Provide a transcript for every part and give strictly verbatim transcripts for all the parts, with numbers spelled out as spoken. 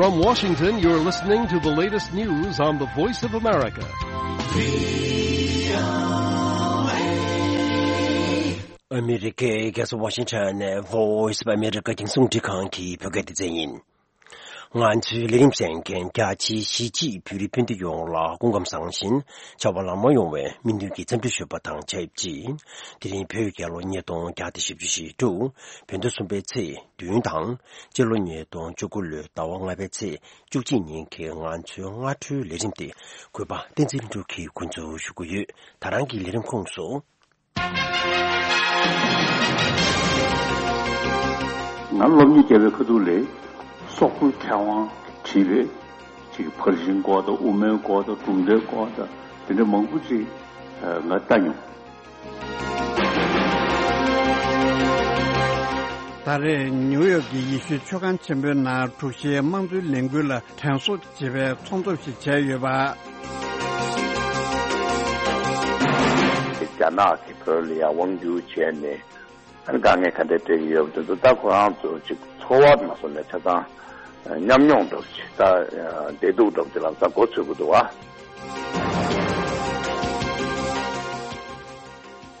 From Washington, you're listening to the latest news on the Voice of America. ཨ་མི་རི་ཀའི་རྒྱལ་ས་ཝ་ཤིང་ཊོན་ནས་Voice of America་རྒྱང་སྲིང་རླུང་འཕྲིན་ཁང་གི་བོད་སྐད་སྡེ་ཚན་ཡིན། ང་ཚོའི་ལས་རིམ་གསན་མཁན་རྒྱ་ཆེའི་གཞིས་བྱེས་བོད་རིགས་སྤུན་ཟླ་ཡོངས་ལ་སྐུ་ཁམས་བཟང་ཞིང་བྱ་བ་ལམ་ལྷོང་ཡོང་བའི་སྨོན་འདུན་གྱི་འཚམས་འདྲི་ཞུས་པ་དང་ཆབས་ཅིག་དེ་རིང་བོད་རྒྱལ་ལོ་ཉིས་སྟོང་བརྒྱ་དང་བཞི་བཅུ་ཞེ་དྲུག་བོད་ཟླ་གསུམ་པའི་ཚེས་བདུན་དང་། སྤྱི་ལོ་ཉིས་སྟོང་བཅུ་དགུ་ལོའི་ཟླ་བ་ལྔ་པའི་ཚེས་བཅུ་གཅིག་ཉིན་གྱི་ང་ཚོའི་སྔ་དྲོའི་ལས་རིམ་དེ་གུས་པ་བསྟན་འཛིན་ལྷུན་གྲུབ་ཀྱིས་འགོ་འཛུགས་ཞུ་གི་ཡོད། ད་རང་གི་ལས་རིམ་ཁོངས་སུ། ང་སློབ་གཉེར་བརྒྱབ་པའི་ཁ་ཐུག་ལས་སོག་པོའི་མཁས་དབང་གིས་བྲིས་པའི་ཅིག་ཕར་ཕྱིན་སྐོར་དང་དབུ་མའི་སྐོར་དང་གྲུབ་མཐའི་སྐོར་དང་དེ་འདྲ་མང་པོ་ཅིག་ང་ལྟ་མྱོང་། ད་རེས་ནིའུ་ཡོག་གི་ཡེ་ཤུའི་ཆོས་ཁང་ཆེན་པོའི་ནང་དྲུག་བཞིའི་དམངས་གཙོའི་ལས་འགུལ་ལ་དྲན་གསོ་བྱེད་པའི་ཚོགས་འདུ་ཞིག་བྱས་ཡོད་པ། རྒྱ་ནག་གིས་བོད་ལ་ཡང་དབང་བསྒྱུར་བྱས་ནས་ཨ་ནི་དཀའ་ངལ་ག་འདྲ་འཕྲད་ཀྱི་ཡོད་པ་དེ་ཚོ་ད་ཁོ་རང་ཚོ་ཅིག་འཚོ་བ་ནང་སོང་ནས་ཆ་ཚང་ཉམས་མྱོང་འདྲ་པོ་ཅིག་ད་བདེ་སྡུག་འདྲ་པོ་ཅིག་ལམ་སང་མགོ་ཚོད་ཀྱི་འདུག་བ།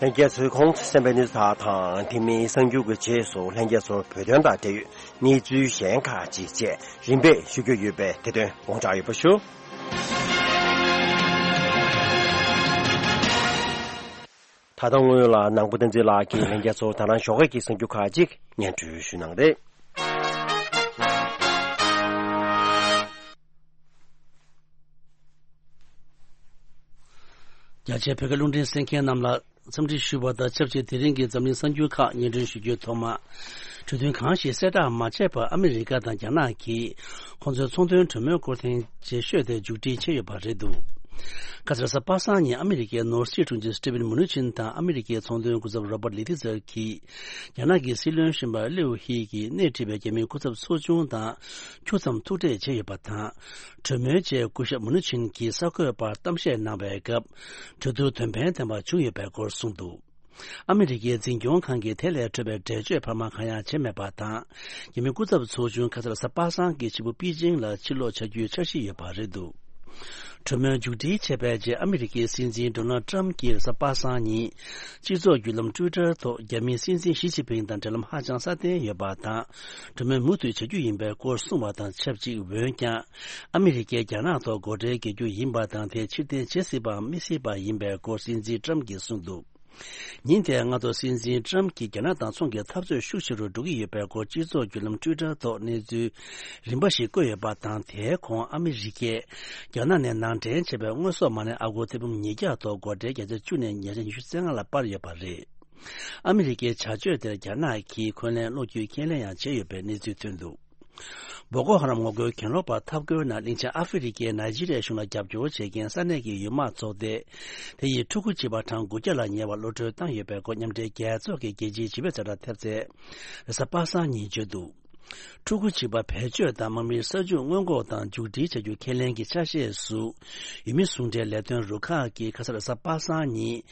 ལྷན་རྒྱས་ཚོས་ཁོང་ཚོས་གསན་པའི་གནས་ཚུལ་དག་དང་དེ་མིན་གསར་འགྱུར་གྱི་རྗེས་སུ་ལྷན་རྒྱས་ཚོར་བོད་དོན་དང་འབྲེལ་ཡོད་གནས་ཚུལ་གཞན་ཁག་ཅིག་བཅས་རིམ་པས་ཞུ་རྒྱུ་ཡོད་པས་དེ་དོན་དགོངས་འཇགས་ཡོད་པ་ཞུ། ད་ལྟ་སྔོན་ལ་ནང་པ་བསྟན་འཛིན་ལགས་ཀྱིས་ལྷན་རྒྱས་ཚོར་ད་རང་ཞོགས་ཀས་ཀྱི་གསར་འགྱུར་ཁག་ཅིག་སྙན་སྒྲོན་ཞུ་གནང་རེད། རྒྱ་ཆེའི་བོད་སྐད་རླུང་འཕྲིན་གསན་མཁན་རྣམས་ལ་འཚམས་འདྲི་ཞུ་བ་དང་ཆབས་ཅིག་དེ་རིང་གི་འཛམ་གླིང་གསར་འགྱུར་ཁག་སྙན་སྒྲོན་ཞུ་རྒྱུའི་ཐོག་མ། གྲོས་མཐུན་གང་ཞིག་གསལ་བསྒྲགས་མ་བྱས་པར་ཨ་མི་རི་ཀ་དང་རྒྱ་ནག་གིས་ཁོང་ཚོའི་ཚོང་དོན་གྲོས་མོལ་སྐོར་ཐེངས་རྗེས་ཤོས་དེ་མཇུག་སྒྲིལ་བྱས་ཡོད་པ་རེད་འདུག་ཁ་སང་རེས་གཟའ་པ་སངས་ཉིན་ཨ་མི་རི་ཀའི་ནོར་སྲིད་དྲུང་ཆེ་སི་ཊི་ཝེན་མུ་ནུ་ཆིན་དང་ཨ་མི་རི་ཀའི་ཚོང་དོན་སྐུ་ཚབ་རོ་པར་ལི་ཏི་ཛར་གྱིས་རྒྱ་ནག་གི་སྲིད་བློན་གཞོན་པ་ལིའུ་ཧི་གིས་སྣེ་ཁྲིད་པའི་རྒྱ་མིའི་སྐུ་ཚབ་ཚོགས་ཆུང་དང་ཁྱུག་ཙམ་ཐུག་འཕྲད་བྱས་ཡོད་པ་དང་། གྲོས་མོལ་རྗེས་སྐུ་ཞབས་མུ་ནུ་ཆིན་གྱིས་གསར་འགོད་པར་གཏམ་བཤད་གནང་བའི་སྐབས་གྲོས་བསྡུར་དོན་ཕན་ལྡན་པ་བྱུང་ཡོད་པའི་སྐོར་གསུངས་འདུག་ཨ་མི་རི་ཀའི་འཛིན་སྐྱོང་ཁང་གིས་དེ་ལས་འཕྲོས་པའི་འགྲེལ་བརྗོད་འཕར་མ་གང་ཡང་བྱས་མེད་པ་དང་། རྒྱ་མིའི་སྐུ་ཚབ་ཚོགས་ཆུང་ཁ་སང་རེས་གཟའ་པ་སངས་ཀྱི་ཕྱི་པོ་པེ་ཅིང་ལ་ཕྱིར་ལོག་བྱ་རྒྱུའི་འཆར་གཞི་ཡོད་པ་རེད་འདུག་གྲོས་མོལ་མཇུག་སྒྲིལ་བྱས་པའི་རྗེས་ཨ་མི་རི་ཀའི་སྲིད་འཛིན་ཌོ་ནལ་ཊམ་གྱིས་རེས་གཟའ་པ་སངས་ཉིན་སྤྱི་ཚོགས་བརྒྱུད་ལམ་ཊུའི་ཊར་ཐོག་རྒྱ་མིའི་སྲིད་འཛིན་ཞི་ཅིན་ཕིང་དང་འབྲེལ་ལམ་ཧ་ཅང་སྲ་བརྟན་ཡོད་པ་དང་། གྲོས་མོལ་མུ་མཐུད་བྱ་རྒྱུ་ཡིན་པའི་སྐོར་གསུངས་པ་དང་ཆབས་ཅིག་འོན་ཀྱང་། ཨ་མི་རི་ཀས་རྒྱ་ནག་ཐོག་སྒོ་ཁྲལ་འགེལ་རྒྱུ་ཡིན་པ་དང་དེ་ཕྱིར་འཐེན་བྱེད་སྲིད་པའམ་མི་སྲིད་པ་ཡིན་པའི་སྐོར་སྲིད་འཛིན་ཊམ་གྱིས་གསུངས་འདུག་ཉིན་དེའི་སྔ་དྲོ་སྲིད་འཛིན་ཊམ་གྱིས་རྒྱ་ནག་དང་ཚོང་གི་འཐབ་རྩོད་ཤུགས་ཆེ་རུ་འགྲོ་གི་ཡོད་པའི་སྐོར་སྤྱི་ཚོགས་བརྒྱུད་ལམ་ཊུའི་ཊར་ཐོག་གནས་ཚུལ་རིམ་པ་ཞིག་བཀོད་ཡོད་པ་དང་། དེའི་གོང་ཨ་མི་རི་ཀས་རྒྱ་ནག་ནས་ནང་འདྲེན་བྱས་པའི་དངོས་ཟོག་མ་ཎི་ཨ་སྒོར་ཐེར་འབུམ་ཉིས་བརྒྱ་ཐོག་སྒོ་ཁྲལ་བརྒྱ་ཆ་བཅུ་ནས་ཉིས་བརྒྱ་ཉི་ཤུ་རྩ་ལྔ་ལ་སྤར་ཡོད་པ་རེད། ཨ་མི་རི་ཀའི་བྱ་སྤྱོད་དེར་རྒྱ་ནག་གིས་འཁོན་ལན་སློག་རྒྱུའི་ཁས་ལེན་ཡང་བྱས་ཡོད་པའི་གནས་ཚུལ་ཐོན་འདུག་བོ་ཀོ་ཧ་རམ་ངོ་རྒོལ་གྱེན་ལོག་པ་འཐབ་རྒོལ་ནང་གླིང་ཆེན་ཨ་ཧྥེ་རི་ཀའི་ནཱི་ཇི་རི་ཡའི་གཞུང་ལ་རྒྱབ་སྐྱོར་བྱེད་མཁན་ས་གནས་ཀྱི་ཡུལ་དམག་ཚོགས་སྡེ་དེ་ཡིས་ཕྲུ་གུ་བྱིས་པ་གྲངས་དགུ་བརྒྱ་ལ་ཉེ་བ་གློད་གྲོལ་བཏང་ཡོད་པའི་སྐོར་མཉམ་འབྲེལ་རྒྱལ་ཚོགས་ཀྱི་རྒྱལ་སྤྱིའི་བྱིས་པའི་ཚེ་དྲག་ཐེབས་རྩས་རེས་གཟའ་པ་སངས་ཉིན་བརྗོད་འདུག་ཕྲུ་གུ་བྱིས་པ་བེད་སྤྱོད་དང་དམག་མིའི་ས་ཆུ་སྔོན་འགོག་དང་མཇུག་སྒྲིལ་བྱ་རྒྱུ་ཁས་ལེན་གྱི་ཆ་ཤས་སུ། ཡུལ་མི་ཟུང་འབྲེལ་ལས་དོན་རུ་ཁག་གིས་ཁ་སང་རེས་གཟའ་པ་སངས་ཉིན།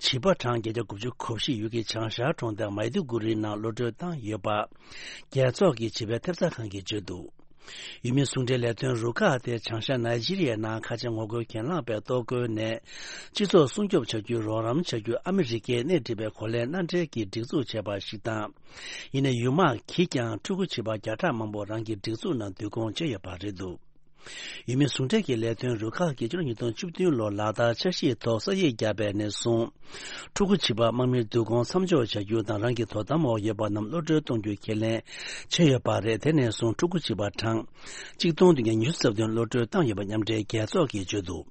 བྱིས་པ་གྲངས་བརྒྱད་བརྒྱ་དགུ་བཅུ་གོ་བཞི་ཡུལ་གྱི་བྱང་ཤར་གྲོང་རྡལ་མའི་དུ་གུ་རིའི་ནང་གློད་གྲོལ་བཏང་ཡོད་པ། རྒྱལ་ཚོགས་ཀྱི་བྱིས་པའི་ཐེབས་རྩ་ཁང་གིས་བརྗོད་འདུག་ཡུལ་མི་ཟུང་འབྲེལ་ལས་དོན་རུ་ཁག་དེ་བྱང་ཤར་ནཱི་ཇི་རི་ཡའི་ནང་ཁ་ཆེ་ངོ་རྒོལ་གྱེན་ལངས་པའི་གཏོར་རྒོལ་ནས་སྤྱི་ཚོགས་སྲུང་སྐྱོབ་བྱ་རྒྱུའི་རོགས་རམ་བྱ་རྒྱུ་ཨ་མི་རི་ཀས་སྣེ་ཁྲིད་པའི་གོ་ལའི་མནའ་འབྲེལ་གྱི་སྒྲིག་འཛུགས་བྱས་པ་ཞིག་དང་། ཡིན་ནའི་ཡུལ་དམག་གིས་ཀྱང་ཕྲུ་གུ་བྱིས་པ་བརྒྱ་ཕྲག་མང་པོ་རང་གི་སྒྲིག་འཛུགས་ནང་བསྡུ་སྐོང་བྱས་ཡོད་པ་རེད་འདུག་ཡུལ་མི་ཟུང་འབྲེལ་གྱི་ལས་དོན་རུ་ཁག་གིས་ཕྱི་ལོ་ཉིས་སྟོང་བཅུ་བདུན་ལོར་ལ་དྭགས་འཆར་གཞིའི་ཐོག་ས་ཡིག་བརྒྱབ་པའི་ནས་བཟུང་། ཕྲུ་གུ་བྱིས་པ་དམག་མིར་བསྡུ་སྐོང་མཚམས་འཇོག་བྱ་རྒྱུ་དང་རང་གི་དོ་དམ་འོག་ཡོད་པ་རྣམས་གློད་གྲོལ་གཏོང་རྒྱུའི་ཁས་ལེན་བྱས་ཡོད་པ་རེད། དེ་ནས་བཟུང་ཕྲུ་གུ་བྱིས་པ་གྲངས་གཅིག་སྟོང་བདུན་བརྒྱ་ཉི་ཤུ་རྩ་བདུན་གློད་གྲོལ་བཏང་ཡོད་པ་མཉམ་འབྲེལ་རྒྱལ་ཚོགས་ཀྱིས་བརྗོད་འདུག་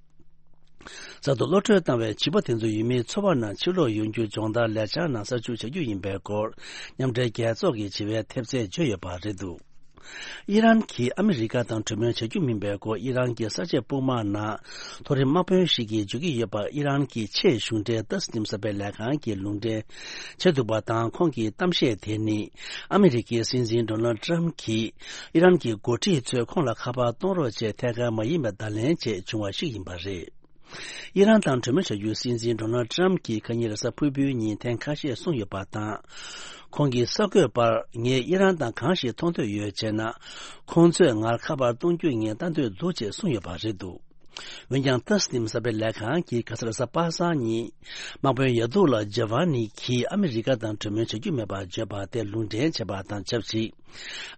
གསར་དུ་གློད་གྲོལ་བཏང་བའི་བྱིས་པ་དེ་ཚོ་ཡུལ་མིའི་འཚོ་བ་ནང་ཕྱིར་ལོག་ཡོང་རྒྱུ་སྦྱོང་བརྡར་ལས་འཆར་ནང་གསར་འཇུག་བྱ་རྒྱུ་ཡིན་པའི་སྐོར་མཉམ་འབྲེལ་རྒྱལ་ཚོགས་ཀྱི་བྱིས་པའི་ཐེབས་རྩས་བརྗོད་ཡོད་པ་རེད་འདུག་ཨི་རན་གྱིས་ཨ་མི་རི་ཀ་དང་གྲོས་མོལ་བྱ་རྒྱུ་མིན་པའི་སྐོར་ཨི་རན་གྱི་གསར་བརྗེ་དཔུང་དམག་ནང་མཐོ་རིམ་དམག་དཔོན་ཞིག་གིས་བརྗོད་ཀྱི་ཡོད་པ། ཨི་རན་གྱི་ཆེས་གཞུང་འབྲེལ་ཏཱ་སི་ནིམ་གསར་སྤེལ་ལས་ཁང་གིས་ལུང་འདྲེན་བྱས་འདུག་པ་དང་། ཁོང་གི་གཏམ་བཤད་དེ་ནི་ཨ་མི་རི་ཀའི་སྲིད་འཛིན་ཌོ་ནལ་ཊམ་གྱིས་ཨི་རན་གྱི་འགོ་ཁྲིད་ཚོས་ཁོང་ལ་ཁ་པར་གཏོང་རོགས་བྱས་ཐད་ཀར་མ་ཡིན་པའི་བརྡ་ལན་བཅས་བྱུང་བ་ཞིག་ཡིན་པ་རེད། ཨི་རན་དང་གྲོས་མོལ་བྱ་རྒྱུའི་སྲིད་འཛིན་ཌོ་ནལ་ཌི་ཊརམ་གྱིས་ཁ་ཉིན་རེས་གཟའ་ཕུར་བུའི་ཉིན་ཐེངས་ཁ་ཤས་གསུངས་ཡོད་པ་དང་། ཁོང་གིས་གསར་འགོད་པར་ངས་ཨི་རན་དང་གང་ཞིག་མཐོང་འདོད་ཡོད་ཅེ་ན། ཁོང་ཚོས་ང་ཁ་པར་གཏོང་རྒྱུ་ངས་ལྟ་འདོད་འདུག་ཅེས་གསུངས་ཡོད་པ་རེད་འདུག་འོན་ཀྱང་ཏཱ་སི་ནིམ་གསར་སྤེལ་ལས་ཁང་གིས་ག་ས་རེས་གཟའ་པ་སངས་ཉིན། དམག་དཔོན་ཡ་དུག་ལ་ཇ་ཝ་ནི་གིས་ཨ་མི་རི་ཀ་དང་གྲོས་མོལ་བྱ་རྒྱུ་མེད་པར་བརྗོད་པ་དེ་ལུང་འདྲེན་བྱས་པ་དང་ཆབས་ཅིག་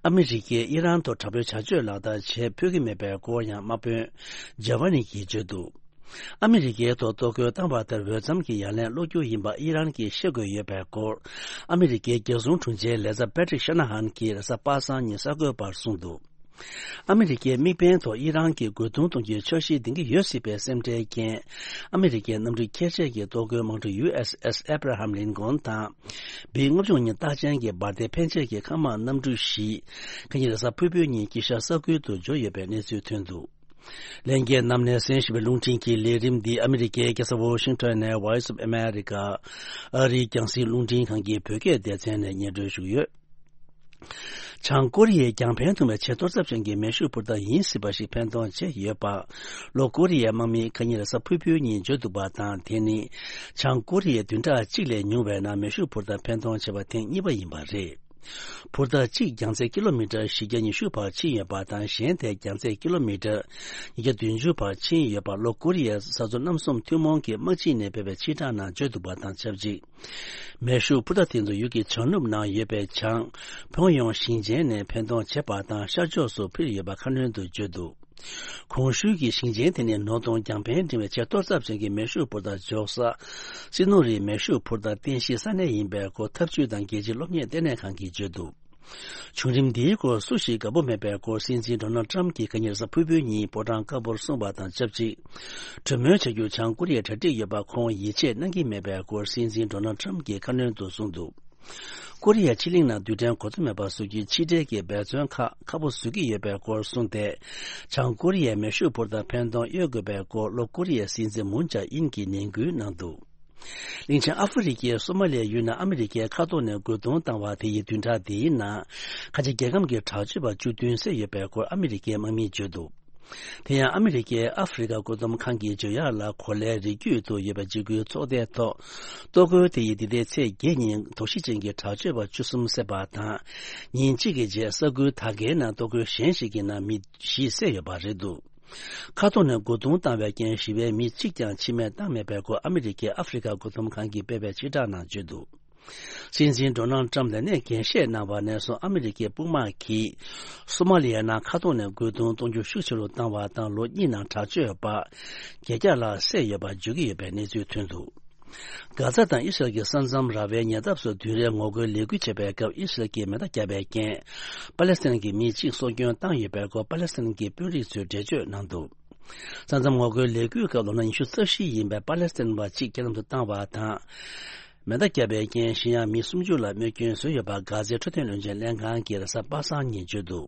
ཨ་མི་རི་ཀས་ཨི་རན་ཐོག་དྲག་པོའི་བྱ་སྤྱོད་ལག་བསྟར་བྱེད་ཕོད་ཀྱི་མེད་པའི་སྐོར་ཡང་དམག་དཔོན་ཇ་ཝ་ནི་གིས་བརྗོད་འདུག་ཨ་མི་རི་ཀའི་ཐོག་གཏོར་རྒོལ་བཏང་བ་དེར་འོས་འཚམ་གྱི་ཡ་ལན་སློག་རྒྱུ་ཡིན་པ་ཨི་རན་གྱིས་ཤེས་དགོས་ཡོད་པའི་སྐོར། ཨ་མི་རི་ཀའི་རྒྱལ་སྲུང་དྲུང་ཆེའི་ལས་ཚབ་པེ་ཏྲིག་ཤ་ན་ཧན་གྱིས་རེས་གཟའ་པ་སངས་ཉིན་གསར་འགོད་པར་གསུངས་འདུག་ཨ་མི་རི་ཀའི་དམིགས་འབེན་ཐོག་ཨི་རན་གྱིས་རྒོལ་རྡུང་གཏོང་རྒྱུའི་འཆར་གཞི་འདིང་གི་ཡོད་སྲིད་པའི་སེམས་ཁྲལ་རྐྱེན། ཨ་མི་རི་ཀའི་གནམ་གྲུ་ཁྱད་ཆོས་ཀྱི་གཏོར་རྒོལ་དམག་གྲུ་ཡུ་ཨེས་ཨེས་ཨེབ་ར་ཧམ་ལིན་ཀོན་དང་། བི་ལྔ་བཅུ་ང་གཉིས་རྟགས་ཅན་གྱི་འབར་མདེལ་འཕེན་ཆས་ཀྱི་མཁའ་དམག་གནམ་གྲུ་བཞི། ཁ་ཉིན་རེས་གཟའ་ཕུར་བུའི་ཉིན་དཀྱིལ་ཤར་ས་ཁུལ་དུ་འབྱོར་ཡོད་པའི་གནས་ཚུལ་ཐོན་འདུག་ལྷན་རྒྱས་རྣམས་ནས་གསན་བཞིན་པའི་རླུང་འཕྲིན་གྱི་ལས་རིམ་འདི་ཨ་མི་རི་ཀའི་རྒྱལ་ས་ཝོ་ཤིང་ཊོན་ནས་Voice of America ཨ་རིའི་རྒྱང་སྲིང་རླུང་འཕྲིན་ཁང་གི་བོད་སྐད་སྡེ་ཚན་ནས་སྙན་སྒྲོན་ཞུ་གི་ཡོད། བྱང་ཀོ་རི་ཡས་རྒྱང་འཕེན་ཐུང་བའི་ཆེས་གཏོར་ཚབས་ཅན་གྱི་མེ་ཤུགས་འཕུར་མདའ་ཡིན་སྲིད་པ་ཞིག་འཕེན་གཏོང་བྱས་ཡོད་པ། ལྷོ་ཀོ་རི་ཡའི་དམག་མིས་ཁ་ཉིན་རེས་གཟའ་ཕུར་བུའི་ཉིན་བརྗོད་འདུག་པ་དང་། དེ་ནི་བྱང་ཀོ་རི་ཡས་བདུན་ཕྲག་གཅིག་ལས་ཉུང་བའི་ནང་མེ་ཤུགས་འཕུར་མདའ་འཕེན་གཏོང་བྱས་པ་ཐེངས་གཉིས་པ་ཡིན་པ་རེད། འཕུར་མདའ་གཅིག་རྒྱང་ཚད་ཀི་ལོ་མི་ཊར་བཞི་བརྒྱ་ཉི་ཤུ་བར་ཕྱིན་ཡོད་པ་དང་། གཞན་དེ་རྒྱང་ཚད་ཀི་ལོ་མི་ཊར་ཉིས་བརྒྱ་བདུན་ཅུ་བར་ཕྱིན་ཡོད་པ་ལྷོ་ཀོ་རི་ཡའི་ས་མཚོ་གནམ་གསུམ་ཐུན་མོང་གི་དམག་སྤྱི་ནས་སྤེལ་བའི་ཕྱིར་བསྒྲགས་ནང་བརྗོད་འདུག་པ་དང་ཆབས་ཅིག་མེ་ཤུགས་འཕུར་མདའ་དེ་ཚོ་ཡུལ་གྱི་བྱང་ནུབ་ནང་ཡོད་པའི་བྱང་ཕོང་ཡོང་ཞིང་ཆེན་ནས་འཕེན་གཏོང་བྱས་པ་དང་། ཤར་ཕྱོགས་སུ་འཕུར་ཡོད་པ་ཁ་སྣོན་དུ་བརྗོད་འདུག་གོང་ཞུས་ཀྱི་ཞིང་ཆེན་དེ་ནི་ནོར་དང་རྒྱང་འཕེན་འབྲིང་བའི་ཆེས་གཏོར་ཚབས་ཅན་གྱི་མེ་ཤུགས་འཕུར་མདའ་འཇོག་ས། སི་ནོ་རིའི་མེ་ཤུགས་འཕུར་མདའ་རྟེན་གཞིའི་ས་གནས་ཡིན་པའི་སྐོར་འཐབ་ཇུས་དང་རྒྱལ་སྤྱིའི་སློབ་གཉེར་ལྟེ་གནས་ཁང་གིས་བརྗོད་འདུག་བྱུང་རིམ་འདིའི་སྐོར་སུ་ཞིག་དགའ་པོ་མེད་པའི་སྐོར། སྲིད་འཛིན་ཌོ་ནལ་ཊམ་གྱིས་ཁ་ཉིན་རེས་གཟའ་ཕུར་བུའི་ཉིན་ཕོ་བྲང་དཀར་པོར་གསུངས་པ་དང་ཆབས་ཅིག་གྲོས་མོལ་བྱ་རྒྱུར་བྱང་ཀོ་རི་ཡས་གྲ་སྒྲིག་ཡོད་པ་ཁོང་ཡིད་ཆེས་གནང་གི་མེད་པའི་སྐོར། སྲིད་འཛིན་ཌོ་ནལ་ཊམ་གྱིས་ཁ་སྣོན་དུ་གསུངས་འདུག་ཀོ་རི་ཡ་ཕྱེད་གླིང་ནང་རྡུལ་ཕྲན་གོ་མཚོན་མེད་པ་བཟོ་རྒྱུའི་ཕྱི་འབྲེལ་གྱི་འབད་བརྩོན་ཁག་ཁག་པོ་བཟོ་གི་ཡོད་པའི་སྐོར་གསུངས་ཏེ། བྱང་ཀོ་རི་ཡས་མེ་ཤུགས་འཕུར་མདའ་འཕེན་གཏོང་གཡོལ་དགོས་པའི་སྐོར་ལྷོ་ཀོ་རི་ཡའི་སྲིད་འཛིན་མུན་ཇཱ་ཨིན་གྱིས་ནན་སྐུལ་གནང་འདུག་གླིང་ཆེན་ཨ་ཧྥེ་རི་ཁའི་སོ་མ་ལི་ཡའི་ཡུལ་ནང་ཨ་མི་རི་ཀས་མཁའ་ཐོག་ནས་རྒོལ་རྡུང་བཏང་བ་དེ་ཡི་བདུན་ཕྲག་འདིའི་ནང་། ཁ་ཆེ་རྒྱལ་ཁམས་ཀྱི་དྲག་སྤྱོད་པ་བཅུ་བདུན་བསད་ཡོད་པའི་སྐོར་ཨ་མི་རི་ཀའི་དམག་མིས་བརྗོད་འདུག་དེ་ཡང་ཨ་མི་རི་ཀས་ཨ་ཧྥེ་རི་ཁ་མགོ་འཛོམས་ཁང་གི་བརྗོད་ཡག་ལ། གོ་ལའི་རི་རྒྱུད་དུ་ཡོད་པའི་འཇིགས་སྐུལ་ཚོགས་སྡེའི་ཐོག་གཏོར་རྒོལ་དེ་ཡིས་འདི་ཟླའི་ཚེས་བརྒྱད་ཉིན་དོགས་གཞི་ཅན་གྱི་དྲག་སྤྱོད་པ་བཅུ་གསུམ་བསད་པ་དང་། ཉིན་གཅིག་གི་རྗེས་ས་ཁུལ་དག་གའི་ནང་གཏོར་རྒོལ་གཞན་ཞིག་གི་ནང་མི་བཞི་བསད་ཡོད་པ་རེད་འདུག་མཁའ་ཐོག་ནས་རྒོལ་རྡུང་བཏང་བའི་རྐྱེན་ཞི་བའི་མི་གཅིག་ཀྱང་འཆི་རྨས་བཏང་མེད་པའི་སྐོར་ཨ་མི་རི་ཀའི་ཨ་ཧྥེ་རི་ཁ་མགོ་འཛོམས་ཁང་གིས་སྤེལ་བའི་ཕྱིར་བསྒྲགས་ནང་བརྗོད་འདུག་སྲིད་འཛིན་ཌོ་ནལ་ཏྲམ་ལས་གནས་འགན་བཞེས་གནང་བ་ནས་བཟུང་ཨ་མི་རི་ཀའི་དཔུང་དམག་གིས་སོ་མ་ལི་ཡའི་ནང་མཁའ་ཐོག་ནས་རྒོལ་རྡུང་གཏོང་རྒྱུ་ཤུགས་ཆེ་རུ་བཏང་བ་དང་། ལོ་གཉིས་ནང་དྲག་སྤྱོད་པ་བརྒྱད་བརྒྱ་ལྷག་བསད་ཡོད་པ་བརྗོད་ཀྱི་ཡོད་པའི་གནས་ཚུལ་ཐོན་འདུག་གྷ་ཛ་དང་ཨི་སི་རལ་གྱི་ས་མཚམས་ར་བའི་ཉེ་འདབས་སུ་བདུན་རེའི་ངོ་རྒོལ་ལས་འགུལ་བྱས་པའི་སྐབས་ཨི་སི་རལ་གྱིས་མེ་མདའ་བརྒྱབ་པའི་རྐྱེན། པ་ལེ་སི་ཐན་གྱི་མི་གཅིག་སྲོག་སྐྱོན་བཏང་ཡོད་པའི་སྐོར་པ་ལེ་སི་ཐན་གྱི་དཔོན་རིགས་ཚོས་འགྲེལ་བརྗོད་གནང་འདུག་ས་མཚམས་ངོ་རྒོལ་ལས་འགུལ་སྐབས་ལོ་ན་ཉི་ཤུ་རྩ་བཞི་ཡིན་པའི་པ་ལེ་སི་ཐན་པ་གཅིག་རྐྱེན་ལམ་དུ་བཏང་བ་དང་། མེ་མདའ་བརྒྱབ་པའི་རྐྱེན་གཞན་ཡང་མི་སུམ་ཅུ་ལ་རྨས་སྐྱོན་བཟོས་ཡོད་པ་གྷ་ཛའི་འཕྲོད་བསྟེན་བློན་ཆེན་ལྷན་ཁང་གིས་རེས་གཟའ་པ་སངས་ཉིན་བརྗོད་འདུག་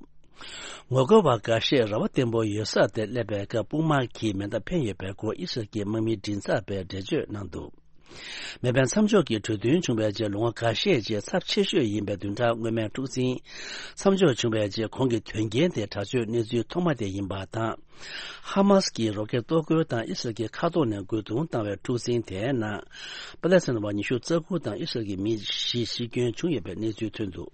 ངོ་རྒོལ་བ་འགའ་ཤས་ར་བ་བརྟན་པོ་ཡོད་ས་དེར་སླེབས་པའི་སྐབས་དཔུང་དམག་གིས་མེ་མདའ་འཕེན་ཡོད་པའི་སྐོར་ཨི་སི་རལ་གྱི་དམག་མི་མགྲིན་ཚབ་པས་འགྲེལ་བརྗོད་གནང་འདུག་མེ་འཕེན་མཚམས་འཇོག་གི་གྲོས་མཐུན་བྱུང་བའི་རྗེས་ལོ་ངོ་འགའ་ཤས་རྗེས་ཚབས་ཆེ་ཤོས་ཡིན་པའི་བདུན་ཕྲག་སྔོན་མའི་འཁྲུག་འཛིང་མཚམས་འཇོག་བྱུང་བའི་རྗེས་གོང་གི་དོན་རྐྱེན་དེ་དྲག་སྤྱོད་གནས་ཚུལ་ཐོག་མ་དེ་ཡིན་པ་དང་། ཧ་མ་སི་ཀྱིས་རོ་ཀེ་གཏོར་རྒོལ་དང་ཨི་སི་རལ་གྱི་མཁའ་ཐོག་ནས་རྒོལ་རྡུང་བཏང་བའི་འཁྲུག་འཛིང་དེའི་ནང་། པ་ལེ་སི་ཐན་པ་ཉི་ཤུ་རྩ་དགུ་དང་ཨི་སི་རལ་གྱི་མི་བཞི་ཤི་སྐྱོན་བྱུང་ཡོད་པའི་གནས་ཚུལ་ཐོན་འདུག་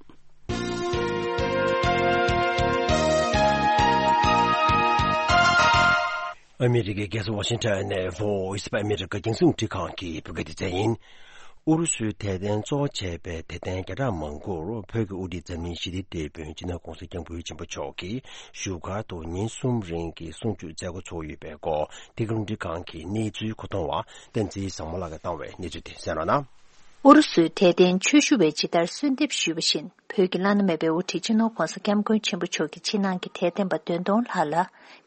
ཨ་མི་རི་ཀའི་རྒྱལ་ས་ཝ་ཤིང་ཊོན་ནས་Voice of America རྒྱང་སྲིང་རླུང་འཕྲིན་ཁང་གི་བོད་སྐད་སྡེ་ཚན་ཡིན། ཨུ་རུ་སུའི་དད་ལྡན་གཙོ་བོ་བྱས་པའི་དད་ལྡན་བརྒྱ་ཕྲག་མང་པོར་བོད་ཀྱི་དབུ་ཁྲིད་འཛམ་གླིང་ཞི་བདེའི་དེད་དཔོན་སྤྱི་ནོར་༧གོང་ས་༧སྐྱབས་མགོན་ཆེན་པོ་མཆོག་གིས་བཞུགས་སྒར་དུ་ཉིན་གསུམ་རིང་གི་གསུང་ཆོས་མཛད་སྒོ་ཚོགས་ཡོད་པའི་སྐོར། འདི་ག་རླུང་འཕྲིན་ཁང་གི་གནས་ཚུལ་མཁོ་གཏོང་བ་བསྟན་འཛིན་བཟང་མོ་ལགས་ཀྱིས་བཏང་བའི་གནས་ཚུལ་དེ་གསན་རོགས་གནང་། ཨུ་རུ་སུའི་དད་ལྡན་ཆོས་ཞུ་བས་ཇི་ལྟར་གསོལ་འདེབས་ཞུས་པ་བཞིན། བོད་ཀྱི་བླ་ན་མེད་པའི་དབུ་ཁྲིད་སྤྱི་ནོར་༧གོང་ས་༧སྐྱབས་མགོན་ཆེན་པོ་མཆོག་གི་ཕྱི་ནང་གི་དད་ལྡན་པ་བདུན་སྟོང་ལྷག་ལ།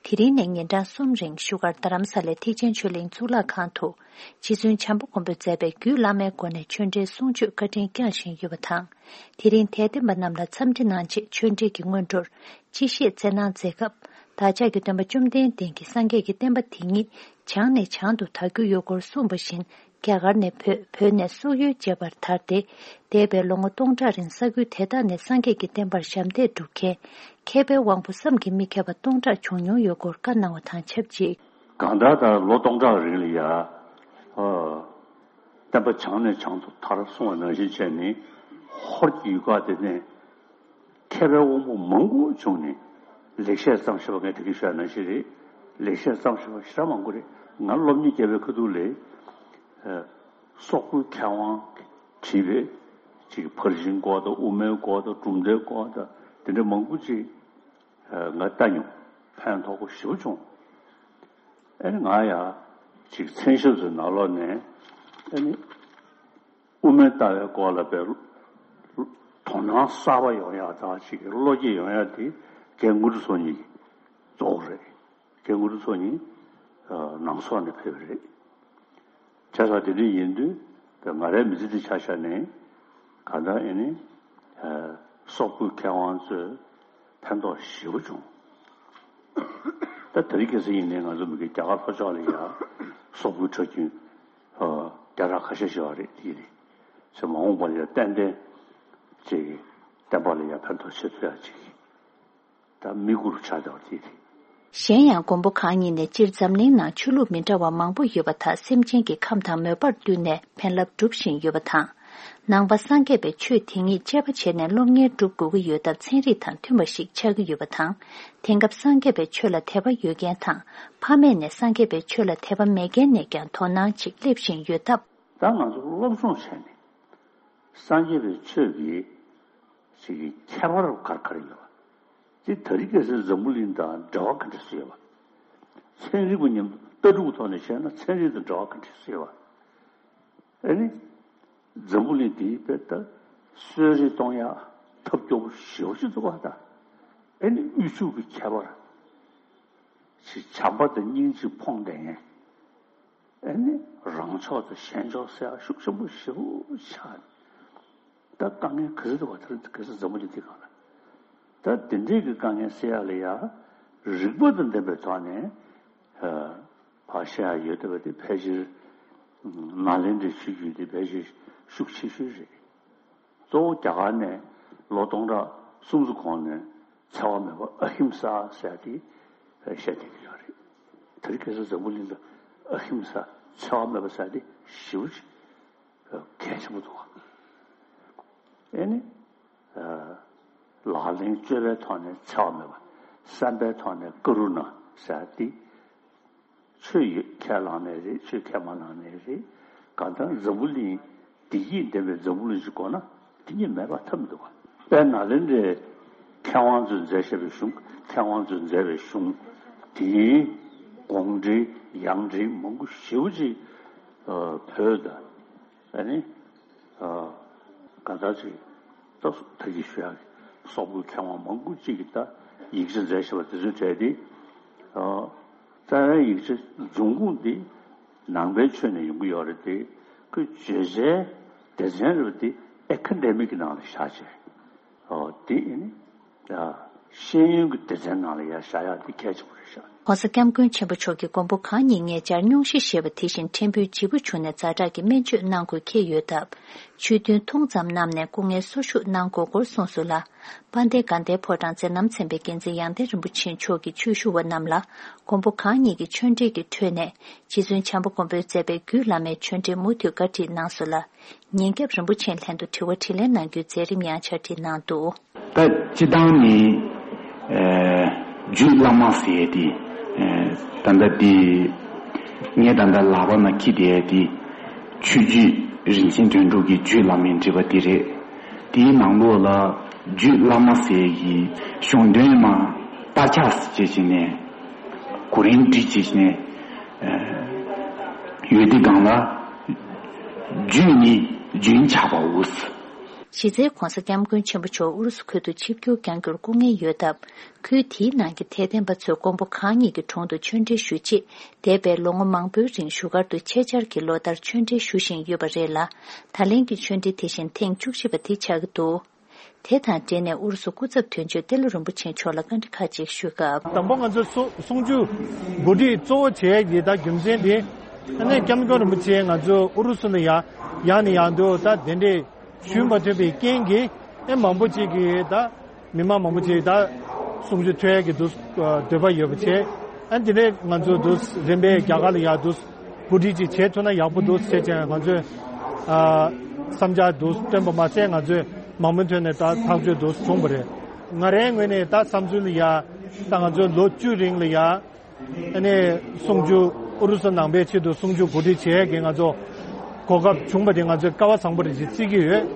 དེ་རིང་ནས་ཉིན་གྲངས་གསུམ་རིང་བཞུགས་སྒར་རྡ་རམ་ས་ལའི་ཐེག་ཆེན་ཆོས་གླིང་གཙུག་ལག་ཁང་དུ། རྗེ་བཙུན་བྱམས་པ་མགོན་པོས་མཛད་པའི་རྒྱུད་བླ་མའི་སྒོ་ནས་ཆོས་འབྲེལ་གསུང་ཆོས་བཀའ་དྲིན་བསྐྱངས་བཞིན་ཡོད་པ་དང་། དེ་རིང་དད་ལྡན་པ་རྣམས་ལ་འཚམས་འདྲི་གནང་ཆེད་ཆོས་འབྲེལ་གྱི་སྔོན་འགྲོར། སྤྱི་བཤད་སྩལ་གནང་མཛད་སྐབས། བདག་ཅག་གི་སྟོན་པ་བཅོམ་ལྡན་འདས་ཀྱིས་སངས་རྒྱས་ཀྱི་བསྟན་པ་དེ་ཉིད་བྱང་ནས་བྱང་དུ་དར་རྒྱུ་ཡོད་སྐོར་གསུངས་པ་བཞིན། རྒྱ་གར་ནས་བོད། བོད་ནས་སོག་ཡུལ་བཅས་པར་དར་ཏེ། འདས་པའི་ལོ་ངོ་སྟོང་ཕྲག་རིང་ས་ཁུལ་དེ་དག་ནས་སངས་རྒྱས་ཀྱི་བསྟན་པར་ཞབས་འདེགས་སྒྲུབ་མཁན། མཁས་པའི་དབང་པོ་བསམ་གྱིས་མི་ཁྱབ་པ་སྟོང་ཕྲག་བྱུང་མྱོང་ཡོད་སྐོར་བཀའ་གནང་བ་དང་ཆབས་ཅིག་གང་ལྟར་ད་ལོ་སྟོང་ཕྲག་རིང་ལ་ཡ། ཨ། བསྟན་པ་བྱང་ནས་བྱང་དུ་དར་གསུངས་པ་ནང་བཞིན་བྱས་ནས། ཧོར་གྱི་ཡུལ་ཁག་དེ་ནས་མཁས་པའི་དབང་པོ་མང་པོ་བྱུང་ནས། ལེགས་བཤད་བརྩམས་བཞག་པ། ངས་ད་གིན་ཞུས་པ་ནང་བཞིན་རེད། ལེགས་བཤད་བརྩམས་བཞག་པ་ཞེ་དྲག་མང་པོ་རེད། ང་སློབ་གཉེར་བརྒྱབ་པའི་ཁ་ཐུག་ལ། ཨ། སོག་པོའི་མཁས་དབང་གིས་བྲིས་པའི་ཅིག་ཕར་ཕྱིན་སྐོར་དང་། དབུ་མའི་སྐོར་དང་། གྲུབ་མཐའི་སྐོར་དང་། དེ་འདྲ་མང་པོ་ཅིག་ཨ། ང་ལྟ་མྱོང་། ཕན་ཐོགས་པོ་ཞེ་པོ་བྱུང་། ཨ་ནི་ང་ཡང་ཅིག་མཚན་ཞབས་སུ་ནང་ལོགས་ནས། ཨ་ནི་དབུ་མའི་ལྟ་བའི་སྐོར་ལ་དཔེ་དོ་སྣང་གསར་པ་ཡོང་ཡག་དང་། ཅིག་བློ་སྐྱེད་ཡོང་ཡག་དེ་རྒན་དངོས་གྲུབ་ཚོགས་གཉིས་ཀྱིས་གཙོ་བོ་རེད། རྒན་དངོས་གྲུབ་ཚོགས་གཉིས། ཨ། ནང་སོག་ནས་ཕེབས་པ་རེད། བྱས་ཙང་དེ་འདྲ་ཡིན་དུས། ང་རའི་མི་ཚེ་འདི་ཆ་བཞག་ནས་གང་ལྟར་ཨེ་ནི། ཨ། སོག་པོའི་མཁས་དབང་ཚོས་ཕན་ཐོགས་ཞེ་པོ་བྱུང་། ད་དེ་རིང་ཁ་སང་ཡིན་ནའི་ང་ཚོ་མི་སྒེར་རྒྱ་གར་ལྷོ་ཕྱོགས་ལ་ཡ་སོག་པོའི་གྲྭ་རྒྱུན། ཨ། བརྒྱ་ཕྲག་ཁ་ཤས་ཤིག་ཡོད་རེད། དེ་རེད། ཚེ་མ་འོངས་པ་ལ་ཡ་ཏན་ཏན་ཅིག་བསྟན་པ་ལ་ཡ་ཕན་ཐོགས་བྱེད་ཐུབ་ཡག་ཅིག་ད་དམིགས་ཡུལ་ཆགས་བསྡད་པ་དེ་རེད། གཞན་ཡང་མགོན་པོ་གང་ཉིད་ནས་སྤྱིར་འཛམ་གླིང་ནང་ཆོས་ལུགས་མི་འདྲ་བ་མང་པོ་ཡོད་པ་དག་སེམས་ཅན་གྱི་ཁམས་དང་མོས་པར་བསྟུན་ནས་ཕན་རླབས་སྒྲུབ་བཞིན་ཡོད་པ་དང་། ནང་པ་སངས་རྒྱས་པའི་ཆོས་དེ་ཉིད་གཅེས་པ་བྱས་ནས་སློབ་གཉེར་སྒྲུབ་དགོས་ཀྱི་ཡོད་སྟབས་ཚན་རིག་དང་མཐུན་པ་ཞིག་ཆགས་ཀྱི་ཡོད་པ་དང་། དེང་སྐབས་སངས་རྒྱས་པའི་ཆོས་ལ་དད་པ་ཡོད་མཁན་དང་། ཕ་མེས་ནས་སངས་རྒྱས་པའི་ཆོས་ལ་དད་པ་མེད་མཁན་ནས་ཀྱང་དོ་སྣང་ཅིག་སླེབས་བཞིན་ཡོད་སྟབས། ད་ང་ཚོ་སློབ་སྦྱོང་བྱས་ནས་སངས་རྒྱས་པའི་ཆོས་ཀྱི་ཅིག་གི་ཁྱད་པར་ག་རེ་ག་རེ་ཡོད་པ། དེ་དེ་རིང་ཁ་སང་འཛམ་བུ་གླིང་དང་འབྲེལ་བ་ག་འདྲ་སེ་ཡོད་པ། ཚན་རིག་པ་མཉམ་དུ་ལྟ་གྲུབ་ཐོག་ནས་བཤད་ན་ཚན་རིག་དང་འབྲེལ་བ་ག་འདྲ་སེ་ཡོད་པ། ཨ་ནི་འཛམ་བུ་གླིང་འདིའི་དཔེ་ལྟ་གསོད་རེས་གཏོང་ཡག་ཐབས་སྐྱོ་པོ་ཞེ་པོ་ཅིག་འདུག་པ། ད་ཨ་ནི་དབུལ་ཕྱུག་གི་ཁྱད་པར། ཅིག་བྱམས་པ་དང་སྙིང་རྗེ་ཕོངས་བསྡད་མཁན། ཨ་ནི་རང་ཕྱོགས་དང་གཞན་ཕྱོགས་ཟེར་ཡག་ཤུགས་ཆེན་པོ་ཞེ་པོ་ཆགས། ད་དཀའ་ངལ་ག་ཚོད་འདུག་པ། དེ་ག་ཚོད་འཛམ་བུ་གླིང་འདི་སྒང་ལ། ད་དེ་འདྲའི་གི་དཀའ་ངལ་སེལ་ཡག་ལ་ཡ་རིག་པ་དང་ལྡན་པའི་ཐོག་ནས། ཨ། ཕར་བཤད་ཡག་ཡོད་བསྡད་པ་དེ་ཕལ་ཆེར་ནཱ་ལེནྡྲའི་ཆོས་བརྒྱུད་དེ་ཕལ་ཆེར་ཤུགས་ཆེ་ཤོས་རེད། གཙོ་བོ་རྒྱ་གར་ནས་ལོ་སྟོང་ཕྲག་སུམ་ཅུ་གོང་ནས་འཚེ་བ་མེད་པ་ཨ་ཧིམ་ས་ཟེར་ཡག་དེ་བཤད་བསྡད་ཀྱི་ཡོད་རེད། དེ་རིང་ཁ་སང་འཛམ་བུ་གླིང་ལ་ཨ་ཧིམ་ས་འཚེ་བ་མེད་པ་ཟེར་ཡག་དེ་ཞེ་པོ་ཅིག་གལ་ཆེན་པོ་འདུག་ག་ཨེ་ནི། ཨ། ལག་ལེན་སྤྱོད་པའི་ཐོག་ནས་འཚེ་བ་མེད་པ། བསམ་པའི་ཐོག་ནས་ཀ་རུ་ཎ་ཟེར་ཡག་དེ། ཆོས་ཡོད་ཁས་བླངས་ནའི་རེད། ཆོས་ཁས་མ་བླངས་ནའི་རེད། གང་ལྟར་འཛམ་བུ་གླིང་བདེ་སྐྱིད་ལྡན་པའི་འཛམ་བུ་གླིང་ཞིག་དགོས་ན་དེ་གཉིས་མེད་པར་ཐབས་མི་འདུག་ག་དཔལ་ནཱ་ལེནྡྲའི་མཁས་དབང་ཚོས་མཛད་བཞག་པའི་གཞུང་། མཁས་དབང་ཚོས་མཛད་པའི་གཞུང་དེའི་དགོངས་འགྲེལ་ཡང་འགྲེལ་མང་པོ་ཞེ་པོ་ཅིག་ཨ། བོད་དང་། ཨ་ནི། ཨ། གང་ལྟར་ཅིག་ད་ད་གིན་ཞུ་ཡག་གི་སོག་པོའི་མཁས་དབང་མང་པོ་ཅིག་གིས་ད་ཡིག་ཆ་མཛད་བཞག་པ་དེ་ཚོའི་གྲས་དེ། ཨ། རྩ་བའི་ཡིག་ཆ་འབྱུང་ཁུངས་དེ་ནང་པའི་ཆོས་ནས་ཡོང་གི་ཡོད་རེད་དེ། ཁོས་བརྗོད་བྱའི་སྡེ་ཚན་རེད་པ་དེ་ཨེ་ཁ་ཌེ་མིག་གི་ནང་ལ་བཞག་བྱས། ཨོ། དེ་ཨེ་ནི། ཨ། ཤེས་ཡོན་གྱི་སྡེ་ཚན་ནང་ལ་ཡར་བཞག་ཡག་དེ་གལ་ཆེན་པོ་རེད་ཤག ༸གོང་ས་༸སྐྱབས་མགོན་ཆེན་པོ་མཆོག་གིས་མགོན་པོ་གང་ཉིད་ཉེ་ཆར་སྙུང་གཞི་ཞེས་པ་དེ་བཞིན་ཕྲན་བུའི་ལྗིད་པོ་བྱུང་ནས་ཛ་དྲག་གི་སྨན་བཅོས་གནང་དགོས་འཁེལ་ཡོད་སྟབས། ཆོས་ཐུན་ཐུང་ཙམ་གནང་ནས་སྐུ་ངལ་གསོ་བཞུགས་གནང་དགོས་སྐོར་གསུངས་སོང་ལ། དཔལ་ལྡན་དགའ་ལྡན་ཕོ་བྲང་མཛད་རྣམ་ཚན་པའི་འགན་འཛིན་ཡང་སྟེང་རིན་པོ་ཆེ་མཆོག་གིས་ཆོས་ཞུ་བ་རྣམས་ལ་མགོན་པོ་གང་ཉིད་ཀྱི་ཆོས་འབྲེལ་གྱི་ཁྲོད་ནས་རྗེ་བཙུན་བྱམས་པ་མགོན་པོས་མཛད་པའི་རྒྱུད་བླ་མའི་ཆོས་འབྲེལ་མུ་མཐུད་བཀའ་ཁྲིད་གནང་སོང་ལ། ཉིན་རྒྱབ་རིན་པོ་ཆེའི་ལྷན་དུ་དྲི་བ་དྲིས་ལན་གནང་རྒྱུའི་མཛད་རིམ་ཡང་ཕྱག་བྲིས་གནང་འདུག་ད་སྤྱིར་བཏང་ནི། ཨ། རྒྱུད་བླ་མ་ཟེར་ཡག་དེ། ཨ། ད་ལྟ་འདི་ངས་ད་ལྟ་ལག་པ་ན་འཁྱེར་བསྡད་ཡག་དེ་ཆོས་རྒྱུད་རིན་ཆེན་དོན་གྲུབ་ཀྱི་རྒྱུད་བླ་མའི་འགྲེལ་པ་དེ་རེད། དེའི་ནང་ལོགས་ལ་རྒྱུད་བླ་མ་ཟེར་ཡག་གི་གཞུང་དོན་མ་དཔེ་ཆ་ཟེར་བྱས་ནས་གོ་རིམ་སྒྲིག་བྱས་ནས། ཨ། ཡོད་དེ་སྒང་ལ། རྒྱུད་ནི་རྒྱུན་ཆགས་པའོ། གཞི་རྩའི་༸གོང་ས་༸སྐྱབས་མགོན་ཆེན་པོ་མཆོག་ཨུ་རུ་སུ་ཁུལ་དུ་ཆིབས་བསྒྱུར་བསྐྱང་རྒྱུར་སྐུ་ངལ་ཡོད་སྟབས། ཁུལ་དེའི་ནང་གི་དད་ལྡན་པ་ཚོས་མགོན་པོ་གང་ཉིད་ཀྱི་དྲུང་དུ་ཆོས་འབྲེལ་ཞུ་ཆེད། འདས་པའི་ལོ་ངོ་མང་པོའི་རིང་བཞུགས་སྒར་དུ་ཆེད་བཅར་གྱིས་ལོ་ལྟར་ཆོས་འབྲེལ་ཞུ་བཞིན་ཡོད་པ་རེད་ལ། ད་ལན་གྱི་ཆོས་འབྲེལ་དེ་བཞིན་ཐེངས་བཅུ་བཞི་པ་དེ་ཆགས་ཀྱི་འདུག་དེ་དང་འབྲེལ་ནས་ཨུ་རུ་སུ་སྐུ་ཚབ་དོན་གཅོད་ཏེ་ལོ་རིན་པོ་ཆེ་མཆོག་ལ་བཀའ་འདྲི་ཁག་ཅིག་ཞུས་སྐབས། དང་པོ་ང་ཚོ་གསུང་ཆོས་གོ་སྒྲིག་གཙོ་བོ་བྱས་ཡག་གི་ད་རྒྱུ་མཚན་དེ། ཨ་ནི་༸སྐྱབས་མགོན་རིན་པོ་ཆེ་ང་ཚོ་ཨུ་རུ་སུ་ནས་ཡར་ཡར་ནས་ཡར་དུ་ད་གདན་འདྲེན་ཞུས་མ་ཐུབ་པའི་རྐྱེན་གྱིས། ཨེ། མང་པོ་ཅིག་གིས་ད་མི་མང་མང་པོ་ཅིག་ད་གསུང་ཆོས་ཐོས་ཡག་གི་འདུག་འདོད་པ་ཡོད་པ་བྱས། ཨ་འདི་ནས་ང་ཚོ་འདུག་རིམ་པས་རྒྱ་གར་ལ་ཡར་འདུག་གོ་སྒྲིག་ཅིག་བྱས་ཐུབ་ན་ཡག་པོ་འདུག་ཟེར་བྱས་ང་ཚོས་ཨ་བསམ་འཆར་འདུག་བཏོན་པ་མ་ཟད། ང་ཚོས་མང་མོས་ཐོག་ནས་ད་ཐག་གཅོད་འདུག་བྱུང་བ་རེད། ང་རའི་ངོས་ནས་ད་བསམ་ཚུལ་ལ་ཡ། ད་ང་ཚོས་ལོ་བཅུ་རིང་ལ་ཡ། ཨ་ནི་གསུང་ཆོས་ཨུ་རུ་སུ་ནང་པའི་ཆེད་དུ་གསུང་ཆོས་གོ་སྒྲིག་བྱེད་ཡས་ཀྱི་ང་ཚོ་གོ་སྐབས་བྱུང་བ་དེ་ང་ཚོས་སྐལ་བ་བཟང་པོ་རེད་ཅེས་བརྩི་གི་ཡོད།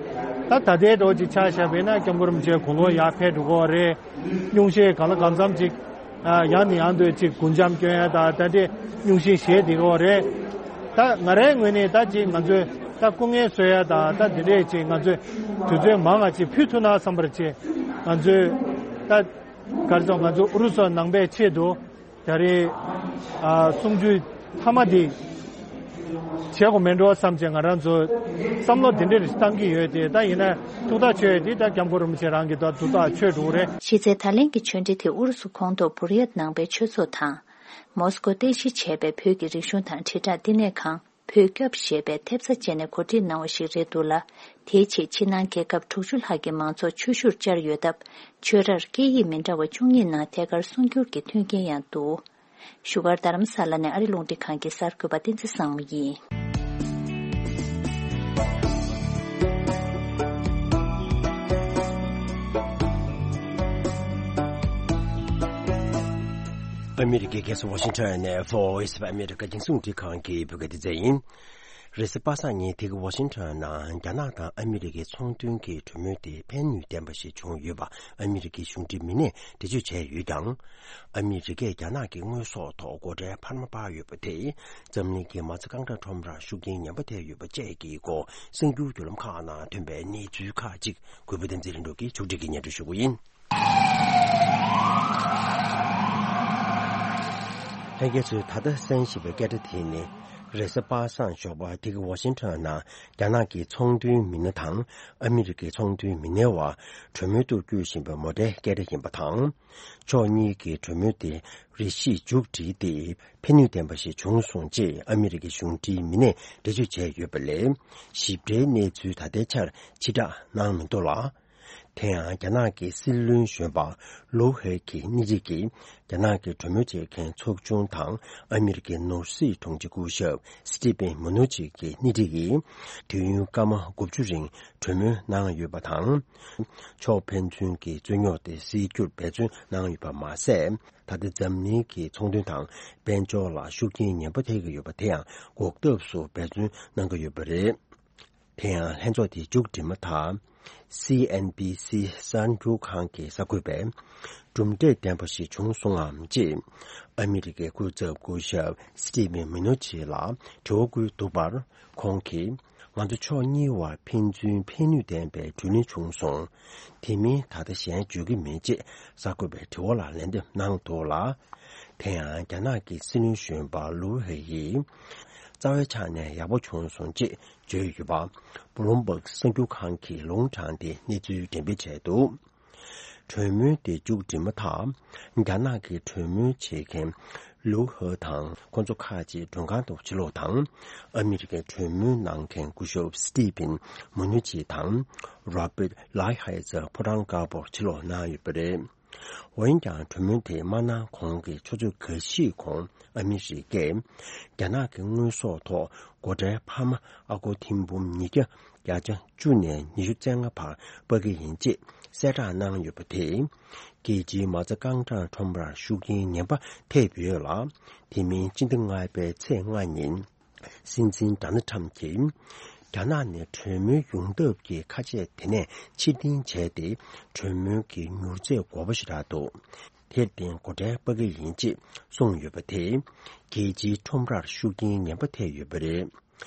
ད་ད་ལྟའི་འགྲོ་ཅིག་ཆ་བཞག་པས་ན་སྐྱབས་མགོན་རིན་པོ་ཆེ་དགུང་ལོ་ཡར་ཕེབས་འགྲོ་གི་རེད། སྙུང་གཞི་གང་ལ་གང་འཚམ་ཅིག་ཨ་ཡང་ནས་ཡང་དུ་ཅིག་སྒོ་འགྱམ་སྐྱོན་ཡ་དང་ད་ལྟའི་སྙུང་གཞི་བཞེས་བསྡད་ཀྱི་ཡོད་རེད། ད་ང་རའི་ངོས་ནས་ད་ཅིག་ང་ཚོས་ད་སྐུ་ངལ་གསོ་ཡ་དང་ད་དེ་འདྲས་ཅིག་ང་ཚོས་དུས་ཚོད་མང་ང་ཅིག་ཕུལ་ཐུབ་ན་བསམ་པར་བྱེད། ང་ཚོས་ད་ག་རེ་ཟེར། ང་ཚོ་ཨུ་རུ་སུ་ནང་པའི་ཆེད་དུ་ད་རེས་ཨ་གསུང་ཆོས་མཐའ་མ་དེ་བྱེད་དགོས་མེད་འགྲོ་བསམ་བྱས་ང་རང་ཚོ་བསམ་བློ་དེ་འདྲ་རེ་བཏང་གི་ཡོད་དེ། ད་ཡིན་ན་ཐུགས་ཐག་ཆོད་དེ་ད་སྐྱབས་མགོན་རིན་པོ་ཆེ་རང་གིས་ད་ཐུགས་ཐག་ཆོད་འགྲོ་གི་རེད། གཞི་རྩའི་ད་ལན་གྱི་ཆོས་འབྲེལ་དེ་ཨུ་རུ་སུ་ཁོངས་གཏོགས་བུར་ཡད་ནང་པའི་ཆོས་ཚོགས་དང་། མོ་སི་ཀོ་རྟེན་གཞི་བྱས་པའི་བོད་ཀྱི་རིག་གཞུང་དང་དྲིལ་བསྒྲགས་བསྟི་གནས་ཁང་། བོད་སྐྱབས་ཞེས་པའི་ཐེབས་རྩ་བཅས་ནས་གོ་སྒྲིག་གནང་བ་ཞིག་རེད་འདུག་ལ། དེའི་ཆེད་ཕྱི་ནང་རྒྱལ་ཁབ་དྲུག་ཅུ་ལྷག་གི་མང་ཚོགས་ཆོས་ཞུར་བཅར་ཡོད་སྟབས། ཆོས་རར་སྐད་ཡིག་མི་འདྲ་བ་བཅུ་གཉིས་ནང་ཐད་ཀར་གསུང་སྒྱུར་གྱི་མཐུན་རྐྱེན་ཡང་འདུག་བཞུགས་སྒར་རྡ་རམ་ས་ལ་ནས་ཨ་རི་རླུང་འཕྲིན་ཁང་གི་གསར་འགོད་པ་བསྟན་འཛིན་བཟང་མོ་ཡིན། ཨ་མི་རི་ཀའི་རྒྱལ་ས་ཝ་ཤིང་ཊོན་ནས་Voice of America་རྒྱང་སྲིང་རླུང་འཕྲིན་ཁང་གི་བོད་སྐད་སྡེ་ཚན་ཡིན། རེས་གཟའ་པ་སངས་ཉིན་འདི་ག་ཝ་ཤིང་ཊོན་ནང་རྒྱ་ནག་དང་ཨ་མི་རི་ཀའི་ཚོང་དོན་གྱི་གྲོས་མོལ་དེ་ཕན་ནུས་ལྡན་པ་ཞིག་བྱུང་ཡོད་པ་ཨ་མི་རི་ཀའི་གཞུང་འབྲེལ་མི་སྣས་འགྲེལ་བརྗོད་བྱས་ཡོད་ཀྱང་། ཨ་མི་རི་ཀས་རྒྱ་ནག་གི་དངོས་ཟོག་ཐོག་སྒོ་ཁྲལ་འཕར་མ་སྤར་ཡོད་པ་དེས་འཛམ་གླིང་གི་མ་རྩ་རྐང་གྲངས་ཁྲོམ་རར་ཤུགས་རྐྱེན་ངན་པ་ཐེབས་ཡོད་པ་བཅས་ཀྱི་སྐོར་གསར་འགྱུར་བརྒྱུད་ལམ་ཁག་ནང་ཐོན་པའི་གནས་ཚུལ་ཁག་ཅིག་གུས་པ་བསྟན་འཛིན་ལྷུན་གྲུབ་ཀྱིས་ཕྱོགས་སྒྲིག་གིས་སྙན་སྒྲོན་ཞུ་གི་ཡིན། ལྷན་རྒྱས་ཚོས་ད་ལྟ་གསན་བཞིན་པའི་སྐད་སྒྲ་དེ་ནི། རེས་གཟའ་པ་སངས་ཞོགས་པ་འདི་ག་ཝ་ཤིང་ཊོན་ནང་རྒྱ་ནག་གི་ཚོང་དོན་མི་སྣ་དང་ཨ་མི་རི་ཀའི་ཚོང་དོན་མི་སྣའི་བར་གྲོས་མོལ་དུ་བསྐྱོད་བཞིན་པའི་མོ་ཊའི་སྐད་སྒྲ་ཡིན་པ་དང་། ཕྱོགས་གཉིས་ཀྱི་གྲོས་མོལ་དེ་རེ་ཞིག་མཇུག་བསྒྲིལ་ཏེ་ཕན་ནུས་ལྡན་པ་ཞིག་བྱུང་སོང་ཅེས་ཨ་མི་རི་ཀའི་གཞུང་འབྲེལ་མི་སྣས་འགྲེལ་བརྗོད་བྱས་ཡོད་པ་ལས། ཞིབ་ཕྲའི་གནས་ཚུལ་ད་ལྟའི་ཆར་ཕྱིར་བསྒྲགས་གནང་མི་འདུག་ལ། དེ་ཡང་རྒྱ་ནག་གི་སྲིད་བློན་གཞོན་པ་ལོའུ་ཧེ་གིས་སྣེ་ཁྲིད་ཀྱིས་རྒྱ་ནག་གི་གྲོས་མོལ་བྱེད་མཁན་ཚོགས་ཆུང་དང་ཨ་མི་རི་ཀའི་ནོར་སྲིད་དྲུང་ཆེ་སྐུ་ཞབས་སི་ཏི་ཕིན་མུ་ནུ་ཆི་གི་སྣེ་ཁྲིད་ཀྱིས་དུས་ཡུན་སྐར་མ་དགུ་བཅུ་རིང་གྲོས་མོལ་གནང་ཡོད་པ་དང་། ཕྱོགས་ཕན་ཚུན་གྱི་རྩོད་རྙོག་དེ་སེལ་རྒྱུར་འབད་བརྩོན་གནང་ཡོད་པ་མ་ཟད། ད་ལྟ་འཛམ་གླིང་གི་ཚོང་དོན་དང་དཔལ་འབྱོར་ལ་ཤུགས་རྐྱེན་ངན་པ་ཐེབས་ཀྱི་ཡོད་པ་དེ་ཡང་འགོག་ཐབས་སུ་འབད་བརྩོན་གནང་གི་ཡོད་པ་རེད། དེ་ཡང་ལྷན་ཚོགས་དེ་མཇུག་སྒྲིལ་མ་ཐག་སི་ཨེན་བྷི་སི་གསར་འགྱུར་ཁང་གི་གསར་འགོད་པས་གྲུབ་འབྲས་ལྡན་པ་ཞིག་བྱུང་སོང་ངམ་ཅེས་ཨ་མི་རི་ཀའི་སྐུ་ཚབ་སྐུ་ཞབས་སི་ཏི་ཕིན་མུ་ནུ་ཆི་ལ་དྲི་བ་བཀོད་འདུག་པར། ཁོང་གིས་ང་ཚོ་ཕྱོགས་གཉིས་བར་ཕན་ཚུན་ཕན་ནུས་ལྡན་པའི་གྲོས་མོལ་བྱུང་སོང་། དེ་མིན་ད་ལྟ་གཞན་བརྗོད་ཀྱི་མེད་ཅེས་གསར་འགོད་པའི་དྲི་བ་ལ་ལན་འདེབས་གནང་འདུག་ལ། དེ་ཡང་རྒྱ་ནག་གི་སྲིད་བློན་གཞོན་པ་ལུའུ་ཧེ་ཡིས་རྩ་བའི་ཆ་ནས་ཡག་པོ་བྱུང་སོང་ཅེས་བརྗོད་ཡོད་པ་བྷུ་ལུམ་བྷག་གསར་འགྱུར་ཁང་གིས་ལུང་དྲངས་ཏེ་གནས་ཚུལ་འགྲེམས་སྤེལ་བྱས་འདུག་གྲོས་མོལ་དེ་མཇུག་སྒྲིལ་མ་ཐག་རྒྱ་ནག་གི་གྲོས་མོལ་བྱེད་མཁན་ལུའུ་ཧེ་དང་ཁོང་ཚོ་ཁག་ཅིག་མགྲོན་ཁང་དུ་ཕྱིར་ལོག་དང་། ཨ་མི་རི་ཀའི་གྲོས་མོལ་གནང་མཁན་སྐུ་ཞབས་སི་ཏི་ཕིན་མུ་ནུ་ཆི་དང་རོ་པེར་ལའི་ཧའེ་ཛར་ཕོ་བྲང་དཀར་པོར་ཕྱིར་ལོག་གནང་ཡོད་པ་རེད། འོན་ཀྱང་གྲོས་མོལ་དེ་མ་གནང་གོང་གི་ཆུ་ཚོད་འགའ་ཤས་གོང་ཨ་མི་རི་ཀས་རྒྱ་ནག་གི་དངོས་ཟོག་ཐོག་སྒོ་ཁྲལ་འཕར་མ་ཨ་སྒོར་ཐེར་འབུམ་ཉིས་བརྒྱ་བརྒྱ་ཆ་བཅུ་ནས་ཉི་ཤུ་རྩ་ལྔ་བར་སྤར་གྱི་ཡིན་ཅེས་གསལ་བསྒྲགས་གནང་ཡོད་པ་དེས། རྒྱལ་སྤྱིའི་མ་རྩ་རྐང་གྲངས་ཁྲོམ་རར་ཤུགས་རྐྱེན་ངན་པ་ཐེབས་ཡོད་ལ། དེ་མིན་སྤྱི་ཟླ་ལྔ་པའི་ཚེས་ལྔ་ཉིན། སྲིད་འཛིན་ཌོ་ནལ་ཁྲམ་གྱིས། རྒྱ་ནག་ནས་གྲོས་མོལ་ཡོང་ཐབས་ཀྱི་ཁ་ཆད་དེ་ནས་ཕྱིར་འཐེན་བྱས་ཏེ། གྲོས་མོལ་གྱི་མྱུར་ཚད་དགོས་པ་ཞེ་དྲག་འདུག་དེར་བརྟེན་སྒོ་ཁྲལ་སྤར་གྱི་ཡིན་ཅེས་གསུངས་ཡོད་པ་དེས། རྒྱལ་སྤྱིའི་ཁྲོམ་རར་ཤུགས་རྐྱེན་ངན་པ་ཐེབས་ཡོད་པ་རེད།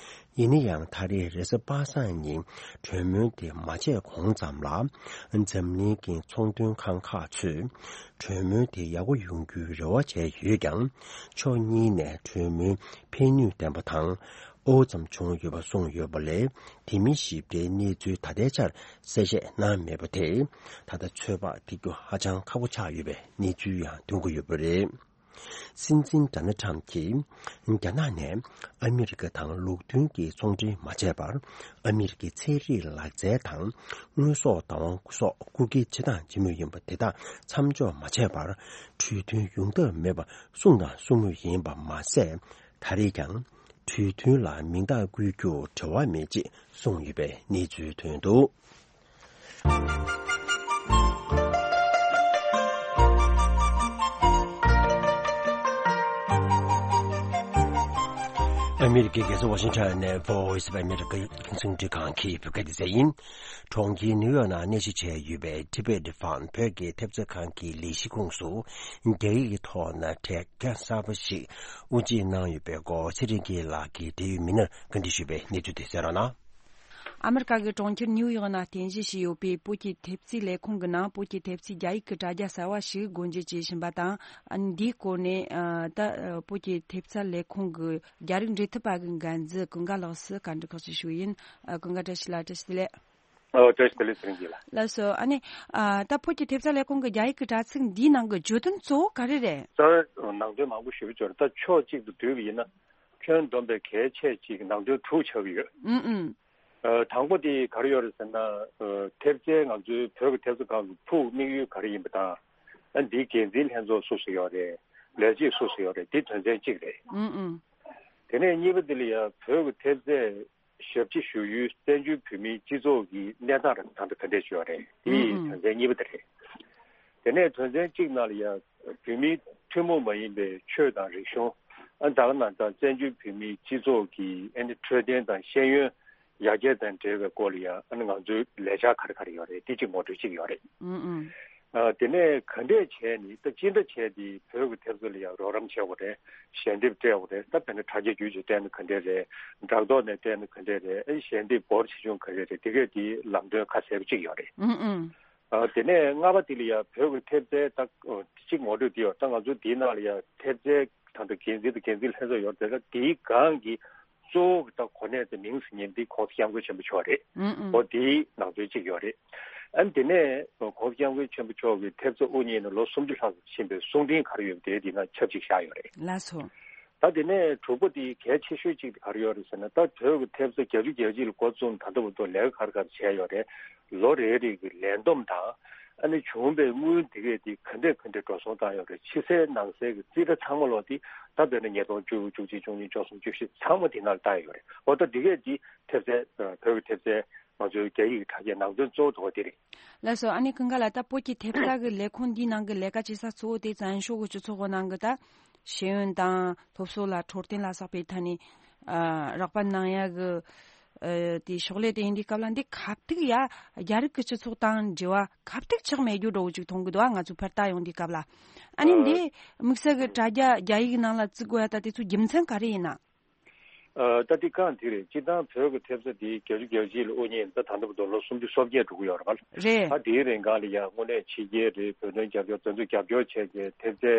ཡིན་ན་ཡང་ད་རེས་རེས་གཟའ་པ་སངས་ཉིན་གྲོས་མོལ་དེ་མ་བྱས་གོང་ཙམ་ལ། འཛམ་གླིང་གི་ཚོང་དོན་ཁང་ཁག་ཚོས་གྲོས་མོལ་དེ་ཡག་པོ་ཡོང་རྒྱུའི་རེ་བ་བྱས་ཡོད་ཀྱང་། ཕྱོགས་གཉིས་ནས་གྲོས་མོལ་ཕན་ནུས་ལྡན་པ་དང་། ཨོ་ཙམ་བྱུང་ཡོད་པ་གསུངས་ཡོད་པ་ལས། དེ་མིན་ཞིབ་ཕྲའི་གནས་ཚུལ་ད་ལྟའི་ཆར་གསལ་བཤད་གནང་མེད་པ་དེས། ད་ལྟ་ཚོད་དཔག་ཐེབས་རྒྱུ་ཧ་ཅང་ཁག་པོ་ཆགས་ཡོད་པའི་གནས་ཚུལ་ཡང་ཐོན་གྱི་ཡོད་པ་རེད། སྲིད་འཛིན་ཌོ་ནལ་ཁྲམ་གྱིས་རྒྱ་ནག་ནས་ཨ་མི་རི་ཀ་དང་ལུགས་མཐུན་གྱི་ཚོང་འབྲེལ་མ་བྱས་པར། ཨ་མི་རི་ཀའི་ཚན་རིག་ལག་རྩལ་དང་དངོས་ཟོག་བདག་དབང་སོགས་རྐུ་འཁྱེར་བྱེད་སྟངས་བྱེད་མུས་ཡིན་པ་དེ་དག་མཚམས་འཇོག་མ་བྱས་པར། གྲོས་མཐུན་ཡོང་ཐབས་མེད་པ་གསུངས་དང་གསུང་མུས་ཡིན་པ་མ་ཟད། ད་རེས་ཀྱང་གྲོས་མཐུན་ལ་མིང་རྟགས་བཀོད་རྒྱུར་འབྲེལ་བ་མེད་ཅེས་གསུངས་ཡོད་པའི་གནས་ཚུལ་ཐོན་འདུག་ཨ་མི་རི་ཀའི་རྒྱལ་ས་ཝ་ཤིང་ཊོན་ནས་Voice of America རྒྱང་སྲིང་འཕྲིན་ཁང་གི་བོད་སྐད་སྡེ་ཚན་ཡིན། གྲོང་ཁྱེར་ནིའུ་ཡོག་ནང་གནས་གཞི་བྱས་ཡོད་པའི་Tibet Fund བོད་ཀྱི་ཐེབས་རྩ་ཁང་གི་ལས་གཞི་ཁོངས་སུ་རྒྱ་ཡིག་གི་ཐོག་ན་དྲ་རྒྱ་གསར་པ་ཞིག་དབུ་འབྱེད་གནང་ཡོད་པའི་སྐོར་ཚེ་རིང་སྐྱིད་ལགས་ཀྱིས་འབྲེལ་ཡོད་མི་སྣར་བཀའ་འདྲི་ཞུས་པའི་གནས་ཚུལ་དེ་གསན་རོགས་གནང་། ཨ་མི་རི་ཀ་གི་གྲོང་ཁྱེར་ནིའུ་ཡོག་ནང་རྟེན་གཞི་བྱས་ཡོད་པའི་བོད་ཀྱི་ཐེབས་རྩའི་ལས་ཁུངས་ཀྱི་ནང་བོད་ཀྱི་ཐེབས་རྩའི་རྒྱ་ཡིག་གི་དྲ་རྒྱ་གསར་བ་ཞིག་སྒོ་འབྱེད་བྱེད་བཞིན་པ་དང་། འདིའི་སྐོར་ནས་ད་བོད་ཀྱི་ཐེབས་རྩ་ལས་ཁུངས་ཀྱི་རྒྱ་རིགས་འབྲེལ་མཐུད་པ་གི་འགན་འཛིན་ཀུན་དགའ་ལགས་སུ་བཀའ་འདྲི་ཁག་ཅིག་ཞུ་ཡིན། ཀུན་དགའ་བཀྲ་ཤིས་ལགས། བཀྲ་ཤིས་བདེ་ལེགས། ཨོ་བཀྲ་ཤིས་བདེ་ལེགས་ཚེ་རིང་སྐྱིད་ལགས། ལགས་སོ། ཨ་ནི་ཨ་ད་བོད་ཀྱི་ཐེབས་རྩ་ལས་ཁུངས་ཀྱི་རྒྱ་ཡིག་གི་དྲ་ཚིགས་འདིའི་ནང་གི་བརྗོད་དོན་གཙོ་བོ་ག་རེ་རེད། ད་ནང་དོན་མང་པོ་ཞུ་གི་ཡོད་རེད། ད་ཕྱོགས་གཅིག་ཏུ་བསྡུས་པ་ཡིན་ན་ཁྱོན་བསྡོམས་པའི་གལ་ཆེ་ཅིག་ནང་དོན་དྲུག་ཆགས་ཀྱི་ཡོད། ཨུམ་ཨུམ། ཨ་དང་པོ་དེ་ག་རེ་ཡོད་རེད་ཟེར་ན། ཨ་ཐེབས་རྩའི་ང་ཚོའི་བོད་ཀྱི་ཐེབས་རྩ་ཁང་གི་ཕུགས་དམིགས་ཡུལ་ག་རེ་ཡིན་པ་དང་། ཨ་འདིའི་འགན་འཛིན་ལྷན་ཚོགས་སུ་སུ་ཡོད་རེད། ལས་བྱེད་སུ་སུ་ཡོད་རེད། འདི་དོན་ཚན་གཅིག་རེད། ཨུམ་ཨུམ། དེ་ནས་གཉིས་པ་དེ་ལ་ཡང་བོད་ཀྱི་ཐེབས་རྩའི་ཞབས་ཕྱི་ཞུ་ཡུལ་བཙན་བྱོལ་བོད་མིའི་སྤྱི་ཚོགས་ཀྱི་གནས་སྟངས་རང་ད་ལྟ་ག་འདྲས་ཡོད་རེད། དེ་ཨུ་ཨུ། དོན་ཚན་གཉིས་པ་དེ་རེད། དེ་ནས་དོན་ཚན་གཅིག་ནང་ལ་ཡང་བོད་མིའི་ཐུན་མོང་མ་ཡིན་པའི་ཆོས་དང་རིག་གཞུང་། ཨ་ད་ག་ནང་ད་བཙན་བྱོལ་བོད་མིའི་སྤྱི་ཚོགས་ཀྱི་ཨ་ནི་འཕྲོད་བསྟེན་དང་ཤེས་ཡོན་ཡར་རྒྱས་དང་འབྲེལ་བའི་སྐོར་ལ་ཡང་ཨ་ནི་ང་ཚོའི་ལས་འཆར་ག་རེ་ག་རེ་ཡོད་རེད། དེ་གཅིག་ངོ་སྤྲོད་གཅིག་ཡོད་རེད། ཨུ་ཨུ། ཨ་དེ་ནས་ག་འདྲས་བྱས་ནས་ད་ཅི་འདྲ་བྱས་ཏེ་བོད་ཀྱི་ཐེབས་རྩ་ལ་ཡང་རོགས་རམ་བྱེད་དགོས་རེད། ཞལ་འདེབས་སྤྲད་དགོས་རེད། ད་དཔེར་ན་དྲ་རྒྱ་བརྒྱུད་ཅིག་སྤྲད་ན་ག་འདྲས་རེད། སྦྲག་ཐོག་ནས་སྤྲད་ན་ག་འདྲས་རེད། ཨེ་ཞལ་འདེབས་སྒོར་ཆེ་ཆུང་ག་རེ་རེད། དེ་གས་དེ་ལམ་སྟོན་ཁ་གསལ་པོ་གཅིག་ཡོད་རེད། ཨུ་ཨུ། ཨ་དེ་ནས་ལྔ་པ་དེ་ལ་ཡང་བོད་ཀྱི་ཐེབས་རྩའི་ད་གཅིག་ངོ་སྤྲོད་དེ་ཡོད། ད་ང་ཚོ་དེའི་ནང་ལ་ཡང་ཐེབས་རྩའི་ད་ལྟ་འགན་འཛིན་དང་འགན་འཛིན་ལྷན་ཚོགས་ཡོད་རེད། ད་དེའི་སྒང་གི་གཙོ་བོ་གི་ད་གོ་གནས་དེ་མིང་ཟེར་མཁན་འདི་༸གོང་ས་༸སྐྱབས་མགོན་ཆེན་པོ་མཆོག་རེད། ཨུ་ཨུ། འོ་དེའི་ནང་དོན་གཅིག་ཡོད་རེད། ཨ་ནི་དེ་ནས་༸གོང་ས་༸སྐྱབས་མགོན་ཆེན་པོ་མཆོག་གི་ཐེབས་རྩ་དབུ་བརྙེས་ནས་ལོ་སུམ་ཅུ་ལྷག་ཙམ་ཕྱིན་པའི་གསུང་འཕྲིན་ག་རེ་ཡོད་པ་དེའི་དེ་ནང་ཆབས་ཅིག་བཞག་ཡོད་རེད། ལགས་སོ། ད་དེ་ནས་དྲུག་པ་དེ་གལ་ཆེ་ཤོས་གཅིག་དེ་ག་རེ་ཡོད་རེད་ཟེར་ན། ད་བོད་ཀྱི་ཐེབས་རྩ་བརྒྱད་ཅུ་གྱ་གཅིག་ལ་འགོ་བཙུགས་ནས་ད་ལྟ་བར་དུ་ལས་ཀ་ག་རེ་ག་རེ་བྱས་ཡོད་རེད། ལོ་རེ་རེ་གི་ལས་བསྡོམས་དང་། ཨ་ནི་བྱུང་བའི་དངུལ་འདི་གས་དེ་ག་འདྲས་ག་འདྲས་འགྲོ་སོང་བཏང་ཡོད་རེད། ཕྱི་གསལ་ནང་གསལ་གྱི་རྩིས་ཁྲ་ཚང་མ་ལོ་དེ་ད་དཔེར་ན་ཉིས་སྟོང་བཅུ་དགུ་བཅུ་གཅིག་བཅུ་གཉིས་བཅུ་གསུམ་བཅུ་བཞི་ཚང་མ་དེ་ནང་ལ་བཏང་ཡོད་རེད། འོ་ད་འདི་གས་དེ་ཐེབས་རྩའི་བོད་ཀྱི་ཐེབས་རྩའི་ང་ཚོའི་རྒྱ་ཡིག་གི་དྲ་རྒྱའི་ནང་དོན་གཙོ་བོ་དེ་རེད། ལགས་སོ། ཨ་ནི་ཀུན་དགའ་ལགས། ད་བོད་ཀྱི་ཐེབས་རྩ་གི་ལས་ཁུངས་འདིའི་ནང་གི་ལས་ཀ་བྱེད་ས་གཙོ་བོ་དེ་བཙན་བྱོལ་གྱི་སྤྱི་ཚོགས་ཀྱི་ནང་གི་ད་ཤེས་ཡོན་དང་སློབ་གསོ་ལ་འཕྲོད་བསྟེན་ལ་སོགས་པའི་ཐད་ནས་ཨ་རོགས་པ་གནང་ཡ་གི་ཨ་དེ་ཕྱག་ལས་དེ་ཡིན་དུས་སྐབས་ལ། འདི་གབ་ཐིག་ཡ་རྒྱ་རིགས་ཀྱི་སྤྱི་ཚོགས་དང་འབྲེལ་བ་གབ་ཐིག་ཆགས་མེད་རྒྱུ་འདྲ་བོ་ཅིག་མཐོང་གི་འདུག་ཨ་ང་ཚོ་ཕར་ལྟ་ཡོང་དུས་སྐབས་ལ། ཨ་ནི་ཨ་འདི་དམིགས་བསལ་གྱི་དྲ་རྒྱ་རྒྱ་ཡིག་ནང་ལ་བཙུགས་དགོས་ཡ་ད་དེ་ཚོ་རྒྱུ་མཚན་ག་རེ་ཡིན་ན། ཨ་ད་དེ་གང་དེ་རེད། སྤྱིར་བཏང་བོད་ཀྱི་ཐེབས་རྩ་དེ་བརྒྱད་ཅུ་གྱ་གཅིག་ལ་དབུ་བརྙེས་ད་ད་ལྟ་བར་དུ་ལོ་སུམ་ཅུ་སོ་བརྒྱད་འགྲོ་གི་ཡོད་རེད་པ། རེད། ད་དེའི་རིང་གང་ལ་ཡང་དངོས་གནས་ཕྱི་རྒྱལ་རེད། བོད་དོན་རྒྱབ་སྐྱོར་དེ་ཚོ་རྒྱབ་སྐྱོར་བྱས་ཏེ་ཐེབས་རྩའི་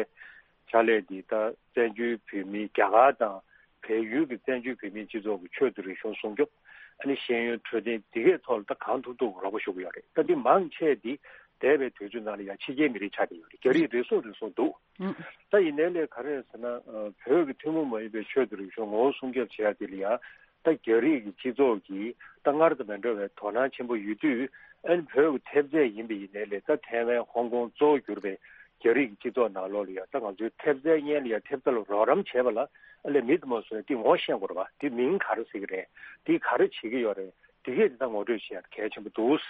ཕྱག་ལས་དེ་ད་བཙན་བྱོལ་བོད་མིའི་རྒྱ་གར་དང་བལ་ཡུལ་གྱི་བཙན་བྱོལ་བོད་མིའི་སྤྱི་ཚོགས་ཀྱི་ཆོས་དང་རིག་གཞུང་སྲུང་སྐྱོབ། ཨ་ནི་ཤེས་ཡོན་འཕྲོད་བསྟེན་དེ་གའི་ཐོག་ལ་ད་གང་ཐུབ་ཐུབ་རོགས་པ་ཞུ་གི་ཡོད་རེད། ད་འདི་མང་ཆེ་དེ་འདས་པའི་དུས་ཚོད་ནང་ལ་ཡང་ཕྱི་རྒྱལ་མི་རིགས་ཆགས་བསྡད་ཡོད་རེད། རྒྱ་རིགས་རེ་ཟུང་རེ་ཟུང་འདུག་ཨུ། ད་ཡིན་ནའི་ལས་ག་རེ་ཟེར་ན། ཨ་བོད་ཀྱི་ཐུན་མོང་མ་ཡིན་པའི་ཆོས་དང་རིག་གཞུང་ངོ་བོ་སྲུང་སྐྱོབ་བྱེད་ཡ་དེ་ལ་ཡང་ད་རྒྱ་རིགས་ཀྱི་སྤྱི་ཚོགས་ཀྱིས་ད་སྔར་དང་མི་འདྲ་བའི་དོ་སྣང་ཆེན་པོ་ཡོད་དུས། ཨ་ནི་བོད་ཀྱི་ཐེབས་རྩ་ཡིན་པ་ཡིན་ནའི་ལས་ད་ཐའེ་ཝན་ཧོང་ཀོང་གཙོ་བོ་གྱུར་པའི་རྒྱ་རིགས་ཀྱི་སྤྱི་ཚོགས་ནང་ལོགས་ལ་ཡང་ད་ང་ཚོའི་ཐེབས་རྩའི་སྔོན་ལ་ཡང་ཐེབས་རྩ་ལ་རོགས་རམ་བྱེད་པ་ལ་ཨ་ལས་མི་དེ་མ་སོང་ན་དེ་ངོ་ཤེས་དགོས་རེད་པ། དེ་མིང་ག་རེ་ཟེར་གྱི་རེད། དེ་ག་རེ་བྱེད་ཀྱི་ཡོད་རེད། དེ་གས་དེ་ད་ངོ་སྤྲོད་བྱེད་ཡ་གལ་ཆེན་པོ་འདུག་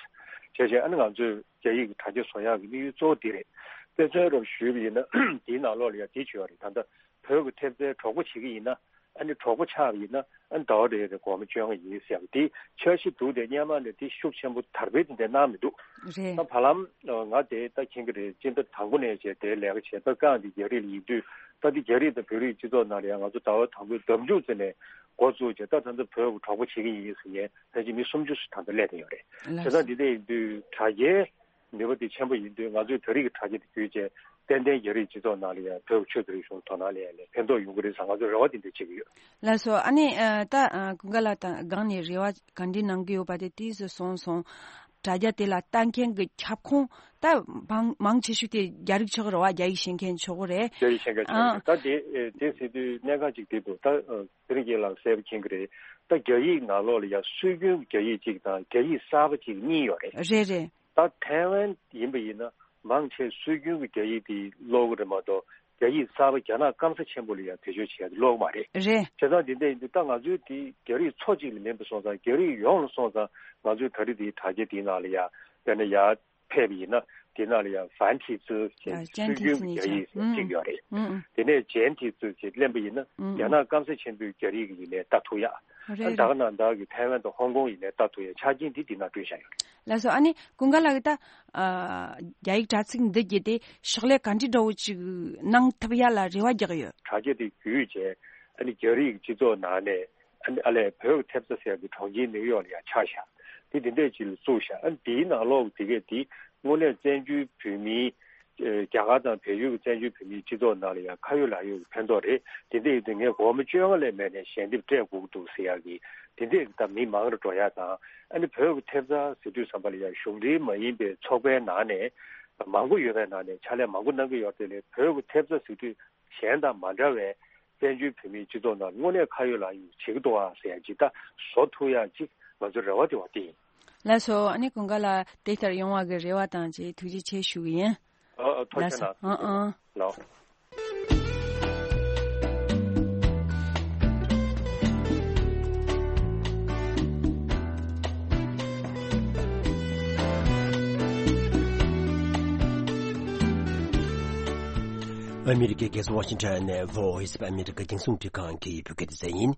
བྱས་བྱས་ཨ་ནི་ང་ཚོས་རྒྱ་ཡིག་གི་དྲ་རྒྱ་བཟོ་ཡག་གི་དམིགས་ཡུལ་གཙོ་བོ་འདི་རེད། དཔེ་མཚོན་རབ་ཞུས་པ་ཡིན་ན་དེའི་ནང་ལོགས་ལ་ཡང་དེ་བྱས་པ་རེད། ད་ལྟ་བོད་ཀྱི་ཐེབས་རྩའི་གྲོགས་པོ་བྱེད་ཀྱི་ཡིན་ན། ཨ་ནི་གྲོགས་པོ་ཆགས་པ་ཡིན་ན་ཨ་ནི་ཟླ་བ་རེ་རེ་སྒོར་མོ་བཅོ་ལྔ་ཡིན་ཟེར་ཡག་དེ་འཆར་གཞི་འདུག་དེ་སྔོན་མ་ནས་དེ་ཤུགས་ཆེན་པོ་དར་སྤེལ་དེ་འདྲ་གནང་མི་འདུག་རེད། ད་བར་ལམ་ང་དེ་ད་མཁྱེན་གྱི་རེད། སྤྱི་ཟླ་དང་པོ་ནས་བྱས་དེ་ལས་ཀ་བྱས། ད་རྐང་དེ་རྒྱ་རིགས་ལ་ཡིན་དུས་ད་དེ་རྒྱ་རིགས་དང་བོད་རིགས་སྤྱི་ཚོགས་ནང་ལ་ཡང་ང་ཚོ་ཟླ་བ་དང་པོའི་ཟླ་མཇུག་ཙམ་ནས་འགོ་བཙུགས་བྱས། ད་ད་ལྟ་བོད་ཀྱི་གྲོགས་པོ་བྱེད་ཀྱི་ཡིན་ཟེར་མཁན་ཕལ་ཆེར་མི་སུམ་ཅུ་ཙམ་ད་ལྟ་སླེབས་བསྡད་ཡོད་རེད། ལགས་བྱས་ཙང་སོ། འདི་འདྲ་ཡིན་དུས་དྲ་རྒྱའི་ནུས་པ་དེ་ཆེན་པོ་ཡིན་དུས། ང་ཚོས་བོད་རིགས་ཀྱི་དྲ་རྒྱ་དེ་བརྒྱུད་བྱས་ཏན་ཏན་རྒྱ་རིགས་སྤྱི་ཚོགས་ནང་ལ་ཡང་བོད་ཀྱི་ཆོས་དང་རིག་གཞུང་དོ་སྣང་སླེབས་ཡ་ལ་ཕན་ཐོགས་ཡོང་གི་རེད་བསམ་ང་ཚོས་རེ་བ་དེ་འདྲ་བྱེད་ཀྱི་ཡོད། ལགས་སོ། ཨ་ནི་ཨ་ད་ཨ་ཀུན་དགའ་ལགས་དང་སྒང་ནས་རེ་བ་ག་འདྲ་གནང་གི་ཡོད་པ་དེ་ཏོག་ཙམ་གསུངས་སོང་། དྲ་རྒྱ་དེ་ལ་ལྟ་མཁན་གྱི་ཁྱབ་ཁོངས་ད་མང་མང་ཆེ་ཤོས་དེ་རྒྱ་རིགས་ཆགས་རེད་བ། རྒྱ་ཡིག་ཤེས་མཁན་ཆགས་རེད། རྒྱ་ཡིག་ཤེས་མཁན་ཆགས་ཨ་རེད། ད་དེ་དེ་ཟེར་དུས་གནད་འགག་ཅིག་དེ་འདུག་ད་ཚེ་རིང་རྒྱལ་ལགས་གསལ་པོ་མཁྱེན་གྱི་རེད། ད་རྒྱ་ཡིག་ནང་ལོགས་ལ་ཡང་སྲོལ་རྒྱུན་རྒྱ་ཡིག་ཅིག་དང་རྒྱ་ཡིག་གསར་པ་ཅིག་གཉིས་ཡོད་རེད། རེད་རེད། ད་ཐའེ་ཝན་ཡིན་པ་ཡིན་ན་མང་ཆེ་སྲོལ་རྒྱུན་གྱི་རྒྱ་ཡིག་དེ་ཀློག་གི་རེད་མ་གཏོགས། རྒྱ་ཡིག་གསར་པ་རྒྱ་ནག་སྐམ་ས་ཆེན་པོ་ལ་ཡང་བེད་སྤྱོད་བྱེད་ཡ་དེ་ཀློག་གི་མ་རེད། རེད། བྱས་ཙང་དེ་འདྲ་ཡིན་དུས་ད་ང་ཚོའི་དེ་རྒྱ་རིགས་ཚོ་གཅིག་ལ་མིན་པ་སོང་ཙང་། རྒྱ་རིགས་ཡོངས་ལ་སོང་ཙང་ང་ཚོའི་ད་རེས་དེའི་དྲ་རྒྱ་དེའི་ནང་ལ་ཡ་དཔེར་ན་ཡར་ཕེབས་པ་ཡིན་ན། དེ་ནང་ལ་ཡང་ཧྥན་ཐི་ཙི་ཞེས་ཨ་སྲོལ་རྒྱུན་གྱི་རྒྱ་ཡིག་ཅན་ཐི་ཙི་གཉིས་ཆགས། གཅིག་ཡོད་རེད། ཨུ་ཨུ། དེ་ནས་ཇན་ཐི་ཙི་ཞེས་གླེན་པ་ཡིན་ན། ཨུ་ཨུ། རྒྱ་ནག་སྐམ་ས་ཆེན་པོའི་རྒྱ་རིགས་ཀྱི་ཡིན་ནའི་ལྟ་ཐུབ་ཡ། རེད། ཨ་ད་ག་ནང་བདག་གི་ཐའེ་ཝན་དང་ཧོང་ཀོང་ཡིན་ནའི་ལྟ་ཐུབ་ཡ་ཆ་རྐྱེན་འདི་འདི་ན་སྤྲོད་བཞག་ཡོད་རེད། ལགས་སོ། ཨ་ནི་ཀུན་དགའ་ལགས་ཀྱིས་ད་ཨ་རྒྱ་ཡིག་དྲ་ཚིགས་འདི་བརྒྱུད་དེ་ཕྱག་ལས་ག་འདྲ་འདྲ་བོ་ཅིག་གནང་ཐུབ་ཡ་ལ་རེ་བ་རྒྱག་གི་ཡོད། དྲ་རྒྱ་དེ་བརྒྱུད་བྱས་ཨ་ནི་རྒྱ་རིགས་སྤྱི་ཚོགས་ནང་ནས། ཨ་ནི་ཨ་ལས་བོད་ཀྱི་ཐེབས་རྩ་ཟེར་ཡག་གི་གྲོང་ཁྱེར་ནིའུ་ཡོག་ལ་ཡང་ཆགས་ཤག་དེ་དེ་འདྲས་ཅིག་ལ་བཙུགས་ཤག་ཨ་ནི་དེའི་ནང་ལོགས་དེ་གས་དེ་དངོས་གནས་བཙན་བྱོལ་བོད་མིའི། ཨེ་རྒྱ་གར་དང་བལ་ཡུལ་གྱི་བཙན་བྱོལ་བོད་མིའི་སྤྱི་ཚོགས་ནང་ལ་ཡང་ཁ་ཡོད་ལག་ཡོད་ཀྱི་ཕན་ཐོགས་རེད། དེ་འདྲས་ཡིན་དུས་ངས་སྒོར་མོ་བཅོ་ལྔ་ལས་མེད་ནས་ཞལ་འདེབས་སྤྲད་དགོས་ཀྱི་འདུག་ཟེར་ཡག་གི་དེ་འདྲས་ཀྱི་ད་མི་མང་རུ་འགྲོ་ཡག་དང་། ཨ་ནི་བོད་ཀྱི་ཐེབས་རྩ་ཟེར་དུས་ཙམ་པ་ལ་ཡང་གཞུང་འབྲེལ་མ་ཡིན་པའི་ཚོགས་པའི་ནང་ནས་མང་པོ་ཡོད་པའི་ནང་ནས་ཕྱག་ལས་མང་པོ་གནང་གི་ཡོད་དེ་ལས་བོད་ཀྱི་ཐེབས་རྩ་ཟེར་དུས། གཞན་དང་མ་འདྲ་བའི་བཙན་བྱོལ་བོད་མིའི་སྤྱི་ཚོགས་ནང་དངོས་གནས་ཁ་ཡོད་ལག་ཡོད་བྱེད་ཀྱི་འདུག་ཨ་ཟེར་ཡ་ཅིག་ད་བཟོ་ཐུབ་ཡ་ཅིག་ང་ཚོའི་རེ་བ་དེ་བ་དེ་ཡིན། ལགས་སོ། ཨ་ནི་ཀུན་དགའ་ལགས་དེ་ལྟར་ཡོང་བ་གི་རེ་བ་དང་བཅས་ཐུགས་རྗེ་ཆེ་ཞུ་གི་ཡིན། ཨ་ཨ་ཐུགས་རྗེ་ཆེ་གནང་། ལགས་སོ། ཨ་ཨ། ལགས། ཨ་མི་རི་ཀའི་རྒྱལ་ས་ཝ་ཤིང་ཊོན་ནས་Voice of America རྒྱང་སྲིང་རླུང་འཕྲིན་ཁང་གི་བོད་སྐད་སྡེ་ཚན་ཡིན།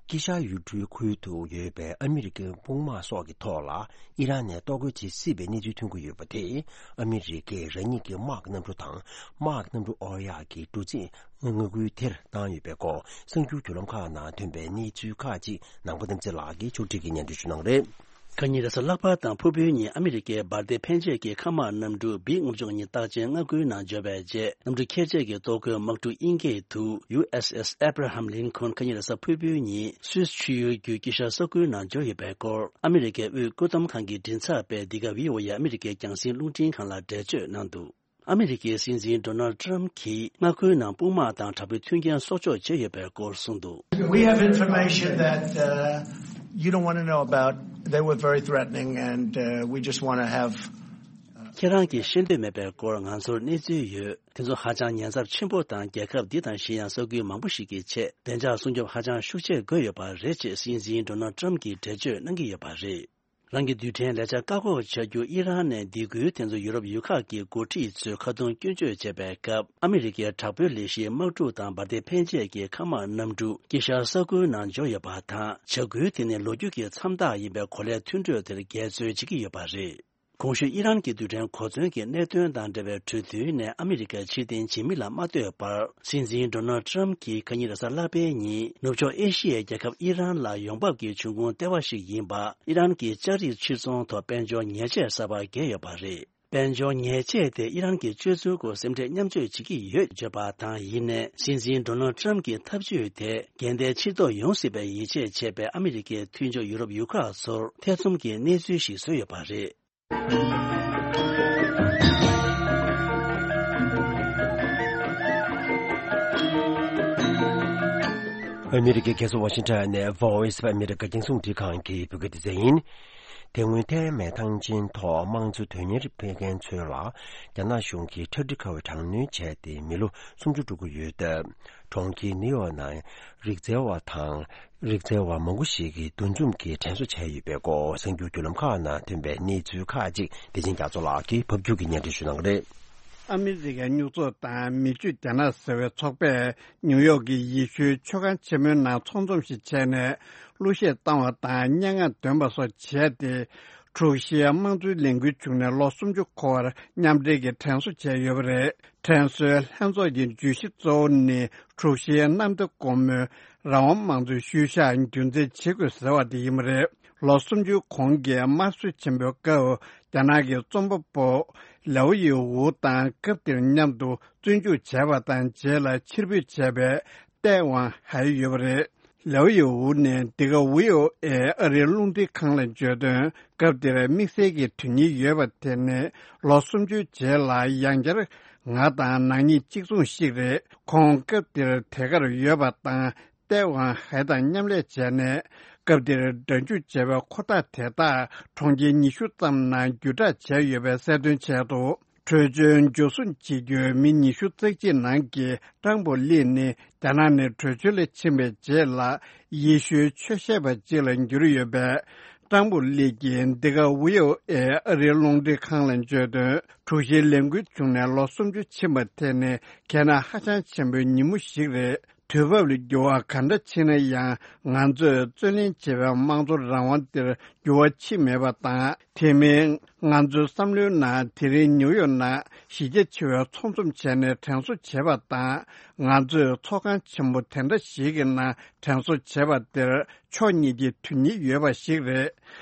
དཀྱིལ་ཤར་ཡུལ་གྲུའི་ཁུལ་དུ་ཡོད་པའི་ཨ་མི་རི་ཀའི་དཔུང་དམག་སོགས་ཀྱི་ཐོག་ལ་ཨི་རན་ནས་གཏོར་རྒོལ་བྱེད་སྲིད་པའི་གནས་ཚུལ་ཐོན་གྱི་ཡོད་པ་དེས། ཨ་མི་རི་ཀས་རང་ཉིད་ཀྱི་དམག་གི་གནམ་གྲུ་དང་། དམག་གི་གནམ་གྲུ་དབོར་ཡག་གི་འགྲོ་རྩིས་མངའ་ཁུལ་དེར་བཏང་ཡོད་པའི་སྐོར། གསར་འགྱུར་བརྒྱུད་ལམ་ཁག་ནང་ཐོན་པའི་གནས་ཚུལ་ཁག་ཅིག་ནང་པ་རྣམ་རྩེ་ལགས་ཀྱིས་ཕྱོགས་སྒྲིག་གིས་སྙན་སྒྲོན་ཞུ་གནང་རེད། ཁ་ཉིན་རེས་གཟའ་ལྷག་པ་དང་ཕུར་བུའི་ཉིན་ཨ་མི་རི་ཀའི་འབར་མདེལ་འཕེན་ཆས་ཀྱི་མཁའ་དམག་གནམ་གྲུ་བི་དགུ་བཅུ་གཉིས་རྟགས་ཅན་མངའ་ཁུལ་ནང་འབྱོར་བའི་རྗེས། གནམ་གྲུ་ཁྱེར་ཆས་ཀྱི་གཏོར་རྒོལ་དམག་གྲུ་དབྱིན་སྐད་དུ་ཡུ་ཨེས་ཨེས་ཨེབ་ར་ཧམ་ལིན་ཁོན་ཁ་ཉིན་རེས་གཟའ་ཕུར་བུའི་ཉིན་སུད་སི་ཆུ་ཡུར་བརྒྱུད་དཀྱིལ་ཤར་ས་ཁུལ་ནང་འབྱོར་ཡོད་པའི་སྐོར། ཨ་མི་རི་ཀའི་དབུས་བཀོད་གཏོང་ཁང་གི་མགྲིན་ཚབ་པས་འདི་ག་བྷི་ཨོ་ཨེ་ཨ་མི་རི་ཀའི་རྒྱང་སྲིང་རླུང་འཕྲིན་ཁང་ལ་འགྲེལ་བརྗོད་གནང་འདུག་ཨ་མི་རི་ཀའི་སྲིད་འཛིན་ཌོ་ནལ་ཊམ་གྱིས་མངའ་ཁུལ་ནང་དཔུང་དམག་དང་དྲག་པོའི་མཐུན་རྐྱེན་གསོག་འཇོག་བྱས་ཡོད་པའི་སྐོར་གསུངས་འདུག We have information that, uh, you don't want to know about. They were very threatening, and, uh, we just want to have, uh, ཁྱེད་རང་གིས་ཤེས་འདོད་མེད་པའི་སྐོར་ང་ཚོར་གནས་ཚུལ་ཡོད། དེ་ཚོ་ཧ་ཅང་ཉེན་ཚབས་ཆེན་པོ་དང་། རྒྱལ་ཁབ་འདི་དང་གཞན་ཡང་ས་ཁུལ་མང་པོ་ཞིག་གི་ཆེད་བདེ་འཇགས་སྲུང་སྐྱོབ་ཧ་ཅང་ཤུགས་ཆེ་དགོས་ཡོད་པ་རེད་ཅེས་སྲིད་འཛིན་ཌོ་ནལ་ཊམ་གྱིས་འགྲེལ་བརྗོད་གནང་གི་ཡོད་པ་རེད། རང་གི་རྡུལ་ཕྲན་ལས་འཆར་བཀག་འགོག་བྱ་རྒྱུ་ཨི་རན་ནས་སྡིགས་སྐུལ་དེ་ཚོ་ཡུ་རོབ་ཡུལ་ཁག་གི་འགོ་ཁྲིད་ཚོས་ཁ་རྡུང་སྐྱོན་བརྗོད་བྱས་པའི་སྐབས། ཨ་མི་རི་ཀའི་དྲག་པོའི་ལས་གཞིའི་དམག་འཁྲུག་དང་འབར་མདེལ་འཕེན་ཆས་ཀྱི་མཁའ་དམག་གནམ་གྲུ་དཀྱིལ་ཤར་ས་ཁུལ་ནང་འབྱོར་ཡོད་པ་དང་། བྱ་འགུལ་དེ་ནི་ལོ་རྒྱུས་ཀྱི་མཚམས་རྟགས་ཡིན་པའི་གོ་ལའི་མཐུན་གྲོས་དེར་འགལ་འཛོལ་བྱེད་ཀྱི་ཡོད་པ་རེད། གོང་ཞུས་ཨི་རན་གྱི་རྡུལ་ཕྲན་གོ་མཚོན་གྱི་གནད་དོན་དང་འབྲེལ་བའི་གྲོས་མཐུན་ནས་ཨ་མི་རི་ཀ་ཕྱིར་འཐེན་བྱེད་མིན་ལ་མ་ལྟོས་པར། སྲིད་འཛིན་ཌོ་ནལ་ཊམ་གྱིས་ཁ་ཉིན་རེས་གཟའ་ལྷག་པའི་ཉིན་ནུབ་ཕྱོགས་ཨེ་ཤི་ཡའི་རྒྱལ་ཁབ་ཨི་རན་ལ་ཡོང་འབབ་ཀྱི་འབྱུང་ཁུངས་ལྟེ་བ་ཞིག་ཡིན་པ། ཨི་རན་གྱི་ལྕགས་རིགས་ཕྱིར་ཚོང་ཐོག་དཔལ་འབྱོར་ཉེས་ཆད་གསར་པ་བཀལ་ཡོད་པ་རེད། དཔལ་འབྱོར་ཉེས་ཆད་དེ་ཨི་རན་གྱི་སྤྱོད་ཚུལ་སྐོར་སེམས་ཁྲལ་མཉམ་སྤྱོད་བྱེད་ཀྱི་ཡོད་བརྗོད་པ་དང་། ཡིན་ནའི་སྲིད་འཛིན་ཌོ་ནལ་ཊམ་གྱི་ཐབས་ཇུས་དེ་འགལ་ཟླའི་ཕྱིར་ལྡོག་ཡོང་སྲིད་པའི་ཡིད་ཆེས་བྱས་པའི་ཨ་མི་རི་ཀའི་མཐུན་ཕྱོགས་ཡུ་རོབ་ཡུལ་ཁག་ཚོར་ཐེ་ཚོམ་གྱི་གནས་ཚུལ་ཞིག་བཟོས་ཡོད་པ་རེད། ཨ་མི་རི་ཀའི་རྒྱལ་ས་ཝ་ཤིང་ཊོན་ནས་Voice of America རྒྱང་སྲིང་རླུང་འཕྲིན་ཁང་གི་བོད་སྐད་སྡེ་ཚན་ཡིན། དེ་སྔོན་ཐའེ་མེན་ཐང་ཆེན་ཐོག་དམངས་གཙོ་དོན་གཉེར་ཕེབས་མཁན་ཚོ་ལ་རྒྱ་ནག་གཞུང་གིས་ཁྲག་དྲི་ཁ་བའི་དྲག་གནོན་བྱས་ཏེ་མི་ལོ་སུམ་ཅུ་འགྲོ་གི་ཡོད་སྟབས། གྲོང་ཁྱེར་ནིའུ་ཡོག་ནང་རིག་རྩལ་བ་དང་། རིག་རྩལ་བ་མང་པོ་ཞིག་གིས་འདུ་འཛོམས་ཀྱིས་དྲན་གསོ་བྱས་ཡོད་པའི་སྐོར། གསར་འགྱུར་བརྒྱུད་ལམ་ཁག་ནང་ཐོན་པའི་གནས་ཚུལ་ཁག་ཅིག་བདེ་ཆེན་རྒྱ་མཚོ་ལགས་ཀྱིས་ཕབ་སྒྱུར་གྱིས་སྙན་སྒྲོན་ཞུ་གནང་གི་རེད། ཨ་མི་རི་ཀའི་སྨྱུག་ཚོགས་དང་མི་ཆོས་རྒྱ་ནག་ཟེར་བའི་ཚོགས་པས་ནིའུ་ཡོག་གི་ཡེ་ཤུའི་མཆོད་ཁང་ཆེན་མོའི་ནང་ཚོགས་འཛོམས་ཤིག་བྱས་ནས། གླུ་གཞས་བཏང་བ་དང་སྙན་ངག་འདོན་པ་སོགས་བྱས་ཏེ། འཁྲུག་གཞིའི་དམངས་གཙོའི་ལས་འགུལ་བྱུང་ནས་ལོ་སུམ་ཅུ་འཁོར་བར་མཉམ་འབྲེལ་གྱིས་དྲན་གསོ་བྱས་ཡོད་པ་རེད། དྲན་གསོའི་ལྷན་ཚོགས་ཀྱི་བརྗོད་གཞི་གཙོ་བོ་ནི། འཁྲུག་གཞིའི་གནམ་བདེ་སྒོ་མོའི་རང་དབང་དམངས་གཙོའི་ཤུལ་བཞག་རྒྱུན་འཛིན་བྱེད་དགོས་ཟེར་བ་དེ་ཡིན་པ་རེད། ལོ་སུམ་ཅུའི་གོང་གི་དམར་གསོད་ཆེན་པོའི་སྐབས། རྒྱ་ནག་གི་རྩོམ་པ་པོ་ལའོ་ཡི་ཝུ་དང་སྐབས་དེར་མཉམ་དུ་བཙོན་འཇུག་བྱས་པ་དང་། རྗེས་ལ་ཕྱིར་འབུད་བྱས་པའི་ཏའེ་ཝང་ཧའེ་ཡོད་པ་རེད། ལའོ་ཡོའུ་ནས་འདི་ག་ཝི་ཨོ་ཨེ་ཨ་རིའི་རླུང་འཕྲིན་ཁང་ལ་བརྗོད་དོན། སྐབས་དེར་དམིགས་བསལ་གྱི་དོན་སྙིང་ཡོད་པ་དེ་ནི་ལོ་སུམ་ཅུའི་རྗེས་ལ་ཡང་བསྐྱར་ང་དང་ནག་ཉེས་གཅིག་མཚུངས་ཤིག་རེད། ཁོང་སྐབས་དེར་དེ་གར་ཡོད་པ་དང་། ཏེ་ཝང་ཧའེ་དང་མཉམ་ལས་བྱས་ནས། སྐབས་དེར་སྒྲ་འཇུག་བྱས་པའི་འཁོར་ཐག་དེ་དག་གྲོང་ཁྱེར་ཉི་ཤུ་ཙམ་ནང་བརྒྱུད་བསྒྲགས་བྱས་ཡོད་པའི་གསལ་སྟོན་བྱས་འདུག། བྲོས་བྱོལ་འབྱོར་སྲུང་བྱེད་རྒྱུའི་མི་ཉི་ཤུ་རྩ་གཅིག་ནང་གི་ཀྲང་པོ་ལི་ནི་རྒྱ་ནག་ནས་བྲོས་བྱོལ་ལ་ཕྱིན་པའི་རྗེས་ལ་ཡེ་ཤུའི་ཆོས་བཤད་པ་ཅིག་ལ་གྱུར་ཡོད་པས། ཀྲང་པོ་ལི་གིས་འདི་ག་ཝི་ཨོ་ཨེ་ཨ་རིའི་རླུང་འཕྲིན་ཁང་ལ་བརྗོད་དོན། དྲུག་བཞིའི་ལས་འགུལ་བྱུང་ནས་ལོ་སུམ་ཅུ་ཕྱིན་པ་དེ་ནི་གལ་གནད་ཧ་ཅང་ཆེན་པོའི་ཉིན་མོ་ཞིག་རེད། དུས་བབ་ལ་འགྱུར་བ་ག་འདྲ་ཕྱིན་ན་ཡང་། ང་ཚོས་རྩོད་ལེན་བྱེད་པའི་དམངས་གཙོ་རང་དབང་དེར་འགྱུར་བ་ཕྱིན་མེད་པ་དང་། དེ་མིན། ང་ཚོའི་བསམ་བློའི་ནང་དེ་རིང་ནིའུ་ཡོག་ནང་གཞི་རྒྱ་ཆེ་བའི་ཚོགས་འཛོམས་བྱས་ནས་དྲན་གསོ་བྱེད་པ་དང་། ང་ཚོས་ཚོགས་ཁང་ཆེན་པོ་དེ་འདྲ་ཞིག་གི་ནང་དྲན་གསོ་བྱེད་པ་དེར་ཕྱོགས་གཉིས་ཀྱི་དོན་སྙིང་ཡོད་པ་ཞིག་རེད།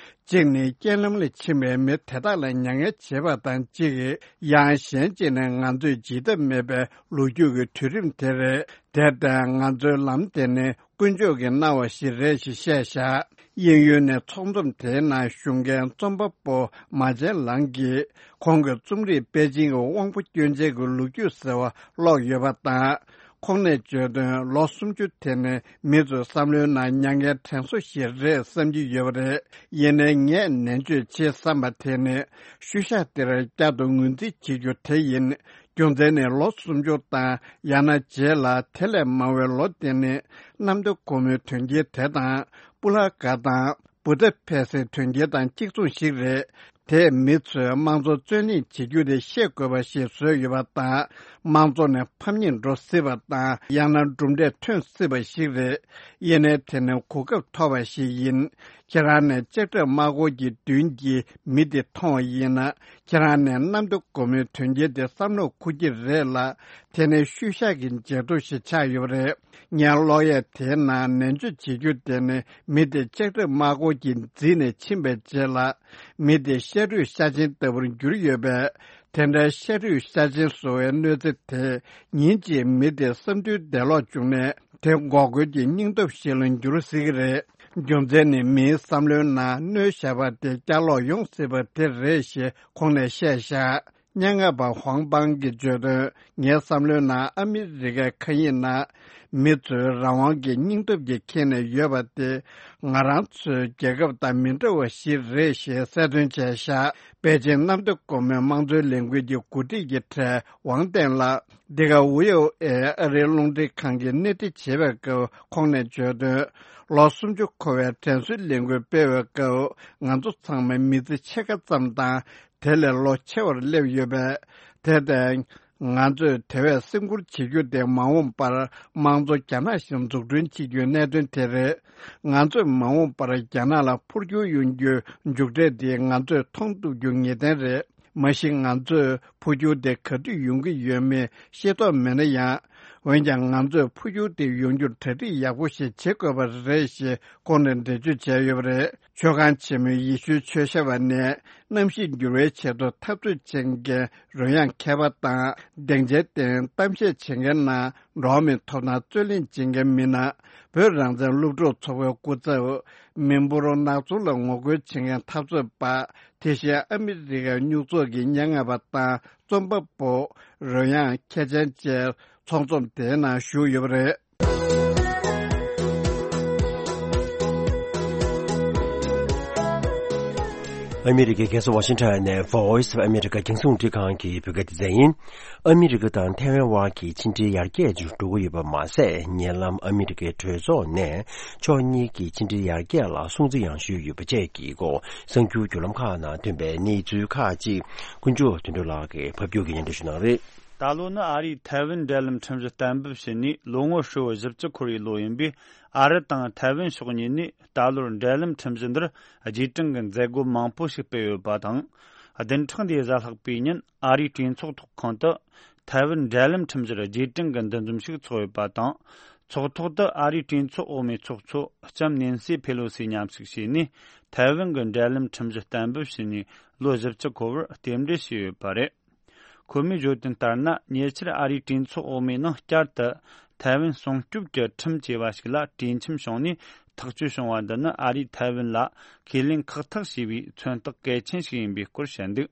གཅིག་ནི་རྐྱེན་ལམ་ལ་ཕྱིན་པའི་མི་དེ་དག་ལ་མྱ་ངན་བྱེད་པ་དང་གཅིག་ཡང་གཞན་གཅིག་ནི་ང་ཚོས་བརྗེད་ཐབས་མེད་པའི་ལོ་རྒྱུས་ཀྱི་དུས་རིམ་དེ་རེད། དེར་བརྟེན་ང་ཚོའི་ལམ་དེ་ནི་དཀོན་མཆོག་གིས་གནང་བ་ཞིག་རེད་ཞེས་བཤད་བཞག། དབྱིན་ཡུལ་ནས་ཚོགས་འཛོམས་དེའི་ནང་ཞུགས་མཁན་རྩོམ་པ་པོ་མ་ཅན་ལང་གིས་ཁོང་གི་རྩོམ་རིག་པེ་ཅིང་གི་དབང་པོ་སྐྱོན་ཅན་གྱི་ལོ་རྒྱུས་ཟེར་བ་ཀློག་ཡོད་པ་དང་། ཁོང་ནས་བརྗོད་དོན། ལོ་སུམ་ཅུ་དེ་ནི་མི་ཚོའི་བསམ་བློའི་ནང་མྱ་ངན་དྲན་གསོ་ཞིག་རེད་བསམ་གྱི་ཡོད་པ་རེད། ཡིན་ནའི་ངས་ནན་བརྗོད་བྱེད་བསམ་པ་དེ་ནི་ཤུལ་བཞག་དེར་བསྐྱར་དུ་ངོས་འཛིན་བྱེད་རྒྱུ་དེ་ཡིན། རྒྱུ་མཚན་ནི་ལོ་སུམ་ཅུ་དང་ཡང་ན་རྗེས་ལ་དེ་ལས་མང་བའི་ལོ་དེ་ནི་གནམ་བདེ་སྒོ་མོའི་དོན་རྐྱེན་དེ་དང་། སྤུ་ལ་ག་དང་བུ་ཏ་ཕེ་སེའི་དོན་རྐྱེན་དང་གཅིག་མཚུངས་ཤིག་རེད། དེས་མི་ཚོས་དམངས་གཙོ་རྩོད་ལེན་བྱེད་རྒྱུ་དེ་ཤེས་དགོས་པ་ཞིག་བཟོས་ཡོད་པ་དང་། དམངས་གཙོ་ནས་ཕམ་ཉེས་འགྲོ་སྲིད་པ་དང་། ཡང་ན་གྲུབ་འབྲས་ཐོན་སྲིད་པ་ཞིག་རེད། ཡིན་ནའི་དེ་ནི་གོ་སྐབས་ཐོབ་པ་ཞིག་ཡིན། ཁྱེད་རང་ནས་ལྕགས་ཁྲབ་དམག་འཁོར་གྱི་མདུན་གྱི་མི་དེ་མཐོང་བ་ཡིན་ན། ཁྱེད་རང་ནས་གནམ་བདེ་སྒོ་མོའི་དོན་རྐྱེན་དེ་བསམ་བློ་འཁོར་གྱི་རེད་ལ། དེ་ནི་ཤུལ་བཞག་གི་འཇལ་ཐོ་ཞིག་ཆགས་ཡོད་པ་རེད། ངས་ཀློག་ཡས་དེའི་ནང་ནན་བརྗོད་བྱེད་རྒྱུ་དེ་ནི་མི་དེ་ལྕགས་ཁྲབ་དམག་འཁོར་གྱིས་འཛིན་ནས་ཕྱིན་པའི་རྗེས་ལ། མི་དེ་ཤ་རུས་ཤ་ཆེན་ལྟ་བུར་གྱུར་ཡོད་པས། དེ་འདྲའི་ཤ་རུས་ཤ་ཆེན་བཟོ་བའི་གནོད་འཚེ་དེས་ཉིན་གཅིག་མི་དེ་བསམ་འདུན་འདས་ལོག་བྱུང་ནས། དེ་འགོག་རྒོལ་གྱི་སྙིང་སྟོབས་ཤིག་ལ་འགྱུར་སྲིད་ཀྱི་རེད། རྒྱུ་མཚན་ནི་མིའི་བསམ་བློའི་ནང་གནོད་བཞག་པ་དེ་བསྐྱར་ལོག་ཡོང་སྲིད་པ་དེ་རེད་ཞེས་ཁོང་ནས་བཤད་བཞག། སྙན་ངག་པ་ཧུང་པང་གིས་བརྗོད་དོན། ངའི་བསམ་བློའི་ནང་ཨ་མི་རི་ཀའི་མཁའ་དབྱིངས་ན་མི་ཚོའི་རང་དབང་གི་སྙིང་སྟོབས་ཀྱིས་ཁེངས་ནས་ཡོད་པ་དེ། ང་རང་ཚོའི་རྒྱལ་ཁབ་དང་མི་འདྲ་བ་ཞིག་རེད་ཞེས་གསལ་སྟོན་བྱས་བཞག། པེ་ཅིང་གནམ་བདེ་སྒོ་མོའི་དམངས་གཙོའི་ལས་འགུལ་གྱི་འགོ་ཁྲིད་ཀྱི་གྲས་ཝང་ཏན་ལགས། འདི་ག་ཝི་ཨོ་ཨེ་ཨ་རིའི་རླུང་འཕྲིན་ཁང་གིས་སྣེ་ཁྲིད་བྱེད་པའི་སྐབས་ཁོང་ནས་བརྗོད་དོན། ལོ་སུམ་ཅུ་འཁོར་བའི་དྲན་གསོའི་ལས་འགུལ་སྤེལ་བའི་སྐབས། ང་ཚོ་ཚང་མ་མི་ཚེ་ཕྱེད་ཀ་ཙམ་དང་། དེ་ལས་ལོ་ཆེ་བར་སླེབས་ཡོད་པས། དེར་བརྟེན། ང་ཚོས་དེ་བས་སེམས་ཁུར་བྱེད་རྒྱུ་དེ་མ་འོངས་པར་དམངས་གཙོ་རྒྱ་ནག་བཞིན་འཛུགས་སྐྲུན་བྱེད་རྒྱུའི་གནད་དོན་དེ་རེད། ང་ཚོས་མ་འོངས་པར་རྒྱ་ནག་ལ་འཕོ་འགྱུར་ཡོང་རྒྱུའི་མཇུག་འབྲས་དེ་ང་ཚོས་མཐོང་ཐུབ་རྒྱུ་ངེས་གཏན་རེད། མ་གཞི་ང་ཚོས་འཕོ་འགྱུར་དེ་ག་དུས་ཡོང་གི་ཡོད་མེད་ཤེས་རྟོགས་མེད་ན་ཡང་། འོན་ཀྱང་ང་ཚོས་འཕོ་འགྱུར་དེ་ཡོང་རྒྱུར་གྲ་སྒྲིག་ཡག་པོ་ཞིག་བྱེད་དགོས་པ་རེད་ཞེས་ཁོང་ནས་འགྲེལ་བརྗོད་བྱས་ཡོད་པ་རེད། མཆོད་ཁང་ཆེན་མོའི་ཡེ་ཤུའི་ཆོས་ཞབས་པ་ནས་གནམ་གཤིས་འགྱུར་བའི་ཆེད་དུ་འཐབ་རྩོད་བྱེད་མཁན་རོལ་དབྱངས་མཁས་པ་དང་སྡིངས་ཆའི་སྟེང་གཏམ་བཤད་བྱེད་མཁན་ནང་འགྲོ་བ་མིའི་ཐོབ་ཐང་རྩོད་ལེན་བྱེད་མཁན་མི་སྣ། བོད་རང་བཙན་སློབ་ཕྲུག་ཚོགས་པའི་སྐུ་ཚབ། མི་འབོར་ནག་ཚོང་ལ་ངོ་རྒོལ་བྱེད་མཁན་འཐབ་རྩོད་པ། དེ་བཞིན་ཨ་མི་རི་ཀའི་སྨྱུག་ཚོགས་ཀྱི་སྙན་ངག་པ་དང་རྩོམ་པ་པོ། རོལ་དབྱངས་མཁས་ཅན་བཅས་ཚོགས་འཛོམས་དེའི་ནང་ཞུགས་ཡོད་པ་རེད། ཨ་མི་རི་ཀའི་རྒྱལ་ས་ཝ་ཤིང་ཊོན་ནས་Voice of America རྒྱང་སྲིང་རླུང་འཕྲིན་ཁང་གི་བོད་སྐད་སྡེ་ཚན་ཡིན། ཨ་མི་རི་ཀ་དང་ཐའེ་ཝན་དབར་གྱི་ཕྱི་འབྲེལ་ཡར་རྒྱས་འགྲོ་གི་ཡོད་པ་མ་ཟད། ཉེ་ལམ་ཨ་མི་རི་ཀའི་གྲོས་ཚོགས་ནས་ཕྱོགས་གཉིས་ཀྱི་ཕྱི་འབྲེལ་ཡར་རྒྱས་ལ་སྲུང་བརྩི་ཡང་ཞུས་ཡོད་པ་བཅས་ཀྱི་སྐོར་གསར་འགྱུར་བརྒྱུད་ལམ་ཁག་ནང་ཐོན་པའི་གནས་ཚུལ་ཁག་ཅིག་དཀོན་མཆོག་དོན་གྲུབ་ལགས་ཀྱིས་ཕབ་སྒྱུར་གྱིས་སྙན་སྒྲོན་ཞུ་གནང་རེད། ད་ལོ་ནི་ཨ་རིས་ཐའེ་ཝན་འབྲེལ་ལམ་ཁྲིམས་གཞི་གཏན་འབེབས་བྱས་ནས་ལོ་ངོ་ཧྲིལ་བོ་བཞི་བཅུ་འཁོར་བའི་ལོ་ཡིན་པས། ཨ་རི་དང་ཐའེ་ཝན་ཕྱོགས་གཉིས་ནས་ད་ལོར་འབྲེལ་ལམ་ཁྲིམས་གཞི་འདིར་རྗེས་དྲན་གྱི་མཛད་སྒོ་མང་པོ་ཞིག་སྤེལ་ཡོད་པ་དང་། བདུན་ཕྲག་འདིའི་གཟའ་ལྷག་པའི་ཉིན་ཨ་རིའི་གྲོས་ཚོགས་ཐོག་ཁང་དུ་ཐའེ་ཝན་འབྲེལ་ལམ་ཁྲིམས་གཞིར་རྗེས་དྲན་གྱི་འདུ་འཛོམས་ཤིག་ཚོགས་ཡོད་པ་དང་། ཚོགས་ཐོག་ཏུ་ཨ་རིའི་གྲོས་ཚོགས་འོག་མའི་ཚོགས་གཙོ་ལྕམ་ནེན་སི་ཕེ་ལོ་སི་མཉམ་ཞུགས་བྱས་ནས། ཐའེ་ཝན་གྱི་འབྲེལ་ལམ་ཁྲིམས་གཞི་གཏན་འབེབས་བྱས་ནས་ལོ་བཞི་བཅུ་འཁོར་བར་རྟེན་འབྲེལ་ཞུས་ཡོད་པ་རེད། ཁོ་མོས་བརྗོད་དོན་ལྟར་ན། ཉེ་ཆར་ཨ་རིའི་གྲོས་ཚོགས་འོག་མའི་ནང་བསྐྱར་དུ་ ཐའེ་ཝན་སྲུང་སྐྱོབ་ཀྱི་ཁྲིམས་ཅེས་པ་ཞིག་ལ་གྲོས་འཆམ་བྱུང་ནས་ཐག་གཅོད་བྱུང་བ་འདི་ནི་ཨ་རིས་ཐའེ་ཝན་ལ་ཁས་ལེན་ཁག་ཐེག་བྱས་པའི་མཚོན་རྟགས་གལ་ཆེན་ཞིག་ཡིན་པའི་སྐོར་བཤད་འདུག་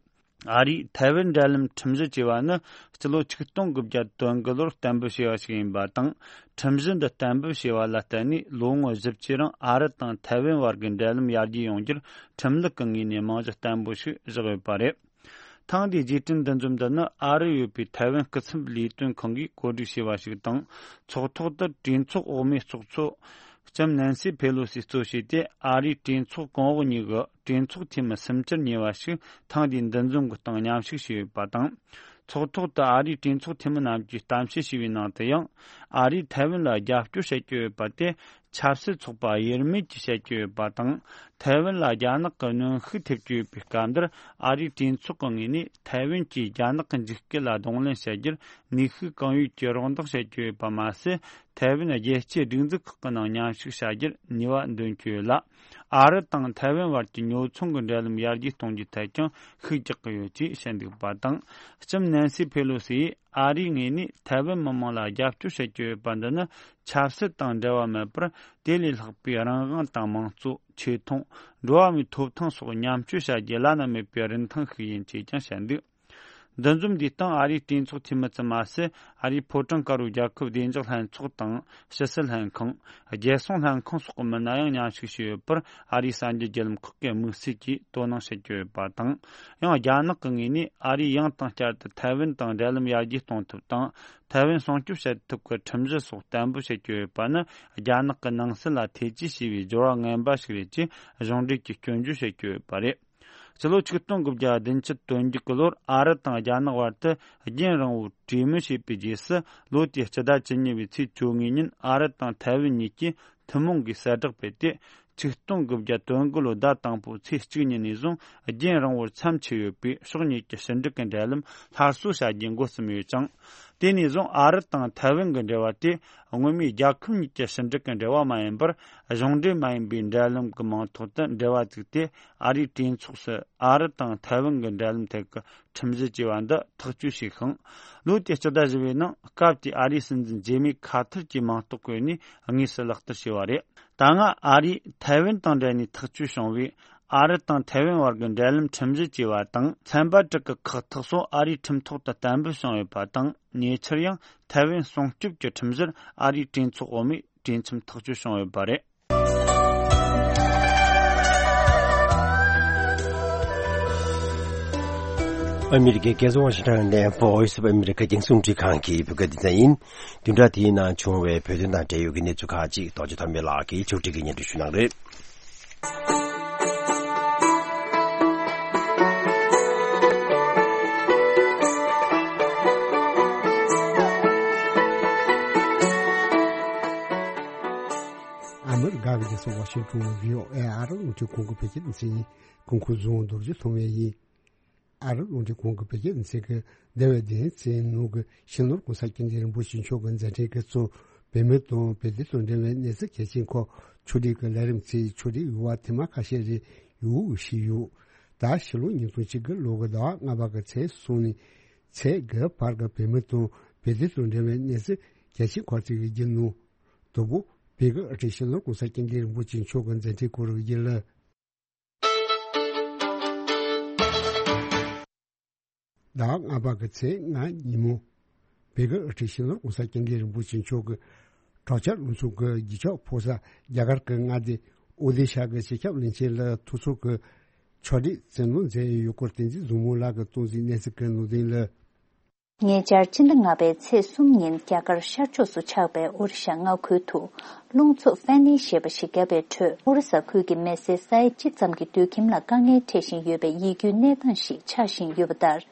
ཨ་རིས་ཐའེ་ཝན་འབྲེལ་ལམ་ཁྲིམས་གཞི་ཅེས་པ་ནི་སྤྱི་ལོ་ཆིག་སྟོང་དགུ་བརྒྱ་དོན་དགུ་ལོར་གཏན་འབེབས་བྱས་པ་ཞིག་ཡིན་པ་དང་། ཁྲིམས་གཞི་འདི་གཏན་འབེབས་བྱས་པ་ལ་བརྟེན་ནས་ལོ་ངོ་བཞི་བཅུའི་རིང་ཨ་རི་དང་ཐའེ་ཝན་བར་གྱི་འབྲེལ་ལམ་ཡར་རྒྱས་ཡོང་རྒྱུར་ཁྲིམས་ལུགས་ཀྱི་ངོས་ནས་རྨང་གཞི་བརྟན་པོ་ཞིག་བཞག་ཡོད་པ་རེད། ཐེངས་འདིའི་རྗེས་དྲན་འདུ་འཛོམས་འདི་ནི་ཨ་རི་ཡོད་པའི་ཐའེ་ཝན་སྐུ་ཚབ་ལས་དོན་ཁང་གིས་གོ་སྒྲིག་བྱས་པ་ཞིག་དང་། ཚོགས་ཐོག་ཏུ་གྲོས་ཚོགས་འོག་མའི་ཚོགས་གཙོ་ལྕམ་ནན་སི་ཕེ་ལོ་སི་གཙོ་བྱས་ཏེ། ཨ་རིའི་གྲོས་ཚོགས་གོང་འོག་གཉིས་ཀྱི་གྲོས་ཚོགས་འཐུས་མི་སུམ་ཅུར་ཉེ་བ་ཞིག་ཐེངས་འདིའི་འདུ་འཛོམས་ཀྱི་སྟེང་མཉམ་ཞུགས་བྱས་ཡོད་པ་དང་། ཚོགས་ཐོག་ཏུ་ཨ་རིའི་གྲོས་ཚོགས་འཐུས་མི་རྣམས་ཀྱིས་གཏམ་བཤད་བྱས་པའི་ནང་དུ་ཡང་། ཨ་རིས་ཐའེ་ཝན་ལ་རྒྱབ་སྐྱོར་བྱེད་ཀྱི་ཡོད་པ་དེ་ཆབ་སྲིད་ཚོགས་པ་དབྱེར་མེད་ཀྱིས་བཤད་ཀྱི་ཡོད་པ་དང་། ཐའེ་ཝན་ལ་རྒྱ་ནག་གི་གནོན་ཤུགས་ཐེབས་ཀྱི་ཡོད་པའི་སྐབས་འདིར། ཨ་རིའི་གྲོས་ཚོགས་ཀྱི་ངོས་ནས་ཐའེ་ཝན་གྱིས་རྒྱ་ནག་གི་འཇིགས་སྐུལ་ལ་གདོང་ལེན་བྱ་རྒྱུར་ནུས་ཤུགས་གང་ཡོད་ཀྱིས་རོགས་འདེགས་བྱེད་ཀྱི་ཡོད་པ་མ་ཟད། ཐའེ་ཝན་རྒྱལ་སྤྱིའི་སྒྲིག་འཛུགས་ཁག་གི་ནང་མཉམ་ཞུགས་བྱ་རྒྱུར་ནུས་པ་འདོན་གྱི་ཡོད་ལ། ཨ་རི་དང་ཐའེ་ཝན་བར་གྱི་ཉོ་ཚོང་གི་འབྲེལ་ལམ་ཡར་རྒྱས་གཏོང་རྒྱུའི་ཐད་ཀྱང་ཤུགས་རྒྱག་གི་ཡོད་ཅེས་བཤད་འདུག་པ་དང་། ལྕམ་ནན་སི་ཕེ་ལོ་སི་ཡིས་ཨ་རིའི་ངོས་ནས་ཐའེ་ཝན་མི་དམངས་ལ་རྒྱབ་སྐྱོར་བྱེད་ཀྱི་ཡོད་པ་འདི་ནི་ཆབ་སྲིད་དང་འབྲེལ་བ་མེད་པར། དེ་ལས་ལྷག་པའི་རང་དབང་དང་མང་གཙོ། ཆེ་མཐོང་། འགྲོ་བ་མིའི་ཐོབ་ཐང་སོགས་མཉམ་སྤྱོད་བྱ་རྒྱུའི་བླ་ན་མེད་པའི་རིན་ཐང་ཞིག་ཡིན་ཅེས་ཀྱང་བཤད་འདུག་འདུ་འཛོམས་འདིའི་སྟེང་ཨ་རིའི་གྲོས་ཚོགས་འཐུས་མི་ཙམ་མ་ཟད། ཨ་རིའི་ཕོ་བྲང་དཀར་པོའི་རྒྱལ་ཁབ་བདེ་འཇགས་ལྷན་ཚོགས་དང་། ཕྱི་སྲིད་ལྷན་ཁང་། རྒྱལ་སྲུང་ལྷན་ཁང་སོགས་ཀྱི་མི་སྣ་ཡང་མཉམ་ཞུགས་བྱས་ཡོད་པར། ཨ་རིའི་གསར་འགྱུར་བརྒྱུད་ལམ་ཁག་གིས་དམིགས་བསལ་གྱིས་དོ་སྣང་བྱེད་ཀྱི་ཡོད་པ་དང་། ཡང་རྒྱ་ནག་གི་ངོས་ནས་ཨ་རིས་ཡང་དང་བསྐྱར་དུ་ཐའེ་ཝན་དང་འབྲེལ་ལམ་ཡར་རྒྱས་གཏོང་ཐབས་དང་། ཐའེ་ཝན་སྲུང་སྐྱོབ་བྱེད་ཐབས་ཀྱི་ཁྲིམས་གཞི་སོགས་བརྟན་པོ་བྱེད་ཀྱི་ཡོད་པ་ནི། རྒྱ་ནག་གི་ནང་སྲིད་ལ་ཐེ་ཇུས་བྱས་པའི་སྦྱོར་བ་ངན་པ་ཞིག་རེད་ཅེས་གཞུང་འབྲེལ་གྱིས་སྐྱོན་བརྗོད་བྱེད་ཀྱི་ཡོད་པ་རེད། སྤྱི་ལོ་ཆིག་སྟོང་དགུ་བརྒྱ་བདུན་ཅུ་དོན་བརྒྱད་ཀྱི་ལོར་ཨ་རི་དང་རྒྱ་ནག་བར་དུ་རྒྱུན་རིང་བོར་གྲོས་མོལ་བྱས་པའི་རྗེས་སུ། ལོ་དེའི་སྤྱི་ཟླ་བཅུ་གཉིས་པའི་ཚེས་བཅོ་ལྔའི་ཉིན། ཨ་རི་དང་ཐའེ་ཝན་གཉིས་ཀྱིས་ཐུན་མོང་གི་གསལ་བསྒྲགས་སྤེལ་ཏེ། ཆིག་སྟོང་དགུ་བརྒྱ་དོན་དགུ་ལོའི་ཟླ་དང་པོའི་ཚེས་གཅིག་ཉིན་ནས་བཟུང་རྒྱུན་རིང་བོར་མཚམས་ཆད་ཡོད་པའི་ཕྱོགས་གཉིས་ཀྱི་ཕྱི་འབྲེལ་གྱི་འབྲེལ་ལམ་སླར་གསོ་བྱ་རྒྱུའི་འགོ་བརྩམས་ཡོད་ཅིང་། དེ་ནས་བཟུང་ཨ་རི་དང་ཐའེ་ཝན་གྱི་འབྲེལ་བ་དེ། སྔོན་མའི་རྒྱལ་ཁབ་གཉིས་ཀྱི་ཕྱི་འབྲེལ་གྱི་འབྲེལ་བ་མ་ཡིན་པར། གཞུང་འབྲེལ་མ་ཡིན་པའི་འབྲེལ་ལམ་གྱི་མིང་ཐོག་ཏུ་འབྲེལ་བ་བཙུགས་ཏེ། ཨ་རིའི་གྲོས་ཚོགས་སུ་ཨ་རི་དང་ཐའེ་ཝན་གྱི་འབྲེལ་ལམ་ཐད་ཀྱི་ཁྲིམས་གཞི་ཅེས་པ་འདི་ཐག་གཅོད་བྱས་ཤིང་། ལོ་དེའི་སྤྱི་ཟླ་བཞི་པའི་ནང་སྐབས་དེའི་ཨ་རིའི་སྲིད་འཛིན་ཇེ་མི་ཁ་ཐར་གྱིས་མིང་རྟགས་བཀོད་ནས་དངོས་སུ་ལག་བསྟར་བྱས་པ་རེད། ད་སྔ་ཨ་རིས་ཐའེ་ཝན་དང་འབྲེལ་ནས་ཐག་གཅོད་བྱུང་བའི་ཨ་རི་དང་ཐའེ་ཝན་བར་གྱི་འབྲེལ་ལམ་ཁྲིམས་གཞི་ཅེས་པ་དང་། ཚན་པ་དྲུག་གི་ཁག་ཐེག་སོགས་ཨ་རིའི་ཁྲིམས་ཐོག་ཏུ་གཏན་འབེབས་བྱུང་ཡོད་པ་དང་། ཉེ་ཆར་ཡང་ཐའེ་ཝན་སྲུང་སྐྱོབ་ཀྱི་ཁྲིམས་གཞིར་ཨ་རིའི་གྲོས་ཚོགས་འོག་མས་གྲོས་འཆམ་ཐག་གཅོད་བྱུང་ཡོད་པ་རེད། ཨ་མི་རི་ཀའི་རྒྱལ་ས་ཝ་ཤིང་ཊོན་ནས་Voice of America རྒྱང་སྲིང་རླུང་འཕྲིན་ཁང་གི་བོད་སྐད་སྡེ་ཚན་ཡིན། བདུན་ཕྲག་དེའི་ནང་བྱུང་བའི་བོད་དོན་དང་འབྲེལ་ཡོད་ཀྱི་གནས་ཚུལ་ཁག་ཅིག་རྡོ་རྗེ་ཐོགས་མེད་ལགས་ཀྱིས་ཕྱོགས་སྒྲིག་གིས་སྙན་སྒྲོན་ཞུ་གནང་རེད། ཨ་མི་རི་ཀ་གི་རྒྱལ་ས་ཝ་ཤིང་ཊོན་བྷི་ཨོ་ཨེ་ཨ་རི་རླུང་འཕྲིན་ཁང་གི་བོད་སྐད་སྡེ་ཚན་ཡིན། ཁོང་ཁོ་ཟུང་རྡོ་རྗེ་ཐོགས་མེད་ཡིན། ཨ་རི་རླུང་འཕྲིན་ཁང་གི་བོད་སྐད་སྡེ་ཚན་གྱིས་འདས་པའི་བདུན་ཕྲག་ནང་གི་སྤྱི་ནོར་༸གོང་ས་༸སྐྱབས་མགོན་རིན་པོ་ཆེ་མཆོག་གི་མཛད་འཕྲིན་གྱི་གཙོ་བོད་མི་དང་བོད་དོན་དང་འབྲེལ་བའི་གནས་ཚུལ་གལ་ཆེན་སྐོར་ཕྱོགས་སྒྲིག་གི་ལས་རིམ་ཚོའི་ཕྱོགས་སྒྲིག་ཡོད་པ་ཐེངས་མ་ཁ་ཤས་རེ་ཡོད་ཞུས་ཡོད། ད་ཕྱི་ལོ་ཉིས་སྟོང་གཅིག་གི་ལོ་གི་ཟླ་བ་ལྔ་པ་གི་ཚེས་གསུམ་ནས་ཚེས་དགུ་བར་གྱི་བོད་མི་དང་བོད་དོན་དང་འབྲེལ་བའི་གནས་ཚུལ་གལ་ཆེན་སྐོར་ཚིག་གི་བརྒྱུད་ནོ། དང་པོ། བོད་ཀྱི་དབུ་ཁྲིད་སྤྱི་ནོར་༸གོང་ས་༸སྐྱབས་མགོན་རིན་པོ་ཆེ་མཆོག་གི་མཛད་འཕྲིན་སྐོར་གྱི་བརྒྱུད་ལམ། ཟླ་བ་ལྔ་པ་གི་ཚེས་ལྔ་ཉིན་མོ། བོད་ཀྱི་དབུ་ཁྲིད་སྤྱི་ནོར་༸གོང་ས་༸སྐྱབས་མགོན་རིན་པོ་ཆེ་མཆོག་གིས་གྲོགས་མཆེད་ལྷན་ཚོགས་ཀྱི་རྒྱུན་ཆད་ཕོ་གསར་རྒྱ་གར་གྱི་མངའ་སྡེ་ཨོ་ཌི་ཤ་གི་སྤྱི་ཁྱབ་བློན་ཆེན་ལ་ཐུགས་ཚོར་གྱི་ཕྱག་བྲིས་བཙན་བཟུང་མཛད་ཡོད་སྐོར་བསྟན་འཛིན་བཟང་མོ་ལགས་ཀྱིས་གཏོང་གཟིགས་གནས་ཚུལ་གྱི་ནང་དོན་ལ། ཉེ་ཆར་སྤྱི་ཟླ་ལྔ་པའི་ཚེས་གསུམ་ཉིན་རྒྱ་གར་ཤར་ཕྱོགས་སུ་ཆགས་པའི་ཨོ་རི་ཤ་མངའ་ཁུལ་དུ་རླུང་འཚུབ་ཧྥན་ནི་ཞེས་པ་ཞིག་བརྒྱབ་པའི་ཁྲོད། ཨོ་རི་ས་ཁུལ་གྱི་མི་སེར་ས་ཡ་གཅིག་ཙམ་གྱི་སྡོད་ཁྱིམ་ལ་དཀའ་ངལ་འཕྲད་བཞིན་ཡོད་པའི་ཡིད་སྐྱོའི་གནས་སྟངས་ཤིག་ཆགས་བཞིན་ཡོད་པ་ལྟར།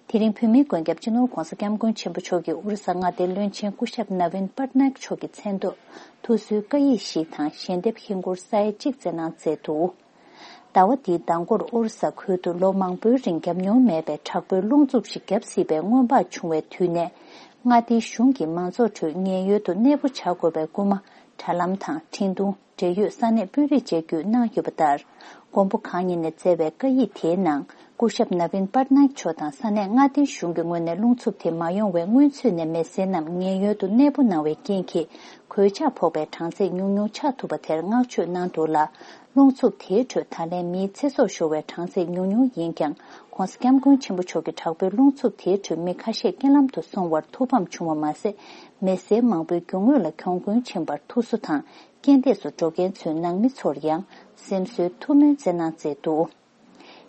དེ་རིང་བོད་མིའི་མགོན་སྐྱབས་སྤྱི་ནོར་༸གོང་ས་༸སྐྱབས་མགོན་ཆེན་པོ་མཆོག་གིས་ཨོ་རི་ས་མངའ་སྡེའི་བློན་ཆེན་སྐུ་ཞབས་ན་བིན་པཊ་ནཱག་མཆོག་གི་མཚན་ཐོག་ཐུགས་གསོའི་བཀའ་ཡིག་ཞིག་དང་ཞལ་འདེབས་ཧིན་སྒོར་ས་ཡ་གཅིག་བསྩལ་གནང་མཛད་འདུག་ཟླ་བ་འདིའི་ཟླ་འགོར་ཨོ་རི་ས་ཁུལ་དུ་ལོ་མང་པོའི་རིང་བརྒྱབ་མྱོང་མེད་པའི་དྲག་པོའི་རླུང་འཚུབ་ཞིག་བརྒྱབ་སྲིད་པའི་སྔོན་དཔག་བྱུང་བའི་དུས་ནས། མངའ་སྡེའི་གཞུང་གིས་མང་ཚོགས་ཁྲོད་ཉེན་གཡོལ་དུ་གནས་སྤོ་བྱ་དགོས་པའི་སྐུལ་མ། དྲ་ལམ་དང་འཕྲིན་ཐུང་། འབྲེལ་ཡོད་ས་གནས་དཔོན་རིགས་བཅས་བརྒྱུད་གནང་ཡོད་པ་ལྟར། མགོན་པོ་གང་ཉིད་ནས་མཛད་པའི་བཀའ་ཡིག་དེའི་ནང་། སྐུ་ཞབས་ནབ་བིན་པར་ནཱིཀ་མཆོག་དང་ས་གནས་མངའ་སྡེའི་གཞུང་གི་ངོས་ནས་རླུང་འཚུབ་དེ་མ་ཡོང་བའི་སྔོན་ཚུད་ནས་མེ་སེལ་རྣམས་ངན་གཡོལ་དུ་གནས་སྤོ་གནང་བའི་རྐྱེན་གྱིས། གོད་ཆག་ཕོག་པའི་གྲངས་ཚད་ཉུང་ཉུང་ཆགས་ཐུབ་པ་དེར་བསྔགས་བརྗོད་གནང་འདུག་ལ། རླུང་འཚུབ་དེའི་ཁྲོད་ད་ལན་མིའི་ཚེ་སྲོག་ཤོར་བའི་གྲངས་ཚད་ཉུང་ཉུང་ཡིན་ཀྱང་། ྋགོང་ས་ྋསྐྱབས་མགོན་ཆེན་པོ་མཆོག་གི་དྲག་པོའི་རླུང་འཚུབ་དེའི་ཁྲོད་མི་ཁ་ཤས་རྐྱེན་ལམ་དུ་སོང་བར་ཐུགས་ཕམ་བྱུང་བ་མ་ཟད། མེ་སེལ་མང་པོའི་རྒྱུ་དངོས་ལ་གྱོང་གུན་ཕྱིན་པར་ཐུགས་གསོ་དང་། རྐྱེན་འདས་སུ་འགྲོ་མཁན་ཚོའི་ནང་མི་ཚོར་ཡང་སེམས་གསོའི་ཐུགས་སྨོན་སྩལ་གནང་མཛད་འདུག་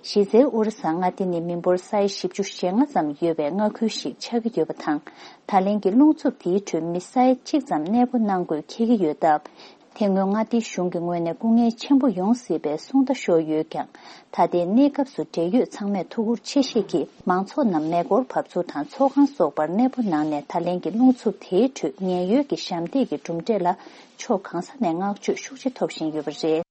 གཞི་རྩའི་ཨོ་རི་ས་མངའ་སྡེ་ནི་མི་འབོར་ས་ཡ་བཞི་བཅུ་ཞེ་ལྔ་ཙམ་ཡོད་པའི་མངའ་ཁུལ་ཞིག་ཆགས་ཀྱི་ཡོད་པ་དང་། ད་ལན་གྱི་རླུང་འཚུབ་དེའི་ཁྲོད་མི་ས་ཡ་གཅིག་ཙམ་གནས་སྤོ་གནང་དགོས་འཁེལ་གྱི་ཡོད་སྟབས། དེ་སྔོན་མངའ་སྡེའི་གཞུང་གི་ངོས་ནས་སྐུ་ངལ་ཆེན་པོ་ཡོང་སྲིད་པའི་གསུང་བརྡ་ཤོར་ཡོད་ཀྱང་། ད་ལྟའི་གནས་སྐབས་སུ་འབྲེལ་ཡོད་ཚང་མས་ཐུགས་ཁུར་ཆེ་བཞེས་ཀྱིས་མང་ཚོགས་རྣམས་མེ་འཁོར་བབས་ཚུགས་དང་ཚོགས་ཁང་སོགས་པར་གནས་སྤོ་གནང་ནས། ད་ལན་གྱི་རླུང་འཚུབ་དེའི་ཁྲོད་ངན་གཡོལ་གྱི་ཞབས་འདེགས་ཀྱི་གྲུབ་འབྲས་ལ་ཕྱོགས་གང་ས་ནས་བསྔགས་བརྗོད་ཤུགས་ཆེ་ཐོབ་བཞིན་ཡོད་པ་རེད།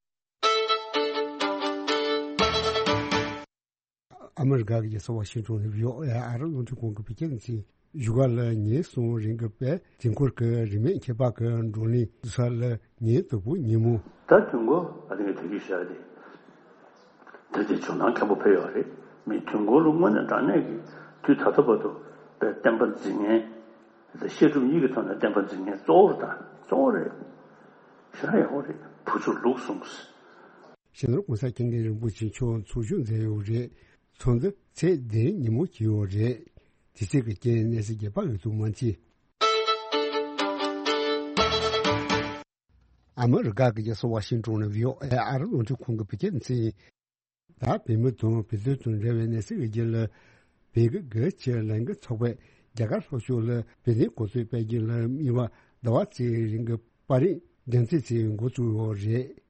ཨ་མི་རི་ཀ་གི་རྒྱལ་ས་ཝ་ཤིང་ཏོན་ནས་བྷི་ཨོ་ཨེ་ཨ་རི་རླུང་འཕྲིན་ཁང་གི་བོད་སྐད་སྡེ་ཚན། བཞུགས་སྒར་ལ་ཉིན་གསུམ་རིང་གི་པའི་དུས་འཁོར་གྱི་རིས་མེད་ཁྱད་འཕགས་ཀྱི་བགྲོ་གླེང་བསྡུ་ས་ལ་ཉིན་དང་པོ་ཉིན་མོ། ད་དུས་འཁོར་ཨ་ནི་དེ་རིགས་བཤད་དེ། དེ་དེ་བྱུང་ན་མཁན་པོ་ཕེབས་ཡོད་རེད། མི་དུས་འཁོར་ལ་དངོས་གནས་དྲང་གནས་ཀྱི་དུས་ད་ལྟ་བར་དུ་པའི་བསྟན་པ་འཛིན་མཁན། དེ་བཤད་སྒྲུབ་གཉིས་ཀྱི་ཐོག་ནས་བསྟན་པ་འཛིན་མཁན་གཙོ་བོ་རེད། ད་གཙོ་བོ་རེད། ཤ་ཡག་པོ་རེད། བུ་ཆུ་ལུག་གསུངས། སྤྱི་ནོར་༸གོང་ས་༸སྐྱབས་མགོན་རིན་པོ་ཆེ་མཆོག་ཚོགས་ཞུགས་མཛད་ཡོད་རེད། ཚོགས་འདུ་ཚེས་བདུན་ཉིན་མོ་བྱས་ཡོད་རེད། དུས་ཚོད་ཀྱི་རྐྱེན་གནས་ཚུལ་རྒྱས་པ་ཡོད་དུ་མ་མཆིས། ཨ་མི་རི་ཀ་གི་རྒྱལ་ས་ཝ་ཤིང་ཏོན་ནས་བྷི་ཨོ་ཨེ་ཨ་རི་རླུང་འཕྲིན་ཁང་གི་བོད་སྐད་སྡེ་ཚན། ད་བོད་མི་དང་བོད་དོན་དང་འབྲེལ་བའི་གནས་ཚུལ་གྱི་རྒྱུད་ལ། བོད་ཀྱི་སྒེར་གྱི་ལས་འགུལ་ཚོགས་པས་རྒྱ་གར་ལྷོ་ཕྱོགས་ལ་བོད་དོན་གོ་སྐབས་སྤེལ་རྒྱུ་ལ་དམིགས་པ་ཟླ་བ་གཅིག་རིང་གི་པར་རིས་འགྲེམས་སྤེལ་བྱེད་འགོ་བཙུགས་ཡོད་རེད།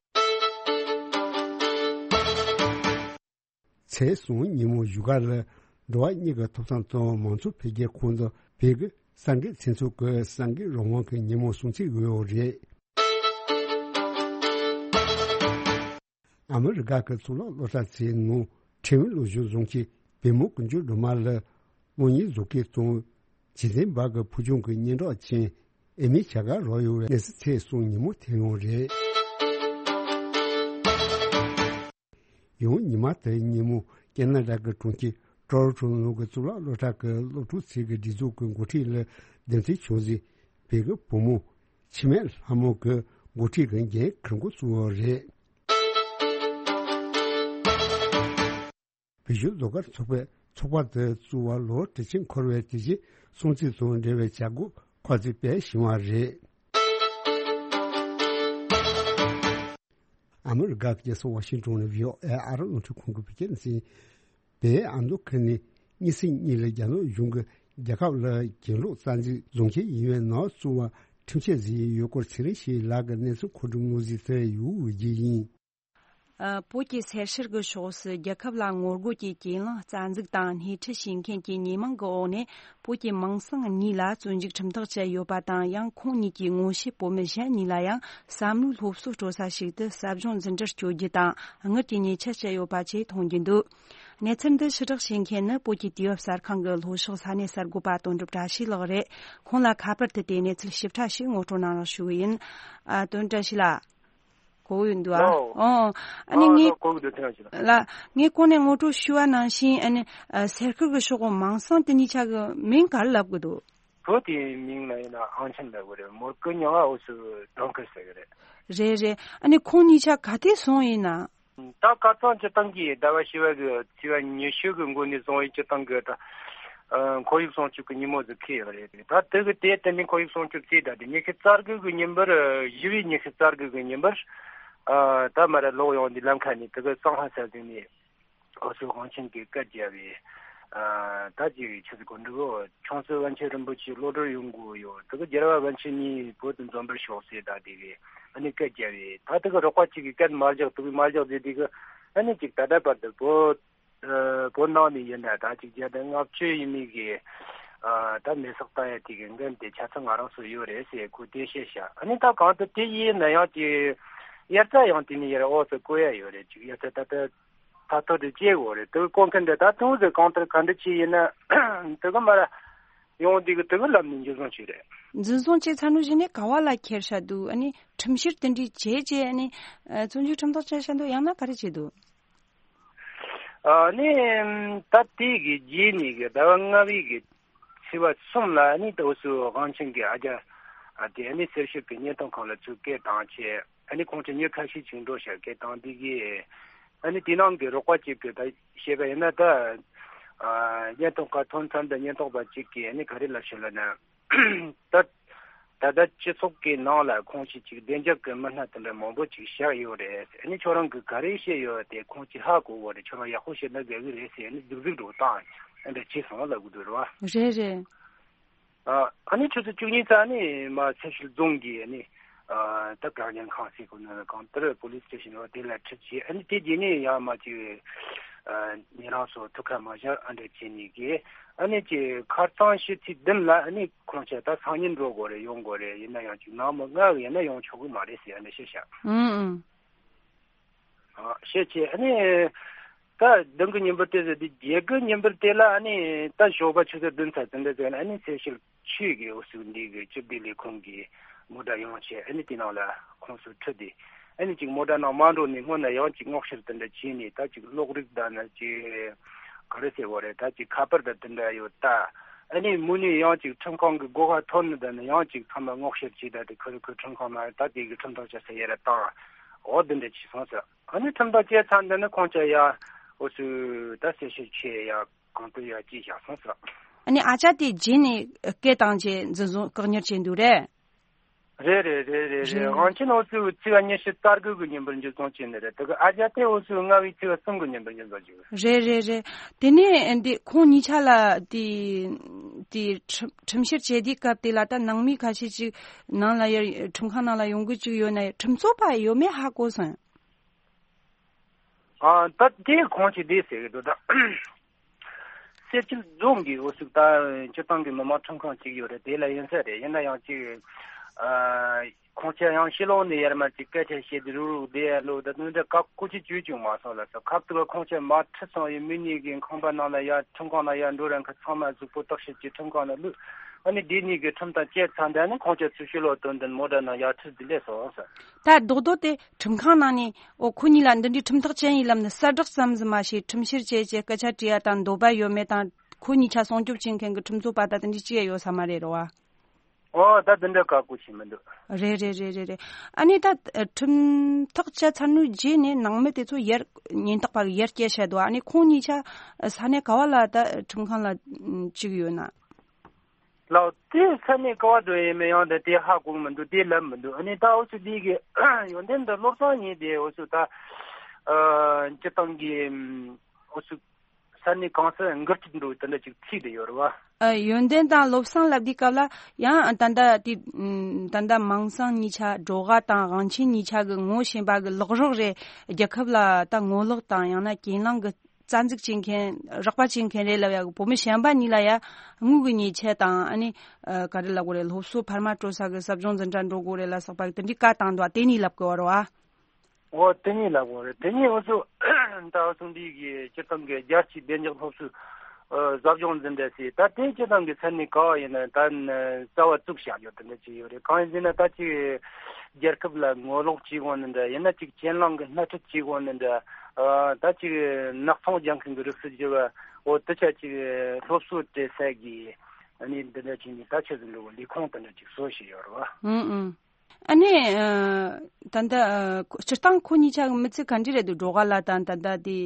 ཚེས་གསུམ་ཉིན་མོ་བཞུགས་སྒར་ལ་འགྲོ་བ་མིའི་ཐོབ་ཐང་དང་མང་གཙོ་འཕེལ་རྒྱས་ཁང་དུ་བོད་ཀྱི་གསར་འགོད་ཚན་ཚོགས་ཀྱི་གསར་འགོད་རང་དབང་གི་ཉིན་མོ་སྲུང་བརྩི་ཡོད་རེད། ཨ་མི་རི་ཀ་གི་གཙུག་ལག་སློབ་གྲྭ་ཚོའི་ནང་ཁྲིམས་སློབ་སྦྱོང་བཟུང་གིས་བོད་མི་ཀུན་སྤྱོད་སྒྲོལ་མ་ལ་གློག་བརྙན་བཟོ་མཁན་དང་། རྗེས་འཛིན་པ་གི་ཕུལ་བྱུང་གི་སྙན་གྲགས་ཅན་ཨེ་མི་བྱ་དགའ་རག་ཡོད་པའི་གནས་ཚུལ་ཚེས་གསུམ་ཉིན་མོ་ཐོན་ཡོད་རེད། ཡང་ཉི་མ་དེ་ཉིན་མོ་ཀེ་ན་ཌ་གི་གྲོང་ཁྱེར་ཊོ་རོན་ཊོ་ནང་གི་གཙུག་ལག་སློབ་གྲྭ་གི་སློབ་ཕྲུག་ཚོའི་སྒྲིག་འཛུགས་ཀྱི་འགོ་ཁྲིད་ལ་འདེམས་ཐོན་བྱུང་ཟིན་བོད་ཀྱི་བུ་མོ་འཆི་མེད་ལྷ་མོ་གི་འགོ་ཁྲིད་ཀྱི་འགན་འཁུར་འགོ་བཙུགས་ཡོད་རེད། བོད་གཞུང་ཟློས་གར་ཚོགས་པས་ཚོགས་པ་དེ་བཙུགས་པར་ལོ་དྲུག་ཅུ་འཁོར་བའི་དུས་ཆེན་སྲུང་བརྩི་དང་འབྲེལ་བའི་བྱ་སྒོ་ཁོ་ཚོས་སྤེལ་བཞིན་པ་རེད། ཨ་མི་རི་ཀ་གི་རྒྱལ་ས་ཝ་ཤིང་ཏོན་ནས་བྷི་ཨོ་ཨེ་ཨ་རི་རླུང་འཕྲིན་ཁང་གི་བོད་སྐད་སྡེ་ཚན། བོད་ཨ་མདོ་ཁུལ་ནས་གཉིས་ཚེས་གཉིས་ལ་རྒྱ་ནག་གཞུང་གིས་རྒྱལ་ཁབ་ལ་གྱེན་ལོག་རྩ་འཛུགས་བཟོ་མཁན་ཡིན་པའི་ནང་བཙུགས་པར་ཁྲིམས་ཆད་བཟོས་ཡོད་སྐོར་ཚེ་རིང་ཞིག་ལགས་ཀྱིས་གནས་ཚུལ་མཁོ་སྒྲུབ་གནང་གཟིགས་དེ་ཡུལ་དབུས་རྒྱས་ཡིན། ཨ། བོད་ཀྱི་སེར་ཤར་གྱི་ཕྱོགས་སུ་རྒྱལ་ཁབ་ལ་ངོ་རྒོལ་གྱི་གྱེན་ལངས་རྩ་འཛུགས་དང་སྣེ་ཁྲིད་བྱེད་མཁན་གྱི་ཉེས་མིང་གི་འོག་ནས་བོད་ཀྱི་མིང་སྲིང་གཉིས་ལ་བཙོན་འཇུག་ཁྲིམས་ཐག་བཅད་ཡོད་པ་དང་། ཡང་ཁོང་གཉིས་ཀྱི་ངོ་ཤེས་བོད་མི་གཞན་གཉིས་ལ་ཡང་བསམ་བློའི་སློབ་གསོ་སྤྲོད་ས་ཞིག་ཏུ་ཟབ་སྦྱོང་འཛིན་གྲྭར་བསྐྱོད་རྒྱུ་དང་དངུལ་གྱི་ཉེས་ཆད་བཅད་ཡོད་པ་བཅས་མཐོང་རྒྱུ་འདུག་གནས་ཚུལ་འདི་ཕྱིར་བསྒྲགས་བྱེད་མཁན་ནི་བོད་ཀྱི་དུས་བབ་གསར་ཁང་གི་ལྷོ་ཕྱོགས་ས་གནས་གསར་འགོད་པ་དོན་གྲུབ་བཀྲ་ཤིས་ལགས་རེད། ཁོང་ལ་ཁ་པར་དུ་དེ་གནས་ཚུལ་ཞིབ་ཕྲ་ཞིག་ངོ་སྤྲོད་གནང་རོགས་ཞུ་གི་ཡིན། ཨ། དོན་གྲུབ་བཀྲ་ཤིས་ལགས། གོ་གི་འདུག་ཨ། ལོ། ཨོ། ཨ་ནི། ཨ། ངས། ལོ། གོ་གི་འདུག་ཐེངས་ཤིག་ལ། ལ། ངས་གོང་ནས་ངོ་སྤྲོད་ཞུས་པ་ནང་བཞིན། ཨ་ནི། ཨ། སེར་ཁུལ་གྱི་ཕྱོགས་གི་མིང་སྲིང་དེ་གཉིས་ཆ་གི་མིང་ག་རེ་ལབ་གི་འདུག་བོད་དེའི་མིང་ལ་ཡིན་ན་ཨང་ཆེན་ལབ་གི་རེད། མོར་ཀི་མྱིང་ང་འུ་ཚོས་ཌོན་ཁེར་ཟེར་གི་རེད། རེད་རེད། ཨ་ནི་ཁོང་གཉིས་ཆ་ག་དུས་སོང་ཡིན་ན། ད་ཁ་སང་སྤྱིར་བཏང་གི་ཟླ་བ་བཞི་པ་གི་ཚེས་པ་ཉི་ཤུ་གི་འགོ་ནས་བཟུང་བའི་སྤྱིར་བཏང་གི་ད། ཨ། ཁོར་ཡུག་སྲུང་སྐྱོབ་ཀྱི་ཉིན་མོ་ཟིག་འཁེལ་ཡོད་རེད། ད་དེ་གི་དེ་དེ་ནས་ཁོར་ཡུག་སྲུང་སྐྱོབ་བྱས། ད་དེ་ཉི་ཤུ་རྩ་དགུ་གི་ཉིན་པར། བཞི་པའི་ཉི་ཤུ་རྩ་དགུ་གི་ཉིན་པར། ཨ། ད་མར་ལོག་ཡོང་དུས་ལམ་ཁ་ནས་དེ་གི་གཙང་ཧ་ས་ཟིག་ནས་འུ་ཚོའི་དབང་ཆེན་གྱི་སྐད་རྒྱབ་པས། ཨ། ད་ཅིག་ཆི་ཟིག་གོ་འདུག་ཆུང་སྲིད་པཎ་ཆེན་རིན་པོ་ཆེ་གློད་གྲོལ་ཡོང་གི་ཡོད། དེ་གི་རྒྱལ་བ་པཎ་ཆེན་གཉིས་བོད་དུ་འཛོམས་པར་ཤོག་ཟེར། ད་དེ་གི་ཨ་ནི་སྐད་རྒྱབ་པས། ད་དེ་གི་རོགས་པ་གཅིག་གིས་སྐད་མ་རྒྱག། དེ་གི་མ་རྒྱག་ཟེར། དེ་གི་ཨ་ནི་ཅིག་ད་ལྟ་བར་དུ་བོད། ཨ། བོད་ནང་ནས་ཡིན་ན་ད་ཅིག་བརྒྱ་དང་ལྔ་བཅུ་ཡས་མས་གི། ཨ། ད་མེ་སྲེག་བཏང་ཡ་དེ་གི་འགན་དེ་ཆ་ཚང་ང་རང་ཚོ་ཡོད་རེད་ཟེར་ཁོས་དེ་བཤད་ཤག་ཨ་ནི་ད་གང་ལྟར་དེ་ཡིན་ན་ཡང་དེ་དབྱར་རྩྭ་ཡང་དེ་ནས་ཡར་འོག་ཏུ་བརྐོ་ཡ་ཡོད་རེད། ཅིག་དབྱར་རྩྭ་ད་ལྟ་ཐ་ཐོར་དུ་སྐྱེ་དགོས་རེད། དེ་གི་བརྐོ་མཁན་དེ་ད་དུང་ཟེར་གང་ལྟར་ག་འདྲ་ཅིག་ཡིན་ན་དེ་གི་མར་ཡོང་དེ་གི་དེ་གི་ལམ་ནས་འཇུ་བཟུང་བྱས་རེད། འཇུ་བཟུང་བྱས་ཚར་ནོ་གཞི་ནས་ག་བ་ལ་ཁྱེར་ཤག་འདུག་ཨ་ནི་ཁྲིམས་བཤེར་དེ་འདྲའི་བྱས་རྗེས། ཨ་ནི། ཨ། བཙོན་འཇུག་ཁྲིམས་ཐག་བཅད་ཤག་འདུག་ཡང་ན་ག་རེ་བྱས་འདུག་ཨ་ནི་ད་དེ་གི་རྗེས་ནས་གི་ཟླ་བ་ལྔ་པའི་གི་ཚེས་པ་གསུམ་ལ་ནི་ད་འུ་ཚོ་དབང་ཆེན་གི་ཨ་ཅག་ཨ་དེ་ནི་གསེར་ཞབས་ཀྱི་བརྙན་ཐུང་ཁང་ལ་ཚུར་སྐད་བཏང་བྱས། ཨ་ནི་ཁོང་ཚོ་མྱི་ཁ་ཤས་ཅིག་འགྲོ་ཤག་སྐད་བཏང་དེ་གི། ཨ་ནི་དེ་ནང་གི་རོགས་པ་གཅིག་གི་ད་བཤད་པ་ཡིན་ན་ད་ཨ་བརྙན་ཐུང་ཁང་ཐོན་མཚམས་ད་བརྙན་ཐུང་པ་གཅིག་གིས་ཨ་ནི་ག་རེ་ལབ་ཤག་ལབ་ན། ད་ད་ལྟ་སྤྱི་ཚོགས་ཀྱི་ནང་ལ་ཁོང་ཚོས་ཅིག་བདེ་འཇགས་ཀྱི་མི་སྣ་དེ་འདྲ་མང་པོ་ཅིག་བཞག་ཡོད་རེད། ཨ་ནི་ཁྱོད་རང་གིས་ག་རེ་བཤད་ཡོད་དེ་ཁོང་ཚོས་ཧ་གོ་གོ་རེད། ཁྱོད་རང་ཡག་པོ་བཤད་ན་དགའ་གི་རེད་ཟེར། ཨ་ནི་རྫིག་རྫིག་འགྲོ་སྟངས་ཨ་འདྲ་བྱས་སོང་ལབ་གི་འདུག་རེད་བ། རེད་རེད། ཨ་ཨ་ནི་ཆུ་ཚོད་བཅུ་གཉིས་ཙམ་ནས་མར་ཚེ་ཤུལ་རྫོང་གི་ཨ་ནི་ཨ་ད་བཀག་ཉར་ཁང་ཟེར་གོ་ནོ་གང་ལྟར་པོ་ལིས་སི་ཊེ་ཤན་རེད་བ། དེ་ལ་ཁྲིད་བྱས། ཨ་ནི་དེ་རྗེས་ནས་ཡང་མར་ཅིག་ཨ་ཉེ་རང་ཚོ་ཐུག་ཁ་མ་བཞག་ཨ་འདྲ་བྱས་ནས་གི། ཨ་ནི་ཅིག་ཁ་རྩང་ཕྱི་ཚེས་བདུན་ལ་ཨ་ནི་ཁོང་ཚོ་ད་སང་ཉིན་འགྲོ་དགོས་རེད། ཡོང་དགོས་རེད། ཡིན་ན་ཡང་ཅིག་ནངས་མོ་ལྔ་ཡིན་ན་ཡོང་ཆོག་གི་མ་རེད་ཟེར་ཨ་ནི་བཤད་ཤག་ཨང་ཨང་། ཨ་བཤད་བྱས། ཨ་ནི་ད་བདུན་གི་ཉིན་པར་དེ་ཟེར་དུས་བརྒྱད་གི་ཉིན་པར་དེ་ལ་ཨ་ནི་ད་ཞོགས་པ་ཆུ་ཚོད་བདུན་ཙམ་དེ་འདྲ་ཟེར་ན་ཨ་ནི་ཚེ་ཤུལ་ཆུས་ཀྱི་འོ་ཟུག་འདི་གི་སྤྱི་བདེ་ལས་ཁུངས་ཀྱི་མོ་ཊ་ཡོང་བྱས། ཨ་ནི་དེ་ནང་ལ་ཁོང་ཚོ་ཁྲིད་དེ། ཨ་ནི་ཅིག་མོ་ཊ་ནང་མ་འགྲོ་ནས་སྔོན་ན་ཡང་ཅིག་སྔོག་བཤེར་དེ་འདྲ་བྱས་ནས། ད་ཅིག་གློག་རིགས་དང་ནི་ཅིག་ག་རེ་ཟེར་བ་རེད། ད་ཅིག་ཁ་པར་དང་དེ་འདྲ་ཡོད་ད། ཨ་ནི་མུ་ནས་ཡང་ཅིག་ཁྲིམས་ཁང་གི་སྒོ་ཁ་ཐོན་ནས་ད་ནི་ཡང་ཅིག་ཚང་མ་སྔོག་བཤེར་བྱས། ད་དེ་ཁུ་རུ་ཁུ་ཁྲིམས་ཁང་ནང་ད་དེ་གི་ཁྲིམས་ཐག་བཅད་ས་ཡ་ར་བཏང་འོ་དེ་འདྲ་བྱས་སོང་ཟེར། ཨ་ནི་ཁྲིམས་ཐག་བཅད་ཚར་འདི་ནི་ཁོང་ཚོ་ཡ་འོ་ཚོ་ད་གསལ་བཤད་ཆེ་ཡ་གང་ལྟར་ཡ་ཅི་བཞག་སོང་ཟེར། ཨ་ནི་ཨ་ཅག་དེ་རྗེས་ནས་སྐད་བཏང་བྱས་འཛིན་བཟུང་བཀག་ཉར་བྱས་འདུག་རེད། རེད་རེད་རེད་རེད་རེད། རེད། དབང་ཆེན་འོ་ཚོ་ཚེས་པ་ཉི་ཤུ་རྩ་དགུ་གི་ཉིན་པར་འཛིན་བཟུང་བྱས་ནི་རེད། དེ་གི་ཨ་ཅག་དེ་འོ་ཚོ་ལྔ་བའི་ཚེས་པ་གསུམ་གི་ཉིན་པར་འཛིན་བཟུང་བྱས། རེད་རེད་རེད། དེ་ནས་འདི་ཁོང་གཉིས་ཆ་ལ་དེ་དེ་ཁྲིམས་ཁྲིམས་བཤེར་བྱེད་དུས་སྐབས་དེ་ལ་ད་ནང་མི་ཁ་ཤས་ཅིག་ནང་ལ་ཡར་ཁྲིམས་ཁང་ནང་ལ་ཡོང་གི་ཅིག་ཡོད་ན་ཁྲིམས་རྩོད་པ་ཡོད་མེད་ཧ་གོ་སོང་། ཨ་ད་དེ་ཁོང་ཅིག་དེ་ཟེར་གི་འདུག་ད། གསེར་ཁྲི་རྫོང་གི་འོ་ཟུག་ད་སྤྱིར་བཏང་གི་མི་མང་ཁྲིམས་ཁང་ཅིག་ཡོད་རེད། དེ་ལ་ཡིན་ས་རེད། ཡིན་ན་ཡང་ཅིག་ཨ་ཁོང་ཚོ་ཡང་ཕྱི་ལོགས་ནས་ཡར་མར་ཅིག་སྐད་ཆ་བཤད་དེ་རུག་རུག་བསྡད་ཡ་ལོ་ད་དུང་འདྲ་བཀག་ཁོ་ཅིག་བཅོས་ཀྱང་མ་སོང་ལ་སོ། ཁབ་ཏུ་ཁོང་ཚོ་མ་ཁྲིད་སོང་ཡི་མི་གཉིས་ཀྱི་ཁང་པ་ནང་ལ་ཡར་ཁྲིམས་ཁང་ནང་ཡར་འགྲོ་རན་ཁ་ཚང་མ་གཟུགས་པོ་བརྟག་ཞིབ་ཀྱིས་ཁྲིམས་ཁང་ནང་བླུགས། ཨ་ནི་དེ་གཉིས་ཀྱི་ཁྲིམས་ཐག་བཅད་ཚར་འདི་ནི་ཁོང་ཚོ་ཚུར་ཕྱི་ལོགས་དོན་དུ་མོ་ཊ་ནང་ཡར་ཁྲིད་དེ་སླེབས་སོང་ཟེར། ད་རྡོག་རྡོག་དེ་ཁྲིམས་ཁང་ནང་ནས་འོ་ཁོ་གཉིས་ལ་འདི་འདྲའི་ཁྲིམས་ཐག་བཅད་ཡིན་ལབ་ནི་གསལ་བསྒྲགས་ཙམ་ཟིག་མ་བྱས་ཁྲིམས་བཤེར་བྱས་བྱས་སྐད་ཆ་དྲིས་ཡ་དང་འདོད་པ་ཡོད་མེད་དང་ཁོ་གཉིས་ཆ་སྲུང་སྐྱོབ་བྱེད་མཁན་གྱི་ཁྲིམས་རྩོད་པ་ད་དེ་འདྲའི་ཅི་ཡ་ཡོད་ས་མ་རེད་རོ་བ། ཨོ་ད་དེ་འདྲ་བཀག་པོ་བྱས་མི་འདུག་རེད་རེད་རེད་རེད་རེད། ཨ་ནི་ད་ཁྲིམས་ཐག་བཅད་ཚར་ནོའི་རྗེས་ནས་ནང་མི་དེ་ཚོ་ཡར་ཉེན་རྟོག་པ་གིས་ཡར་སྐྱེལ་བྱས་འདུག་ཨ་ནི་ཁོང་གཉིས་ཆ་ས་གནས་ག་བ་ལ་ད་ཁྲིམས་ཁང་ལ་བཅུག་ཡོད་ན། ལགས་དེ་ས་གནས་ག་བ་འགྲོ་ཡས་མེད། ཡང་དེ་དེ་ཧ་གོ་མི་འདུག་དེ་ལབ་མི་འདུག་ཨ་ནི་ད་འུ་ཚོ་འདི་གི་ཡོན་ཏན་འདི་བློ་བཟང་ཡིན་དེ་འུ་ཚོ་ད་ཨ་སྤྱི་བཏང་གི་འུ་ཚོ་ས་གནས་གང་སར་འགུལ་སྐྱོད་འགྲོ་དེ་འདྲ་ཅིག་ཚིག་དེ་ཡོད་རེད་བ། ཨ་ཡོན་ཏན་དང་བློ་བཟང་ལབ་དུས་སྐབས་ལ་ཡང་ད་ལྟ་དེ་ད་ལྟ་མིང་སྲིང་གཉིས་ཆ་སྒྲོལ་དཀར་དང་དབང་ཆེན་གཉིས་ཆ་གི་ངོ་ཤེས་པ་གི་ལག་རོགས་རེད། རྒྱལ་ཁབ་ལ་ད་ངོ་ལོག་དང་ཡང་ན་གྱེན་ལངས་གི་རྩ་འཛུགས་བྱེད་མཁན་རོགས་པ་བྱེད་མཁན་རེད་ལབ་ཡ་གི་བུ་མོ་གཞན་པ་གཉིས་ལ་ཡ་དངུལ་གི་ཉེས་ཆད་དང་ཨ་ནི་ཨ་ག་རེ་ལབ་དགོས་རེད། སློབ་གསོ་འཕར་མ་སྤྲོད་ས་གི་ཟབ་སྦྱོང་འཛིན་གྲྭ་འགྲོ་དགོས་རེད་ལ་སོགས་པ་གི་དེ་འདྲའི་བཀའ་བཏང་འདུག་དེ་གཉིས་ལབ་དགོས་རེད་བ། འོ་དེ་གཉིས་ལབ་དགོས་རེད། དེ་གཉིས་འུ་ཚོ་ད་འུ་ཚོ་འདི་གི་སྤྱིར་བཏང་གི་རྒྱལ་སྤྱིའི་བདེ་འཇགས་སློབ་གསོའི་ཨ་ཟབ་སྦྱོང་འཛིན་གྲྭ་ཟེར་ད་དེ་སྤྱིར་བཏང་གི་ས་གནས་ག་བ་ཡིན་ན་ད་རྩ་བ་བཙུགས་བཞག་ཡོད་དེ་འདྲ་ཅིག་ཡོད་རེད། གང་ཡིན་ཟེར་ན་ད་ཅིག་རྒྱལ་ཁབ་ལ་ངོ་ལོག་བྱེད་དགོས་ནི་འདྲ། ཡིན་ན་ཅིག་གྱེན་ལངས་གི་སྣེ་ཁྲིད་བྱེད་དགོས་ནི་འདྲ། ཨ་ད་ཅིག་ནག་ཚོང་རྒྱག་མཁན་གི་རིགས་སུ་གྱུར་བ་འོ་དེ་ཆ་ཅིག་སློབ་གསོ་སྤྲད་ས་གི་ཨ་ནི་འདི་འདྲ་བྱས་ནས་ད་ཆ་ཟིན་འགྲོ་གི་ལས་ཁུངས་དེ་འདྲ་ཅིག་བཟོ་བཞིན་ཡོད་རེད་བ། ཨང་ཨང་། ཨ་ནི་ཨ་ད་ལྟ་ཨ་སྤྱིར་བཏང་ཁོ་གཉིས་ཆ་གི་མི་ཚེ་ག་འདྲ་རེད་འདུག་སྒྲོལ་དཀར་ལགས་དང་ད་ལྟ་དེ་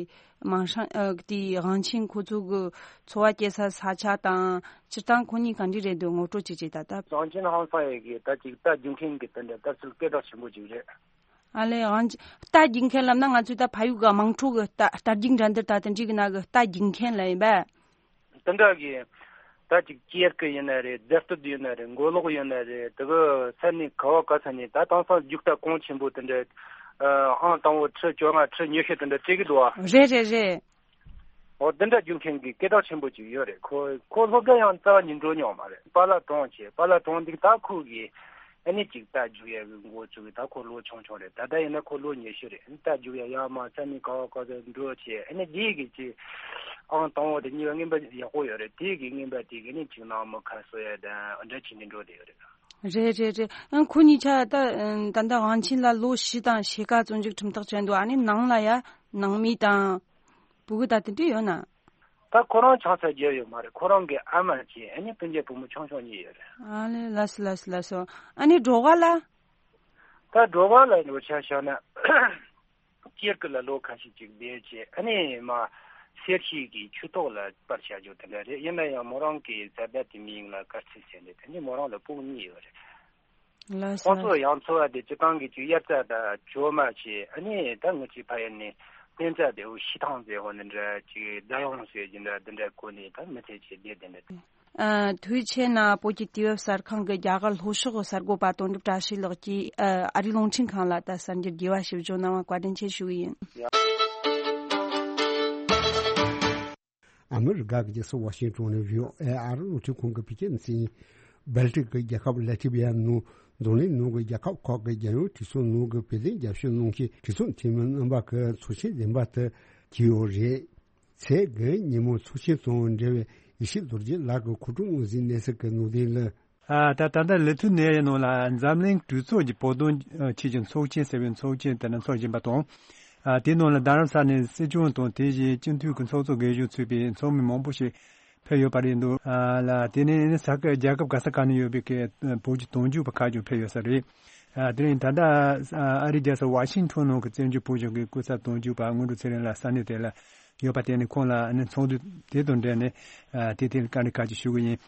མིང་སྲིང་ཨ་དེ་དབང་ཆེན་ཁོ་ཚོ་གི་འཚོ་བ་སྐྱེལ་ས་ས་ཆ་དང་སྤྱིར་བཏང་ཁོ་གཉིས་ག་འདྲ་རེད་འདུག་ངོ་སྤྲོད་ཅིག་བྱེད་ད་ལྟ། དབང་ཆེན་ཧང་སང་ཡས་གི་ད་ཅིག་རྟ་རྒྱུག་མཁན་གི་དེ་འདྲ་ལྟ་ཚུལ་སྐད་གྲགས་ཆེན་པོ་ཅིག་རེད། ཨ་ལས་དབང་ཆེན་རྟ་རྒྱུག་མཁན་ལབ་ན་ང་ཚོས་ད་ཕ་ཡུལ་གི་དམངས་ཁྲོད་གི་རྟ་རྟ་རྒྱུག་འགྲན་བསྡུར་ད་དེ་འདྲའི་གི་ནང་གི་རྟ་རྒྱུག་མཁན་ལབ་ཡིན་པས། དེ་འདྲ་གི་ད་ཅིག་ཅེར་གི་ཡིན་ན་རེད། རྫས་སྟོད་ཡིན་ན་རེད། མགོ་ལོག་ཡིན་ན་རེད། དེ་གི་ས་གནས་ག་བ་ག་ས་ནས་ད་དེང་སང་རྒྱུག་རྟ་གོང་ཆེན་པོ་དེ་འདྲ་ཨང་དང་པོ་ཁྲི་བཅོ་ལྔ་ཁྲི་ཉི་ཤུ་དེ་འདྲ་སྤྲད་གི་འདུག་ཨ། རེད་རེད་རེད། འོ་དེ་འདྲ་རྒྱུག་མཁན་གི་སྐད་གྲགས་ཆེན་པོ་ཅིག་ཡོད་རེད། ཁོ་ཁོ་སློབ་གྲྭ་ཡང་རྩ་བ་ནས་འགྲོ་མྱོང་མ་རེད། པཱ་ལགས་གྲོངས་བྱས། པཱ་ལགས་གྲོངས་འདུག་ད་ཁོ་གི་ཨ་ནི་ཅིག་རྟ་རྒྱུག་ཡ་གི་འགོ་བཙུགས་གི་ད་ཁོ་ལོ་ཆུང་ཆུང་རེད། ད་ལྟ་ཡིན་ན་ཁོ་ལོ་ཉི་ཤུ་རེད། རྟ་རྒྱུག་ཡ་ཡར་མར་ས་གནས་ག་བ་ག་ཚོད་འགྲོ་བྱས། ཨ་ནི་དེ་གི་ཅིག་ཨང་དང་པོ་དེ་གཉིས་པ་རྔན་པ་ཡག་པོ་ཡོད་རེད། དེ་གི་རྔན་པ་དེ་གི་ནི་ཅིག་ནང་མི་ཁ་གསོ་ཡ་དང་འདྲ་བྱས་ནས་འགྲོ་བསྡད་ཡོད་རེད། རེད་རེད་རེད། ཨང་ཁོ་གཉིས་ཆ་ད་ད་ལྟ་དབང་ཆེན་ལ་ལོ་བཞི་དང་ཕྱེད་ཀ་བཙོན་འཇུག་ཁྲིམས་ཐག་བཅད་འདུག་ཨ་ནི་ནང་ལ་ཡ་ནང་མི་དང་། ཕྲུ་གུ་ད་དེ་འདྲ་ཡོད་ན། ད་ཁོ་རང་ཆང་ས་རྒྱག་ཡོད་མ་རེད། ཁོ་རང་གི་ཨ་མ་གཅིག་ཨ་ནི་སྤུན་མཆེད་བུ་མོ་ཆུང་ཆུང་གཉིས་ཡོད་རེད། ཨ་ལེ་ལགས་སོ་ལགས་སོ་ལགས་སོ། ཨ་ནི་གྲོད་ཁོག་ལ། ད་གྲོད་ཁོག་ལ་འགྲོ་ཆ་བཞག་ན། སྐྱེས་ཀྱི་ལ་ལོ་ཁ་ཤས་ཅིག་བསྡད་བྱས་ཨ་ནི་མ་གསེར་ཞིག་གི་ཆུ་ཐོག་ལ་སྤར་བྱ་རྒྱུ་དེ་འདྲ་རེད། ཡིན་ན་ཡང་མོ་རང་གི་བཟའ་ཟླ་དེ་མིང་ལ་དཀར་ཚིལ་ཟེར་ནས་དེ་ནི་མོ་རང་ལ་སྤུ་གུ་གཉིས་ཡོད་རེད། ལགས་སོ། ཁོང་ཚོ་ཡང་འཚོ་བ་དེ་སྤྱི་བཏང་གི་ཅིག་དབྱར་རྩྭ་དང་གྲོ་མ་བྱས་ཨ་ནི་ད་ངུ་ཅིག་ཕ་ཡུལ་ནས་བསྟན་རྩྭ་དེ་འུ་ཤི་ཐང་ཟེར་ཧོ་ནི་འདྲ་ཅིག་རྫ་ཡོང་ཟེར་གྱི་འདྲ་འདི་འདྲ་གོ་ནས་ད་མི་ཚེ་ཆེ་བསྡད་དེ་འདྲ། ཨ། ཐུའུ་ཆེ་ན་བོད་ཀྱི་དུས་བབ་གསར་ཁང་གི་རྒྱ་གར་ལྷོ་ཕྱོགས་གསར་འགོད་པ་དོན་གྲུབ་བཀྲ་ཤིས་ལགས་ཀྱིས་ཨ། ཨ་རིའི་རླུང་འཕྲིན་ཁང་ལ་ད་གསར་འགྱུར་རྒྱས་པ་ཞིག་བརྗོད་གནང་བར་བཀའ་དྲིན་ཆེ་ཞུ་གི་ཡིན། ཨ་མི་རི་ཀ་གི་རྒྱལ་ས་ཝ་ཤིང་ཏོན་ནས་བྷི་ཨོ་ཨེ་ཨ་རི་རླུང་འཕྲིན་ཁང་གི་བོད་སྐད་སྡེ་ཚན། སྦལ་ཏིག་གི་རྒྱལ་ཁབ་ལ་ཏི་བི་ཡ་ནང་འཛམ་གླིང་ནང་གི་རྒྱལ་ཁབ་ཁག་གི་རྒྱལ་ཡོངས་གྲོས་ཚོགས་ནང་གི་བོད་དོན་རྒྱབ་སྐྱོར་གནང་མཁན་གྲོས་ཚོགས་འཐུས་མི་རྣམ་པ་གི་ཚོགས་ཆེན་རིམ་པ་དེ་བྱས་ཡོད་རེད། ཚེས་བརྒྱད་ཉིན་མོ་ཚོགས་ཆེན་དང་འབྲེལ་བའི་ཡེ་ཤེས་རྡོ་རྗེ་ལགས་ཀྱིས་གོ་སྒྲིག་དངོས་ཟིན་གནས་ཚུལ་གྱི་ནང་དོན་ལ། ཨ། ད་ད་ལྟ་ལི་ཐུ་ནེ་ཡའི་ནང་ལ་འཛམ་གླིང་གྲོས་ཚོགས་ཀྱི་བོད་དོན་ཆེད་ཀྱི་ཚོགས་ཆེན་ཟེར་བའི་ཚོགས་ཆེན་དེ་འདྲ་འཚོགས་བཞིན་པ་དང་། ཨ། དེའི་ནང་ལ་རྡ་རམ་ས་ལའི་སྲིད་སྐྱོང་དང་དེ་བཞིན་སྤྱི་འཐུས་ཀྱི་ཚོགས་གཙོ་སྒེར་གཞུང་ཚུད་པའི་ཚོགས་མི་མང་པོ་ཞིག་ཕེབས་ཡོད་པ་རེད་འདུག་ཨ་ལ། དེ་ནས་ས་ཁུལ་རྒྱལ་ཁབ་ག་ས་ག་ནས་ཡོད་པའི་གི་བོད་ཀྱི་དོན་གཅོད་པ་ཁག་ཅིག་ཕེབས་ཡོད་ས་རེད། ཨ། དེ་རིང་ད་ལྟ་ཨ་རིའི་རྒྱལ་ས་ཝ་ཤིང་ཊོན་ནང་གི་བཙན་བྱོལ་བོད་གཞུང་གི་སྐུ་ཚབ་དོན་གཅོད་པ་སྔོན་འགྲོ་ཚེ་རིང་ལགས་ས་གནས་དེ་ལ་ཡོད་པ་དེ་ནི་ཁོང་ལ་ནི་ཚོགས་འདུ་དེ་དང་འབྲེལ་ནས་ཨ་དེ་དེ་བཀའ་འདྲི་ཁག་ཅིག་ཞུ་གི་ཡིན།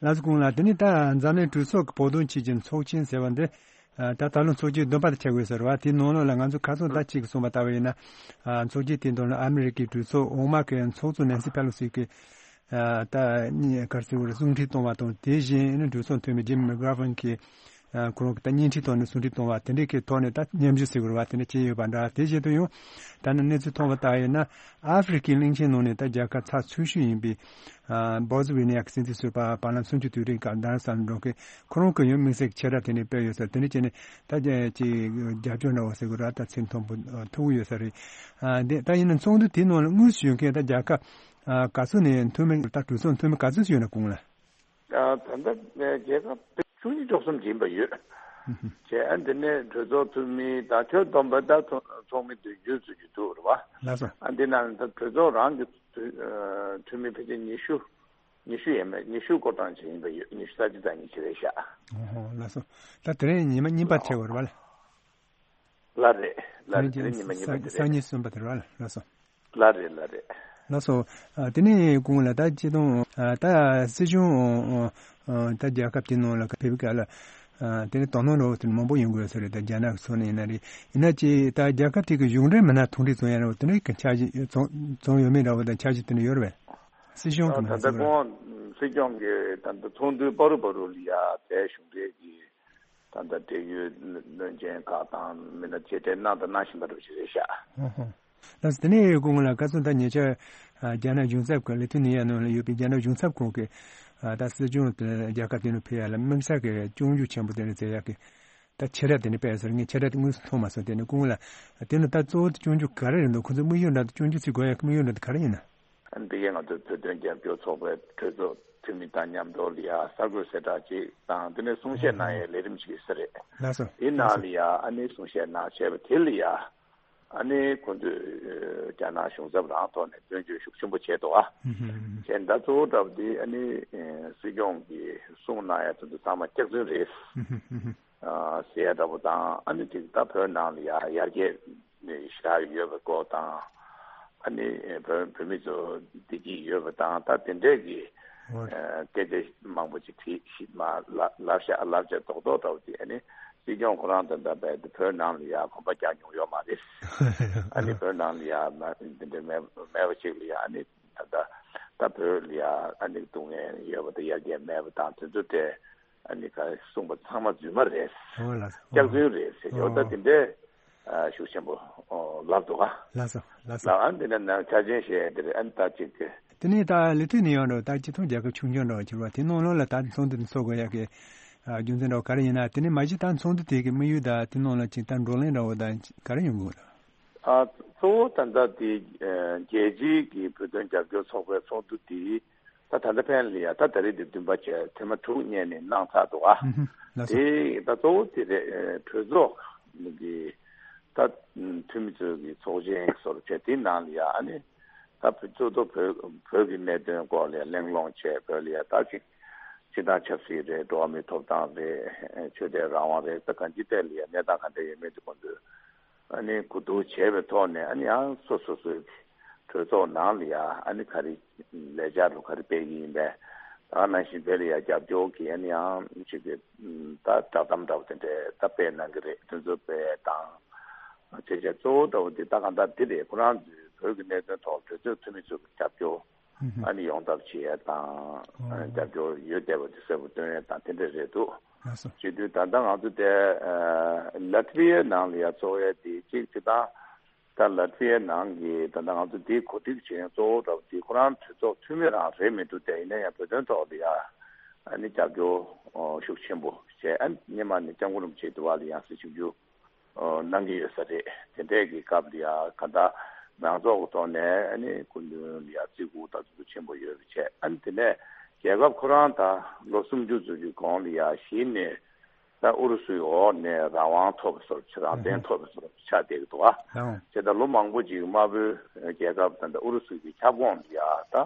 ལགས་སོ། ཁོང་ལ་དེ་ནི་ད་འཛམ་གླིང་གྲོས་ཚོགས་ཀྱི་བོད་དོན་ཆེད་ཀྱི་ཚོགས་ཆེན་ཟེར་བ་འདི་ཨ་ད་ད་ལོ་ཚོགས་ཆེན་བདུན་པ་དེ་ཆགས་ཡོད་ཟེར་བ་དེའི་ནང་ལོགས་ལ་ང་ཚོ་ཁ་སང་ད་ཅིག་གསུངས་པ་ལྟ་བུ་ཡིན་ན། ཨ་ཚོགས་ཆེན་དེ་དང་ལ་ཨ་མི་རི་ཀའི་གྲོས་ཚོགས་འོག་མ་གི་ཚོགས་གཙོ་ནན་སི་ཕེ་ལོ་སི་གི་ཨ་ད་གཉིས་གར་སི་འོ་རེ་གསུང་འཕྲིན་གཏོང་བ་དང་དེ་བཞིན་ནི་གྲོས་ཚོགས་འཐུས་མི་ཇིམ་མི་གྷ་ར་ཕན་གྱིས་ཨ་ཁོ་རང་གི་ད་བརྙན་འཕྲིན་ཐོག་ནས་གསུང་འཕྲིན་གཏོང་བ་དེ་འདྲའི་གི་ཐོག་ནས་ད་མཉམ་ཞུགས་ཟེར་དགོས་རེད་བ། དེ་འདྲ་བྱས་ཡོད་པ་འདྲ། དེ་བཞིན་དུ་ཡང་ད་ནི་གནས་ཚུལ་ཐོན་པ་ལྟར་ཡིན་ན་ཨ་ཧྥེ་རི་ཁའི་གླིང་ཆེན་ནང་ནས་ད་རྒྱལ་ཁབ་ཚགས་ཚུད་ཤོས་ཡིན་པའི་ཨ་བོ་སི་ཝེ་ནི་ཡ་གི་སྲིད་འཛིན་ཟུར་པ་བར་ལམ་སུམ་ཅུ་དུས་དྲན་སྐབས་རྡ་རམ་ས་ལ་འགྲོ་མཁན་ཁོ་རང་གི་ཡང་དམིགས་བསལ་གྱི་ཆེ་བསྒྲགས་དེ་འདྲ་སྤེལ་ཡོད་ཟེར། དེ་འདྲ་བྱས་ནས་ད་ཅིག་རྒྱབ་སྐྱོར་འདྲ་བོ་ཟེར་དགོས་རེད་བ། ད་ཚེ་མཐོན་པོ་ཐུབ་ཀྱི་ཡོད་ས་རེད། ཨ་དེ་ད་ཡིན་ན་ཚོགས་འདུ་དེའི་ནང་ལ་དངོས་སུ་ཡོད་མཁན་ད་རྒྱལ་ཁབ་ཨ་ག་ཚོད་ནས་འཐུས་མི་ད་གྲོས་ཚོགས་འཐུས་མི་ག་ཚོད་ཅིག་ཡོད་ན་གོང་ལ། ད་ལྟ་རྒྱལ་ཁབ་བཅུ་གཉིས་བཅུ་གསུམ་ཡིན་པ་ཡོད། བྱས་ཨ་འདི་ནས་གྲོས་ཚོགས་འཐུས་མི་དང་ཁྱོན་བསྡོམས་པ་ད་ཚོགས་མི་བདུན་ཅུ་ཙམ་ཅིག་འདུག་རེད་བ། ལགས་སོ། ཨ་འདི་ནང་ད་གྲོས་ཚོགས་རང་གི་འཐུས་མི་ཕལ་ཆེར་ཉི་ཤུ་ཉི་ཤུ་ཡས་མས། ཉི་ཤུ་སྐོར་གྲངས་ཅིག་ཡིན་པ་ཡོད། ཉི་ཤུ་རྩ་གཅིག་རྩ་གཉིས་ཅིག་རེད་ཤག་ཨོ་ཧོ། ལགས་སོ། ད་དེ་རིང་ཉི་མ་གཉིས་པ་ཆགས་པ་རེད་བ། ལགས་རེད། ལགས་རེད། དེ་རིང་ཉི་མ་གཉིས་པ་དེ་རེད། སང་ཉིན་གསུམ་པ་དེ་རེད་བ། ལགས་སོ། ལགས་རེད། ལགས་རེད། ལགས་སོ། ཨ་དེ་ནས་གོང་ལ་ད་སྤྱི་དང་ཨ་ད་སྲིད་སྐྱོང་ཨ་ད་རྒྱལ་ཁབ་དེ་ནང་ལ་ཕེབས་སྐབས་ལ་ཨ་དེ་ནས་དོ་སྣང་འདྲ་བོ་དེ་མང་པོ་ཡོང་གི་ཡོད་ས་རེད། ད་རྒྱ་ནག་གི་ཕྱོགས་ནས་ཡིན་ན་རེད། ཡིན་ན་ཅི་ད་རྒྱལ་ཁབ་དེ་གི་གཞུང་འབྲེལ་མི་སྣ་ཐུག་འཕྲད་ཚོང་ཡ་འདྲ་བོ་དེ་འདྲ་གི་འཆར་གཞི་ཚོང་ཚོང་ཡོད་མེད་འདྲ་བོ་དང་འཆར་གཞི་དེ་འདྲ་ཡོད་རེད་པས། སྲིད་གཞུང་གི་ད་མི་ལྟ་སྣ་ཚོགས་ཁོང་སྲིད་སྐྱོང་གི་ད་ལྟ་ཚོགས་འདུའི་བར་དུ་བར་དུ་ལ་ཡ་དེ་གཞུང་འབྲེལ་གྱི་ད་ལྟ་འབྲེལ་ཡོད་བློན་ཆེན་ཁག་དང་མི་སྣ་མཇལ་འཕྲད་གནང་དང་གནང་བཞིན་པ་འདྲ་ཞིག་རེད་ཤག་ཨོ་ཧོ། ལགས་སོ། དེ་ནས་སྐུ་ངོ་ལགས་ཁ་སང་ད་ཉེ་ཆར་ཨ་རྒྱ་ནག་གཞུང་ཚབ་ཁང་ལི་ཐུ་ནི་ཡ་ནང་ལ་ཡོད་པའི་རྒྱ་ནག་གཞུང་ཚབ་ཁང་གི་ཨ་ད་སྲིད་སྐྱོང་དེ་རྒྱལ་ཁབ་དེ་ནང་ཕེབས་ཡ་ལ་དམིགས་བསལ་གྱི་སྐྱོན་བརྗོད་ཆེན་པོ་དེ་འདྲ་མཛད་ཡ་གི་ད་ཆེ་བསྒྲགས་དེ་འདྲ་སྤེལ་ཟེར། ངས་ཆེ་བསྒྲགས་དེ་དངོས་སུ་མཐོང་མ་སོང་། དེ་ནས་སྐུ་ངོ་ལགས་དེ་ནི་ད་གཙོ་བོ་དེ་སྐྱོན་བརྗོད་ག་རེ་རེད་འདུག་ཁོ་ཚོ་དམིགས་ཡུལ་འདྲ་དང་སྐྱོན་བརྗོད་ཚིག་འགོད་ཡ་གི་དམིགས་ཡུལ་འདྲ་དེ་ག་རེ་ཡིན་ན། འདི་གའི་ང་ཚོའི་བོད་དོན་རྒྱབ་སྐྱོར་ཚོགས་པའི་གྲོས་ཚོགས་འཐུས་མི་དང་མཉམ་དུ་ལ་ཡ་གསར་འགོད་གསལ་བསྒྲགས་ཅིག་དང་དེ་ནས་གསུང་བཤད་གནང་ཡའི་ལས་རིམ་ཞིག་ཡོད་ས་རེད། ལགས་སོ། དེའི་ནང་ལ་ཡ་ཨ་ནི་གསུང་བཤད་གནང་བྱས་པ་དེ་ལ་ཡ་ཨ་ནི་ཁོང་ཚོས་རྒྱ་ནག་གཞུང་ཚབ་རང་ཐོག་ནས་སྐྱོན་བརྗོད་ཤུགས་ཆེན་པོ་བྱས་འདུག་ཨ། བྱས་ད་གཙོ་བོ་འདྲ་བོ་དེ་ཨ་ནི་སྲིད་སྐྱོང་གིས་གསུང་གནང་ཡ་དེ་ཚོ་ཚང་མ་སྐྱག་རྫུན་རེད། ཨ་ཟེར་ཡ་འདྲ་པོ་དང་ཨ་ནི་དེ་ད་བོད་ནང་ལ་ཡ་ཡར་རྒྱས་ཞེ་དྲག་ཡོད་པའི་སྐོར་དང་ཨ་ནི་བོད་བོད་མི་ཚོ་བདེ་སྐྱིད་ཡོད་པ་དང་ད་དེ་འདྲས་ཀྱི་ཨོ་སྐད་ཆ་མང་པོ་ཅིག་དྲིས་ཤིག་མ་ལབ་ལབ་ཤག་ལབ་བྱས་རྡོག་རྡོག་འདྲ་པོ་དེ་ཨ་ནི་སྲིད་སྐྱོང་ཁོ་རང་དང་འདྲ་བས་དེ་བོད་ནང་ལ་ཡ་གོམ་པ་རྒྱག་མྱོང་ཡོད་མ་རེད། ཨ་ནི་བོད་ནང་ལ་ཡ་མ་དེ་འདྲས་མེད་མེད་པ་ཅིག་ལ་ཡ་ཨ་ནི་ད་ད་ད་བོད་ལ་ཡ་ཨ་ནི་སྡུག་བསྔལ་ཡོད་པ་དང་ཡར་རྒྱས་མེད་པ་དང་དེ་ཚོ་དེ། ཨ་ནི་ག་གསུངས་པ་ཚང་མ་རྫུན་མ་རེད། ཨོ་ལགས་སོ། སྐྱག་རྫུན་རེད་ཟེར་ཡོད། ད་དེ་འདྲའི་ཨ་ཤུགས་ཆེན་པོ་ཨོ་ལབ་འདུག་ག་ལགས་སོ་ལགས་སོ། ལགས་ཨ་འདི་ནས་ནང་ཆ་ཆེན་བཤད་དེ་རེད། ཨ་ནི་ད་ཅིག་གི་དེ་ནས་ད་ལི་ཐུ་ནི་ཡང་འགྲོ་ད་སྤྱི་ཚོགས་རྒྱལ་ཁབ་ཆུང་ཆུང་འགྲོ་གྱུར་བ་དེ་ནང་ལོགས་ལ་ད་ཚོགས་འདུ་འདི་ཚོགས་དགོས་ཡག་གི་ཨ་རྒྱུ་མཚན་འགྲོ་ག་རེ་ཡིན་ན། དེ་ནས་མ་གཞི་ད་ཚོགས་འདུ་དེ་གི་དམིགས་ཡུལ་ད་དེ་ནང་ལ་ཅིག་ད་བགྲོ་གླེང་འདྲ་བོ་ད་ག་རེ་ཡོང་གི་ཡོད་རེད། ཨ་གཙོ་བོ་ད་ལྟ་དེ་ཨ་རྒྱལ་སྤྱིའི་གི་བོད་དོན་རྒྱབ་སྐྱོར་ཚོགས་པའི་ཚོགས་འདུ་དེ། ད་ད་ལྟ་ཕན་ལ་ཡ་ད་ད་རེས་འདི་བདུན་པ་བྱས་ཐེངས་མ་དྲུག་བསྙད་ནས་གནང་ཚར་འདུག་ཨ། ལགས་སོ། དེ་ད་གཙོ་བོ་དེ་རེད། གྲོས་ཚོགས་ཀྱི་ད་འཐུས་མི་ཚོའི་གི་ཚོགས་ཆེན་སོར་བྱས་དེ་ནང་ལ་ཡ་ཨ་ནི་ ད་བོད་གཙོ་བོ་བོད་བོད་ཀྱི་གནད་དོན་སྐོར་ལ་ཡ་གླེང་སློང་བྱས། བོད་ལ་ཡ་ད་ཅིག་སྤྱི་བཏང་ཆབ་སྲིད་རེད། འགྲོ་བ་མིའི་ཐོབ་ཐང་རེད། ཆོས་དད་རང་དབང་རེད། ད་གང་ཅིའི་ཐད་ལ་ཡ་གནས་སྟངས་ག་འདྲ་ཡོད་མེད་དེ་ཁོང་ཚོས་ཨ་ནི་གོ་བསྡུར་བྱས་པའི་ཐོག་ནས། ཨ་ནི་ཡང་སོ་སོ་སོའི་གྲོས་ཚོགས་ནང་ལ་ཡ་ཨ་ནི་ག་རེ་ལས་འཆར་རུ་ག་རེ་སྤེལ་གྱི་ཡིན་པས། ད་ག་ནང་བཞིན་དེ་ལ་ཡ་རྒྱབ་སྐྱོར་གྱི་ཨ་ནི་ཡང་ཅིག་གི་ད་བསྒྲགས་གཏམ་འདྲ་བོ་དེ་འདྲས་ད་སྤེལ་གནང་གི་རེད། དེ་ཚོ་སྤེལ་དང་། བྱས་བྱས་གཙོ་བོ་འདྲ་བོ་དེ་ད་གང་ལྟར་འདི་རེད། ཁོ་རང་ཚོའི་བོད་ཀྱི་གནད་དོན་ཐོག་གྲོས་ཚོགས་འཐུས་མི་ཚོ་གི་རྒྱབ་སྐྱོར་ཨ་ནི་ཡོང་ཐབས་བྱེད་ཡས་དང་། ཨ་ནི་རྒྱབ་སྐྱོར་ཡོད་བསྡད་པ་དེ་གསལ་པོ་སྟོན་ཡས་དང་དེ་འདྲ་རེད་འདུག། ལགས་སོ། བྱེད་དུས་ད་ལྟ་ང་ཚོ་དེ་ལ་ཏི་ཝི་ཡའི་ནང་ལ་ཡ་གཙོ་བོ་དེ་གཅིག་བྱེད་སྟངས། ད་ལ་ཏི་ཝི་ཡའི་ནང་གི་ད་ལྟ་ང་ཚོ་འདི་གོ་སྒྲིག་བྱེད་མཁན་གཙོ་བོ་འདྲ་བོ་དེ་ཁོ་རང་གྲོས་ཚོགས་འཐུས་མི་རང་རེད་མི་འདུག། དེ་ཡིན་ན་ཡང་བོད་དོན་ཐོག་ལ་ཡ་ཨ་ནི་རྒྱབ་སྐྱོར་ཤུགས་ཆེན་པོ་བྱས། ཨ་ནི་སྔོན་མ་ནས་སྐྱབས་མགོན་རིན་པོ་ཆེ་དུ་བ་ལ་ཡང་སྲིད་ཞིབ་འཇུག་གནང་གི་ཡོད་ས་རེད། དེ་འདྲས་ཀྱི་སྐབས་ལ་ཡ་ག་ད་མང་ཚོགས་ཀྱི་ཐོག་ནས་ཨ་ནི་སྐུ་མདུན་ལ་ཡ་བརྩི་བཀུར་དང་གུས་བཏུད་ཆེན་པོ་ཡོད་པ་བྱས། ཨ་ནི་དེ་ནས་རྒྱལ་ཁབ་ཁོ་རང་ད་ལོ་སུམ་ཅུ་ཙམ་གྱི་གོང་ལ་ཡ་གཞི་ནས་ད་ཨུ་རུ་སུའི་འོག་ནས་རང་དབང་ཐོབ་པའི་བཟོ་འདྲ་ཅིག། རང་བཙན་ཐོབ་པའི་བཟོ་འདྲ་ཅིག་ཆགས་བསྡད་ཀྱི་འདུག་བ། ལགས་འོང་། བྱས་ཙང་ལོ་མང་པོ་ཅིག་དམར་པོའི་རྒྱལ་ཁབ་དང་ད་ཨུ་རུ་སུ་གི་ཁྱབ་ཁོངས་ལ་ཡ་ད་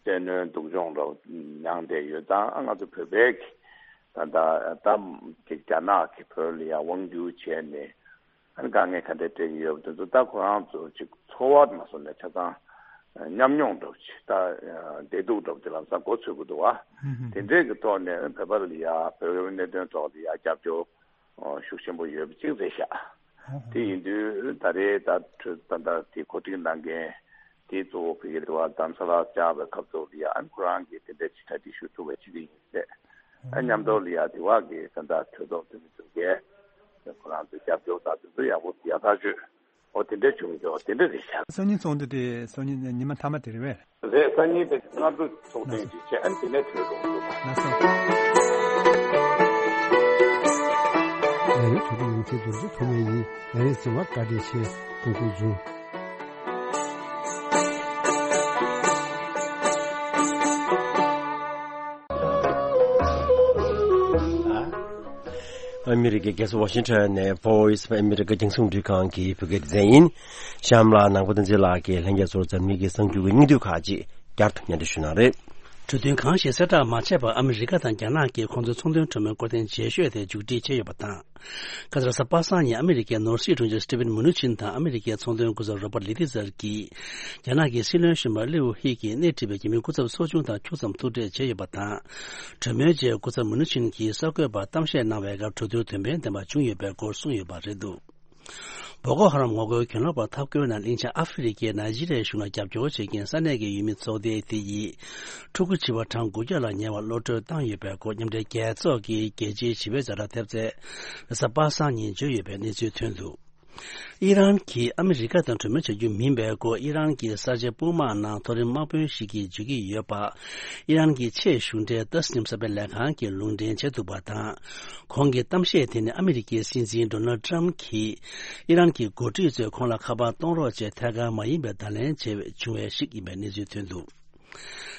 བཙན་གནོན་སྡུག་སྦྱོང་འདྲ་བོ་མྱངས་བསྡད་ཡོད་ཙང་། ཨ་ང་ཚོ་བོད་པའི་གི་ད་ད་ད་ཅིག་རྒྱ་ནག་གིས་བོད་ལ་ཡ་དབང་བསྒྱུར་བྱས་ནས་ཨ་ནི་དཀའ་ངལ་ག་འདྲ་འཕྲད་ཀྱི་ཡོད་པ་དེ་ཚོ་ད་ཁོ་རང་ཚོ་ཅིག་ཚོར་བ་མ་སོང་ནས་ཆ་ཚང་ཉམས་མྱོང་འདྲ་བོ་ཅིག། ད་བདེ་སྡུག་འདྲ་བོ་དེ་ལམ་སང་མགོ་ཚོད་ཀྱི་འདུག་བ། དེ་འདྲས་ཀྱི་ཐོག་ནས་བོད་པ་ལ་ཡ་བོད་པའི་གནད་དོན་ཐོག་ལ་ཡ་རྒྱབ་སྐྱོར་ཤུགས་ཆེན་པོ་ཡོད་པ་ཅིག་རེད་ཤག། དེ་ཡིན་དུས་ད་རེས་ད་གྲོས་ད་ལྟ་དེ་གོ་སྒྲིག་གནང་མཁན་དེ་གཙོ་བོ་ཕ་གིར་དུ་བ་རྡ་རམ་ས་ལར་བཅར་བའི་སྐབས་ཐོག་ལ་ཡ་ཨ་ནི་ཁོ་རང་གིས་དེ་འདྲ་ཅིག་གྲ་སྒྲིག་ཞུ་ཐུབ་པ་ཅིག་ཡིན་ཟེར། ཨ་མཉམ་དུ་ལ་ཡ་དེ་བ་གི་ད་ལྟ་གྲོས་ཚོགས་འཐུས་མི་ཚོ་གིས་ཁོ་རང་ཚོ་རྒྱབ་སྐྱོར་དང་དེ་ཚོ་ཡག་པོ་ཡག་ཐག་ཆོད། འོ་དེ་འདྲ་བྱུང་ཡོད། དེ་འདྲ་རེད་ཤག། སང་ཉིན་ཚོགས་འདུ་དེ་སང་ཉིན་ཉི་མ་མཐའ་མ་དེ་རེད་པས། རེད། སང་ཉིན་དེ་སྔ་དྲོ་ཚོགས་ཐེངས་ཅིག་བྱས། ཨ་ནི་དེ་ནས་གྲོས་འགོ་འཛུགས་པ། ལགས་སོ། ང་ཡི་དྲུག་པ་ཡོངས་འཛིན་རྡོ་རྗེ་ཐོགས་མེད་ཡིན། ང་ཡི་གཟིགས་པར་བཀའ་དྲིན་ཆེ། ཐུགས་རྗེ་གནང་། ཨ་མི་རི་ཀའི་རྒྱལ་ས་ཝ་ཤིང་ཊོན་ནས་Voice of America རྒྱང་སྲིང་རླུང་འཕྲིན་ཁང་གི་བོད་སྐད་སྡེ་ཚན་ཡིན། གཤམ་ལ་ནང་པ་བསྟན་འཛིན་ལགས་ཀྱིས་ལྷན་རྒྱས་ཚོར་འཛམ་གླིང་གི་གསར་འགྱུར་གྱི་སྙིང་བསྡུས་ཁག་ཅིག་བསྐྱར་དུ་སྙན་སྒྲོན་ཞུ་གནང་རེད། གྲོས་མཐུན་གང་ཞིག་གསལ་བསྒྲགས་མ་བྱས་པར་ཨ་མི་རི་ཀ་དང་རྒྱ་ནག་གིས་ཁོང་ཚོའི་ཚོང་དོན་གྲོས་མོལ་སྐོར་ཐེངས་རྗེས་ཤོས་དེ་མཇུག་སྒྲིལ་བྱས་ཡོད་པ་དང་། ཁ་སང་རེས་གཟའ་པ་སངས་ཉིན་ཨ་མི་རི་ཀའི་ནོར་སྲིད་དྲུང་ཆེ་སི་ཊི་ཝེན་མུ་ནུ་ཆིན་དང་ཨ་མི་རི་ཀའི་ཚོང་དོན་སྐུ་ཚབ་རོ་པར་ལི་ཏི་ཛར་གྱིས། རྒྱ་ནག་གི་སྲིད་བློན་གཞོན་པ་ལིའུ་ཧི་གིས་སྣེ་ཁྲིད་པའི་རྒྱ་མིའི་སྐུ་ཚབ་ཚོགས་ཆུང་དང་ཁྱུག་ཙམ་ཐུག་འཕྲད་བྱས་ཡོད་པ་དང་། གྲོས་མོལ་རྗེས་སྐུ་ཚབ་མུ་ནུ་ཆིན་གྱིས་གསར་འགོད་པར་གཏམ་བཤད་གནང་བའི་སྐབས་གྲོས་བསྡུར་དོན་ཕན་ལྡན་པ་བྱུང་ཡོད་པའི་སྐོར་གསུངས་ཡོད་པ་རེད་འདུག། བོ་ཀོ་ཧ་རམ་ངོ་རྒོལ་གྱེན་ལོག་པར་འཐབ་རྒོལ་ནང་གླིང་ཆེན་ཨ་ཧྥེ་རི་ཁའི་ནཱི་ཇི་རི་ཡའི་གཞུང་ལ་རྒྱབ་སྐྱོར་བྱེད་མཁན་ས་གནས་ཀྱི་ཡུལ་མི་ཚོགས་སྡེ་དེ་ཡིས། ཕྲུ་གུ་བྱིས་པ་གྲངས་དགུ་བརྒྱ་ལ་ཉེ་བར་གློད་གྲོལ་བཏང་ཡོད་པའི་སྐོར་མཉམ་འབྲེལ་རྒྱལ་ཚོགས་ཀྱི་རྒྱལ་སྤྱིའི་བྱིས་པའི་ཛ་དྲག་ཐེབས་རྩས་རེས་གཟའ་པ་སངས་ཉིན་བརྗོད་ཡོད་པའི་གནས་ཚུལ་ཐོན་འདུག། ཨི་རན་གྱིས་ཨ་མི་རི་ཀ་དང་གྲོས་མོལ་བྱ་རྒྱུ་མིན་པའི་སྐོར་ཨི་རན་གྱི་གསར་བརྗེ་དཔུང་དམག་ནང་མཐོ་རིམ་དམག་དཔོན་ཞིག་གིས་བརྗོད་ཀྱི་ཡོད་པ། ཨི་རན་གྱི་ཆེས་གཞུང་འབྲེལ་ཏཱ་སི་ནིམ་གསར་སྤེལ་ལས་ཁང་གིས་ལུང་འདྲེན་བྱས་འདུག་པ་དང་། ཁོང་གི་གཏམ་བཤད་དེ་ནི་ཨ་མི་རི་ཀའི་སྲིད་འཛིན་ཌོ་ནལ་ཊམ་གྱིས་ཨི་རན་གྱི་འགོ་ཁྲིད་ཚོས་ཁོང་ལ་ཁ་པར་གཏོང་རོགས་བྱས་ཐད་ཀར་མ་ཡིན་པའི་བརྡ་ལན་བྱས་བྱུང་བའི་ཞིག་ཡིན་པའི་གནས་ཚུལ་ཐོན་འདུག།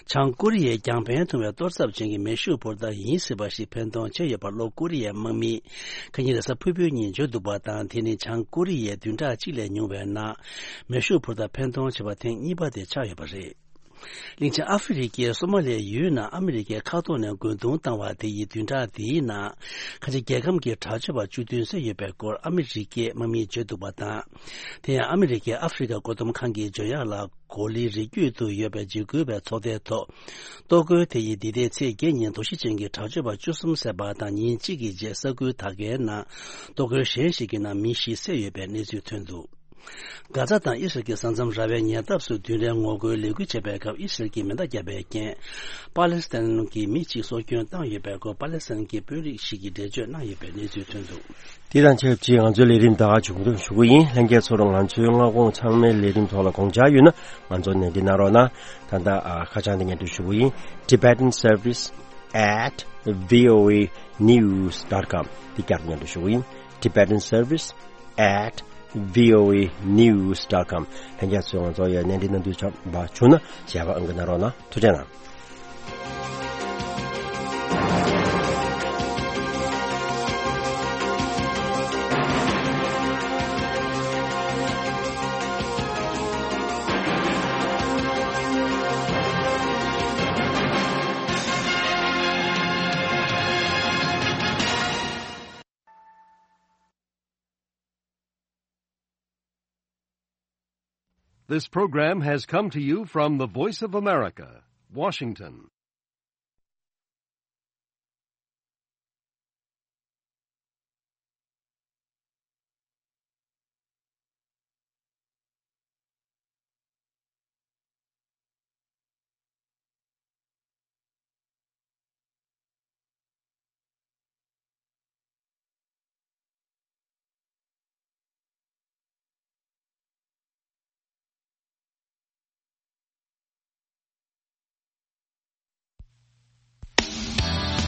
བྱང་ཀོ་རི་ཡས་རྒྱང་འཕེན་ཐུང་བའི་གཏོར་ཚབ་ཅན་གྱི་མེ་ཤུགས་འཕུར་མདའ་ཡིན་སྲིད་པ་ཞིག་འཕེན་གཏོང་བྱས་ཡོད་པ་ལྷོ་ཀོ་རི་ཡའི་དམག་མིས་ཁ་ཉིན་རེས་གཟའ་ཕུར་བུའི་ཉིན་བརྗོད་འདུག་པ་དང་། དེ་ནི་བྱང་ཀོ་རི་ཡས་བདུན་ཕྲག་གཅིག་ལས་ཉུང་བའི་ནང་མེ་ཤུགས་འཕུར་མདའ་འཕེན་གཏོང་བྱས་པ་ཐེངས་གཉིས་པ་དེ་ཆགས་ཡོད་པ་རེད། གླིང་ཆེན་ཨ་ཧྥེ་རི་ཁའི་སོ་མ་ལི་ཡའི་ཡུལ་ནང་ཨ་མི་རི་ཀས་མཁའ་ཐོག་ནས་རྒོལ་རྡུང་བཏང་བ་དེ་ཡིས་བདུན་ཕྲག་འདིའི་ནང་ཁ་ཆེ་རྒྱལ་ཁམས་ཀྱི་དྲག་སྤྱོད་པ་བཅུ་བདུན་བསད་ཡོད་པའི་སྐོར་ཨ་མི་རི་ཀའི་དམག་མིས་བརྗོད་འདུག་པ་དང་། དེ་ཡང་ཨ་མི་རི་ཀས་ཨ་ཧྥེ་རི་ཁ་བཀོད་འདོམས་ཁང་གི་བརྗོད་ཡག་ལ། གོ་ལའི་རི་རྒྱུད་དུ་ཡོད་པའི་འཇིགས་སྐུལ་བའི་ཚོགས་སྡེའི་ཐོག་གཏོར་རྒོལ་དེ་ཡིས་འདི་ཟླའི་ཚེས་བརྒྱད་ཉིན་དོགས་གཞི་ཅན་གྱི་དྲག་སྤྱོད་པ་བཅུ་གསུམ་བསད་པ་དང་། ཉིན་གཅིག་གི་རྗེས་ས་ཁུལ་དག་གའི་ནང་གཏོར་རྒོལ་གཞན་ཞིག་གི་ནང་མི་བཞི་བསད་ཡོད་པའི་གནས་ཚུལ་ཐོན་འདུག། གྷ་ཛ་དང་ཨི་སི་རལ་གྱི་ས་མཚམས་ར་བའི་ཉེ་འདབས་སུ་བདུན་རེའི་ངོ་རྒོལ་ལས་འགུལ་བྱས་པའི་སྐབས་ཨི་སི་རལ་གྱིས་མེ་མདའ་བརྒྱབ་པའི་རྐྱེན། པ་ལེ་སི་ཐན་གྱི་མི་གཅིག་སྲོག་སྐྱོན་བཏང་ཡོད་པའི་སྐོར་པ་ལེ་སི་ཐན་གྱི་དཔོན་རིགས་ཤིག་གིས་འགྲེལ་བརྗོད་གནང་ཡོད་པའི་གནས་ཚུལ་ཐོན་འདུག། དེ་དང་ཆབས་ཅིག་ང་ཚོའི་ལས་རིམ་ད་མཇུག་སྡོམ་ཞུ་གི་ཡིན། ལྷན་རྒྱས་ཚོར་ང་ཚོའི་སྔ་དགོང་ཚང་མའི་ལས་རིམ་ཐོག་ལ་དགོངས་འཆར་ཡོད་ན་ང་ཚོར་ནན་ཏན་གནང་རོགས་གནང་། ད་ལྟ་ཨ་ཁ་བྱང་དེ་སྙན་སྒྲོན་ཞུ་གི་ཡིན། Tibetan Service at V O A news dot com དེ་བསྐྱར་དུ་སྙན་སྒྲོན་ཞུ་གི་ཡིན། Tibetan Service at V O A news dot com ལྷན་རྒྱས་ཚོས་ང་ཚོར་ཡང་གནས་འདྲི་གནང་འདོད་བྱུང་ན་ཞལ་པར་ཨང་ཀི་གནང་རོགས་གནང་། ཐུགས་རྗེ་གནང་། This program has come to you from the Voice of America, Washington.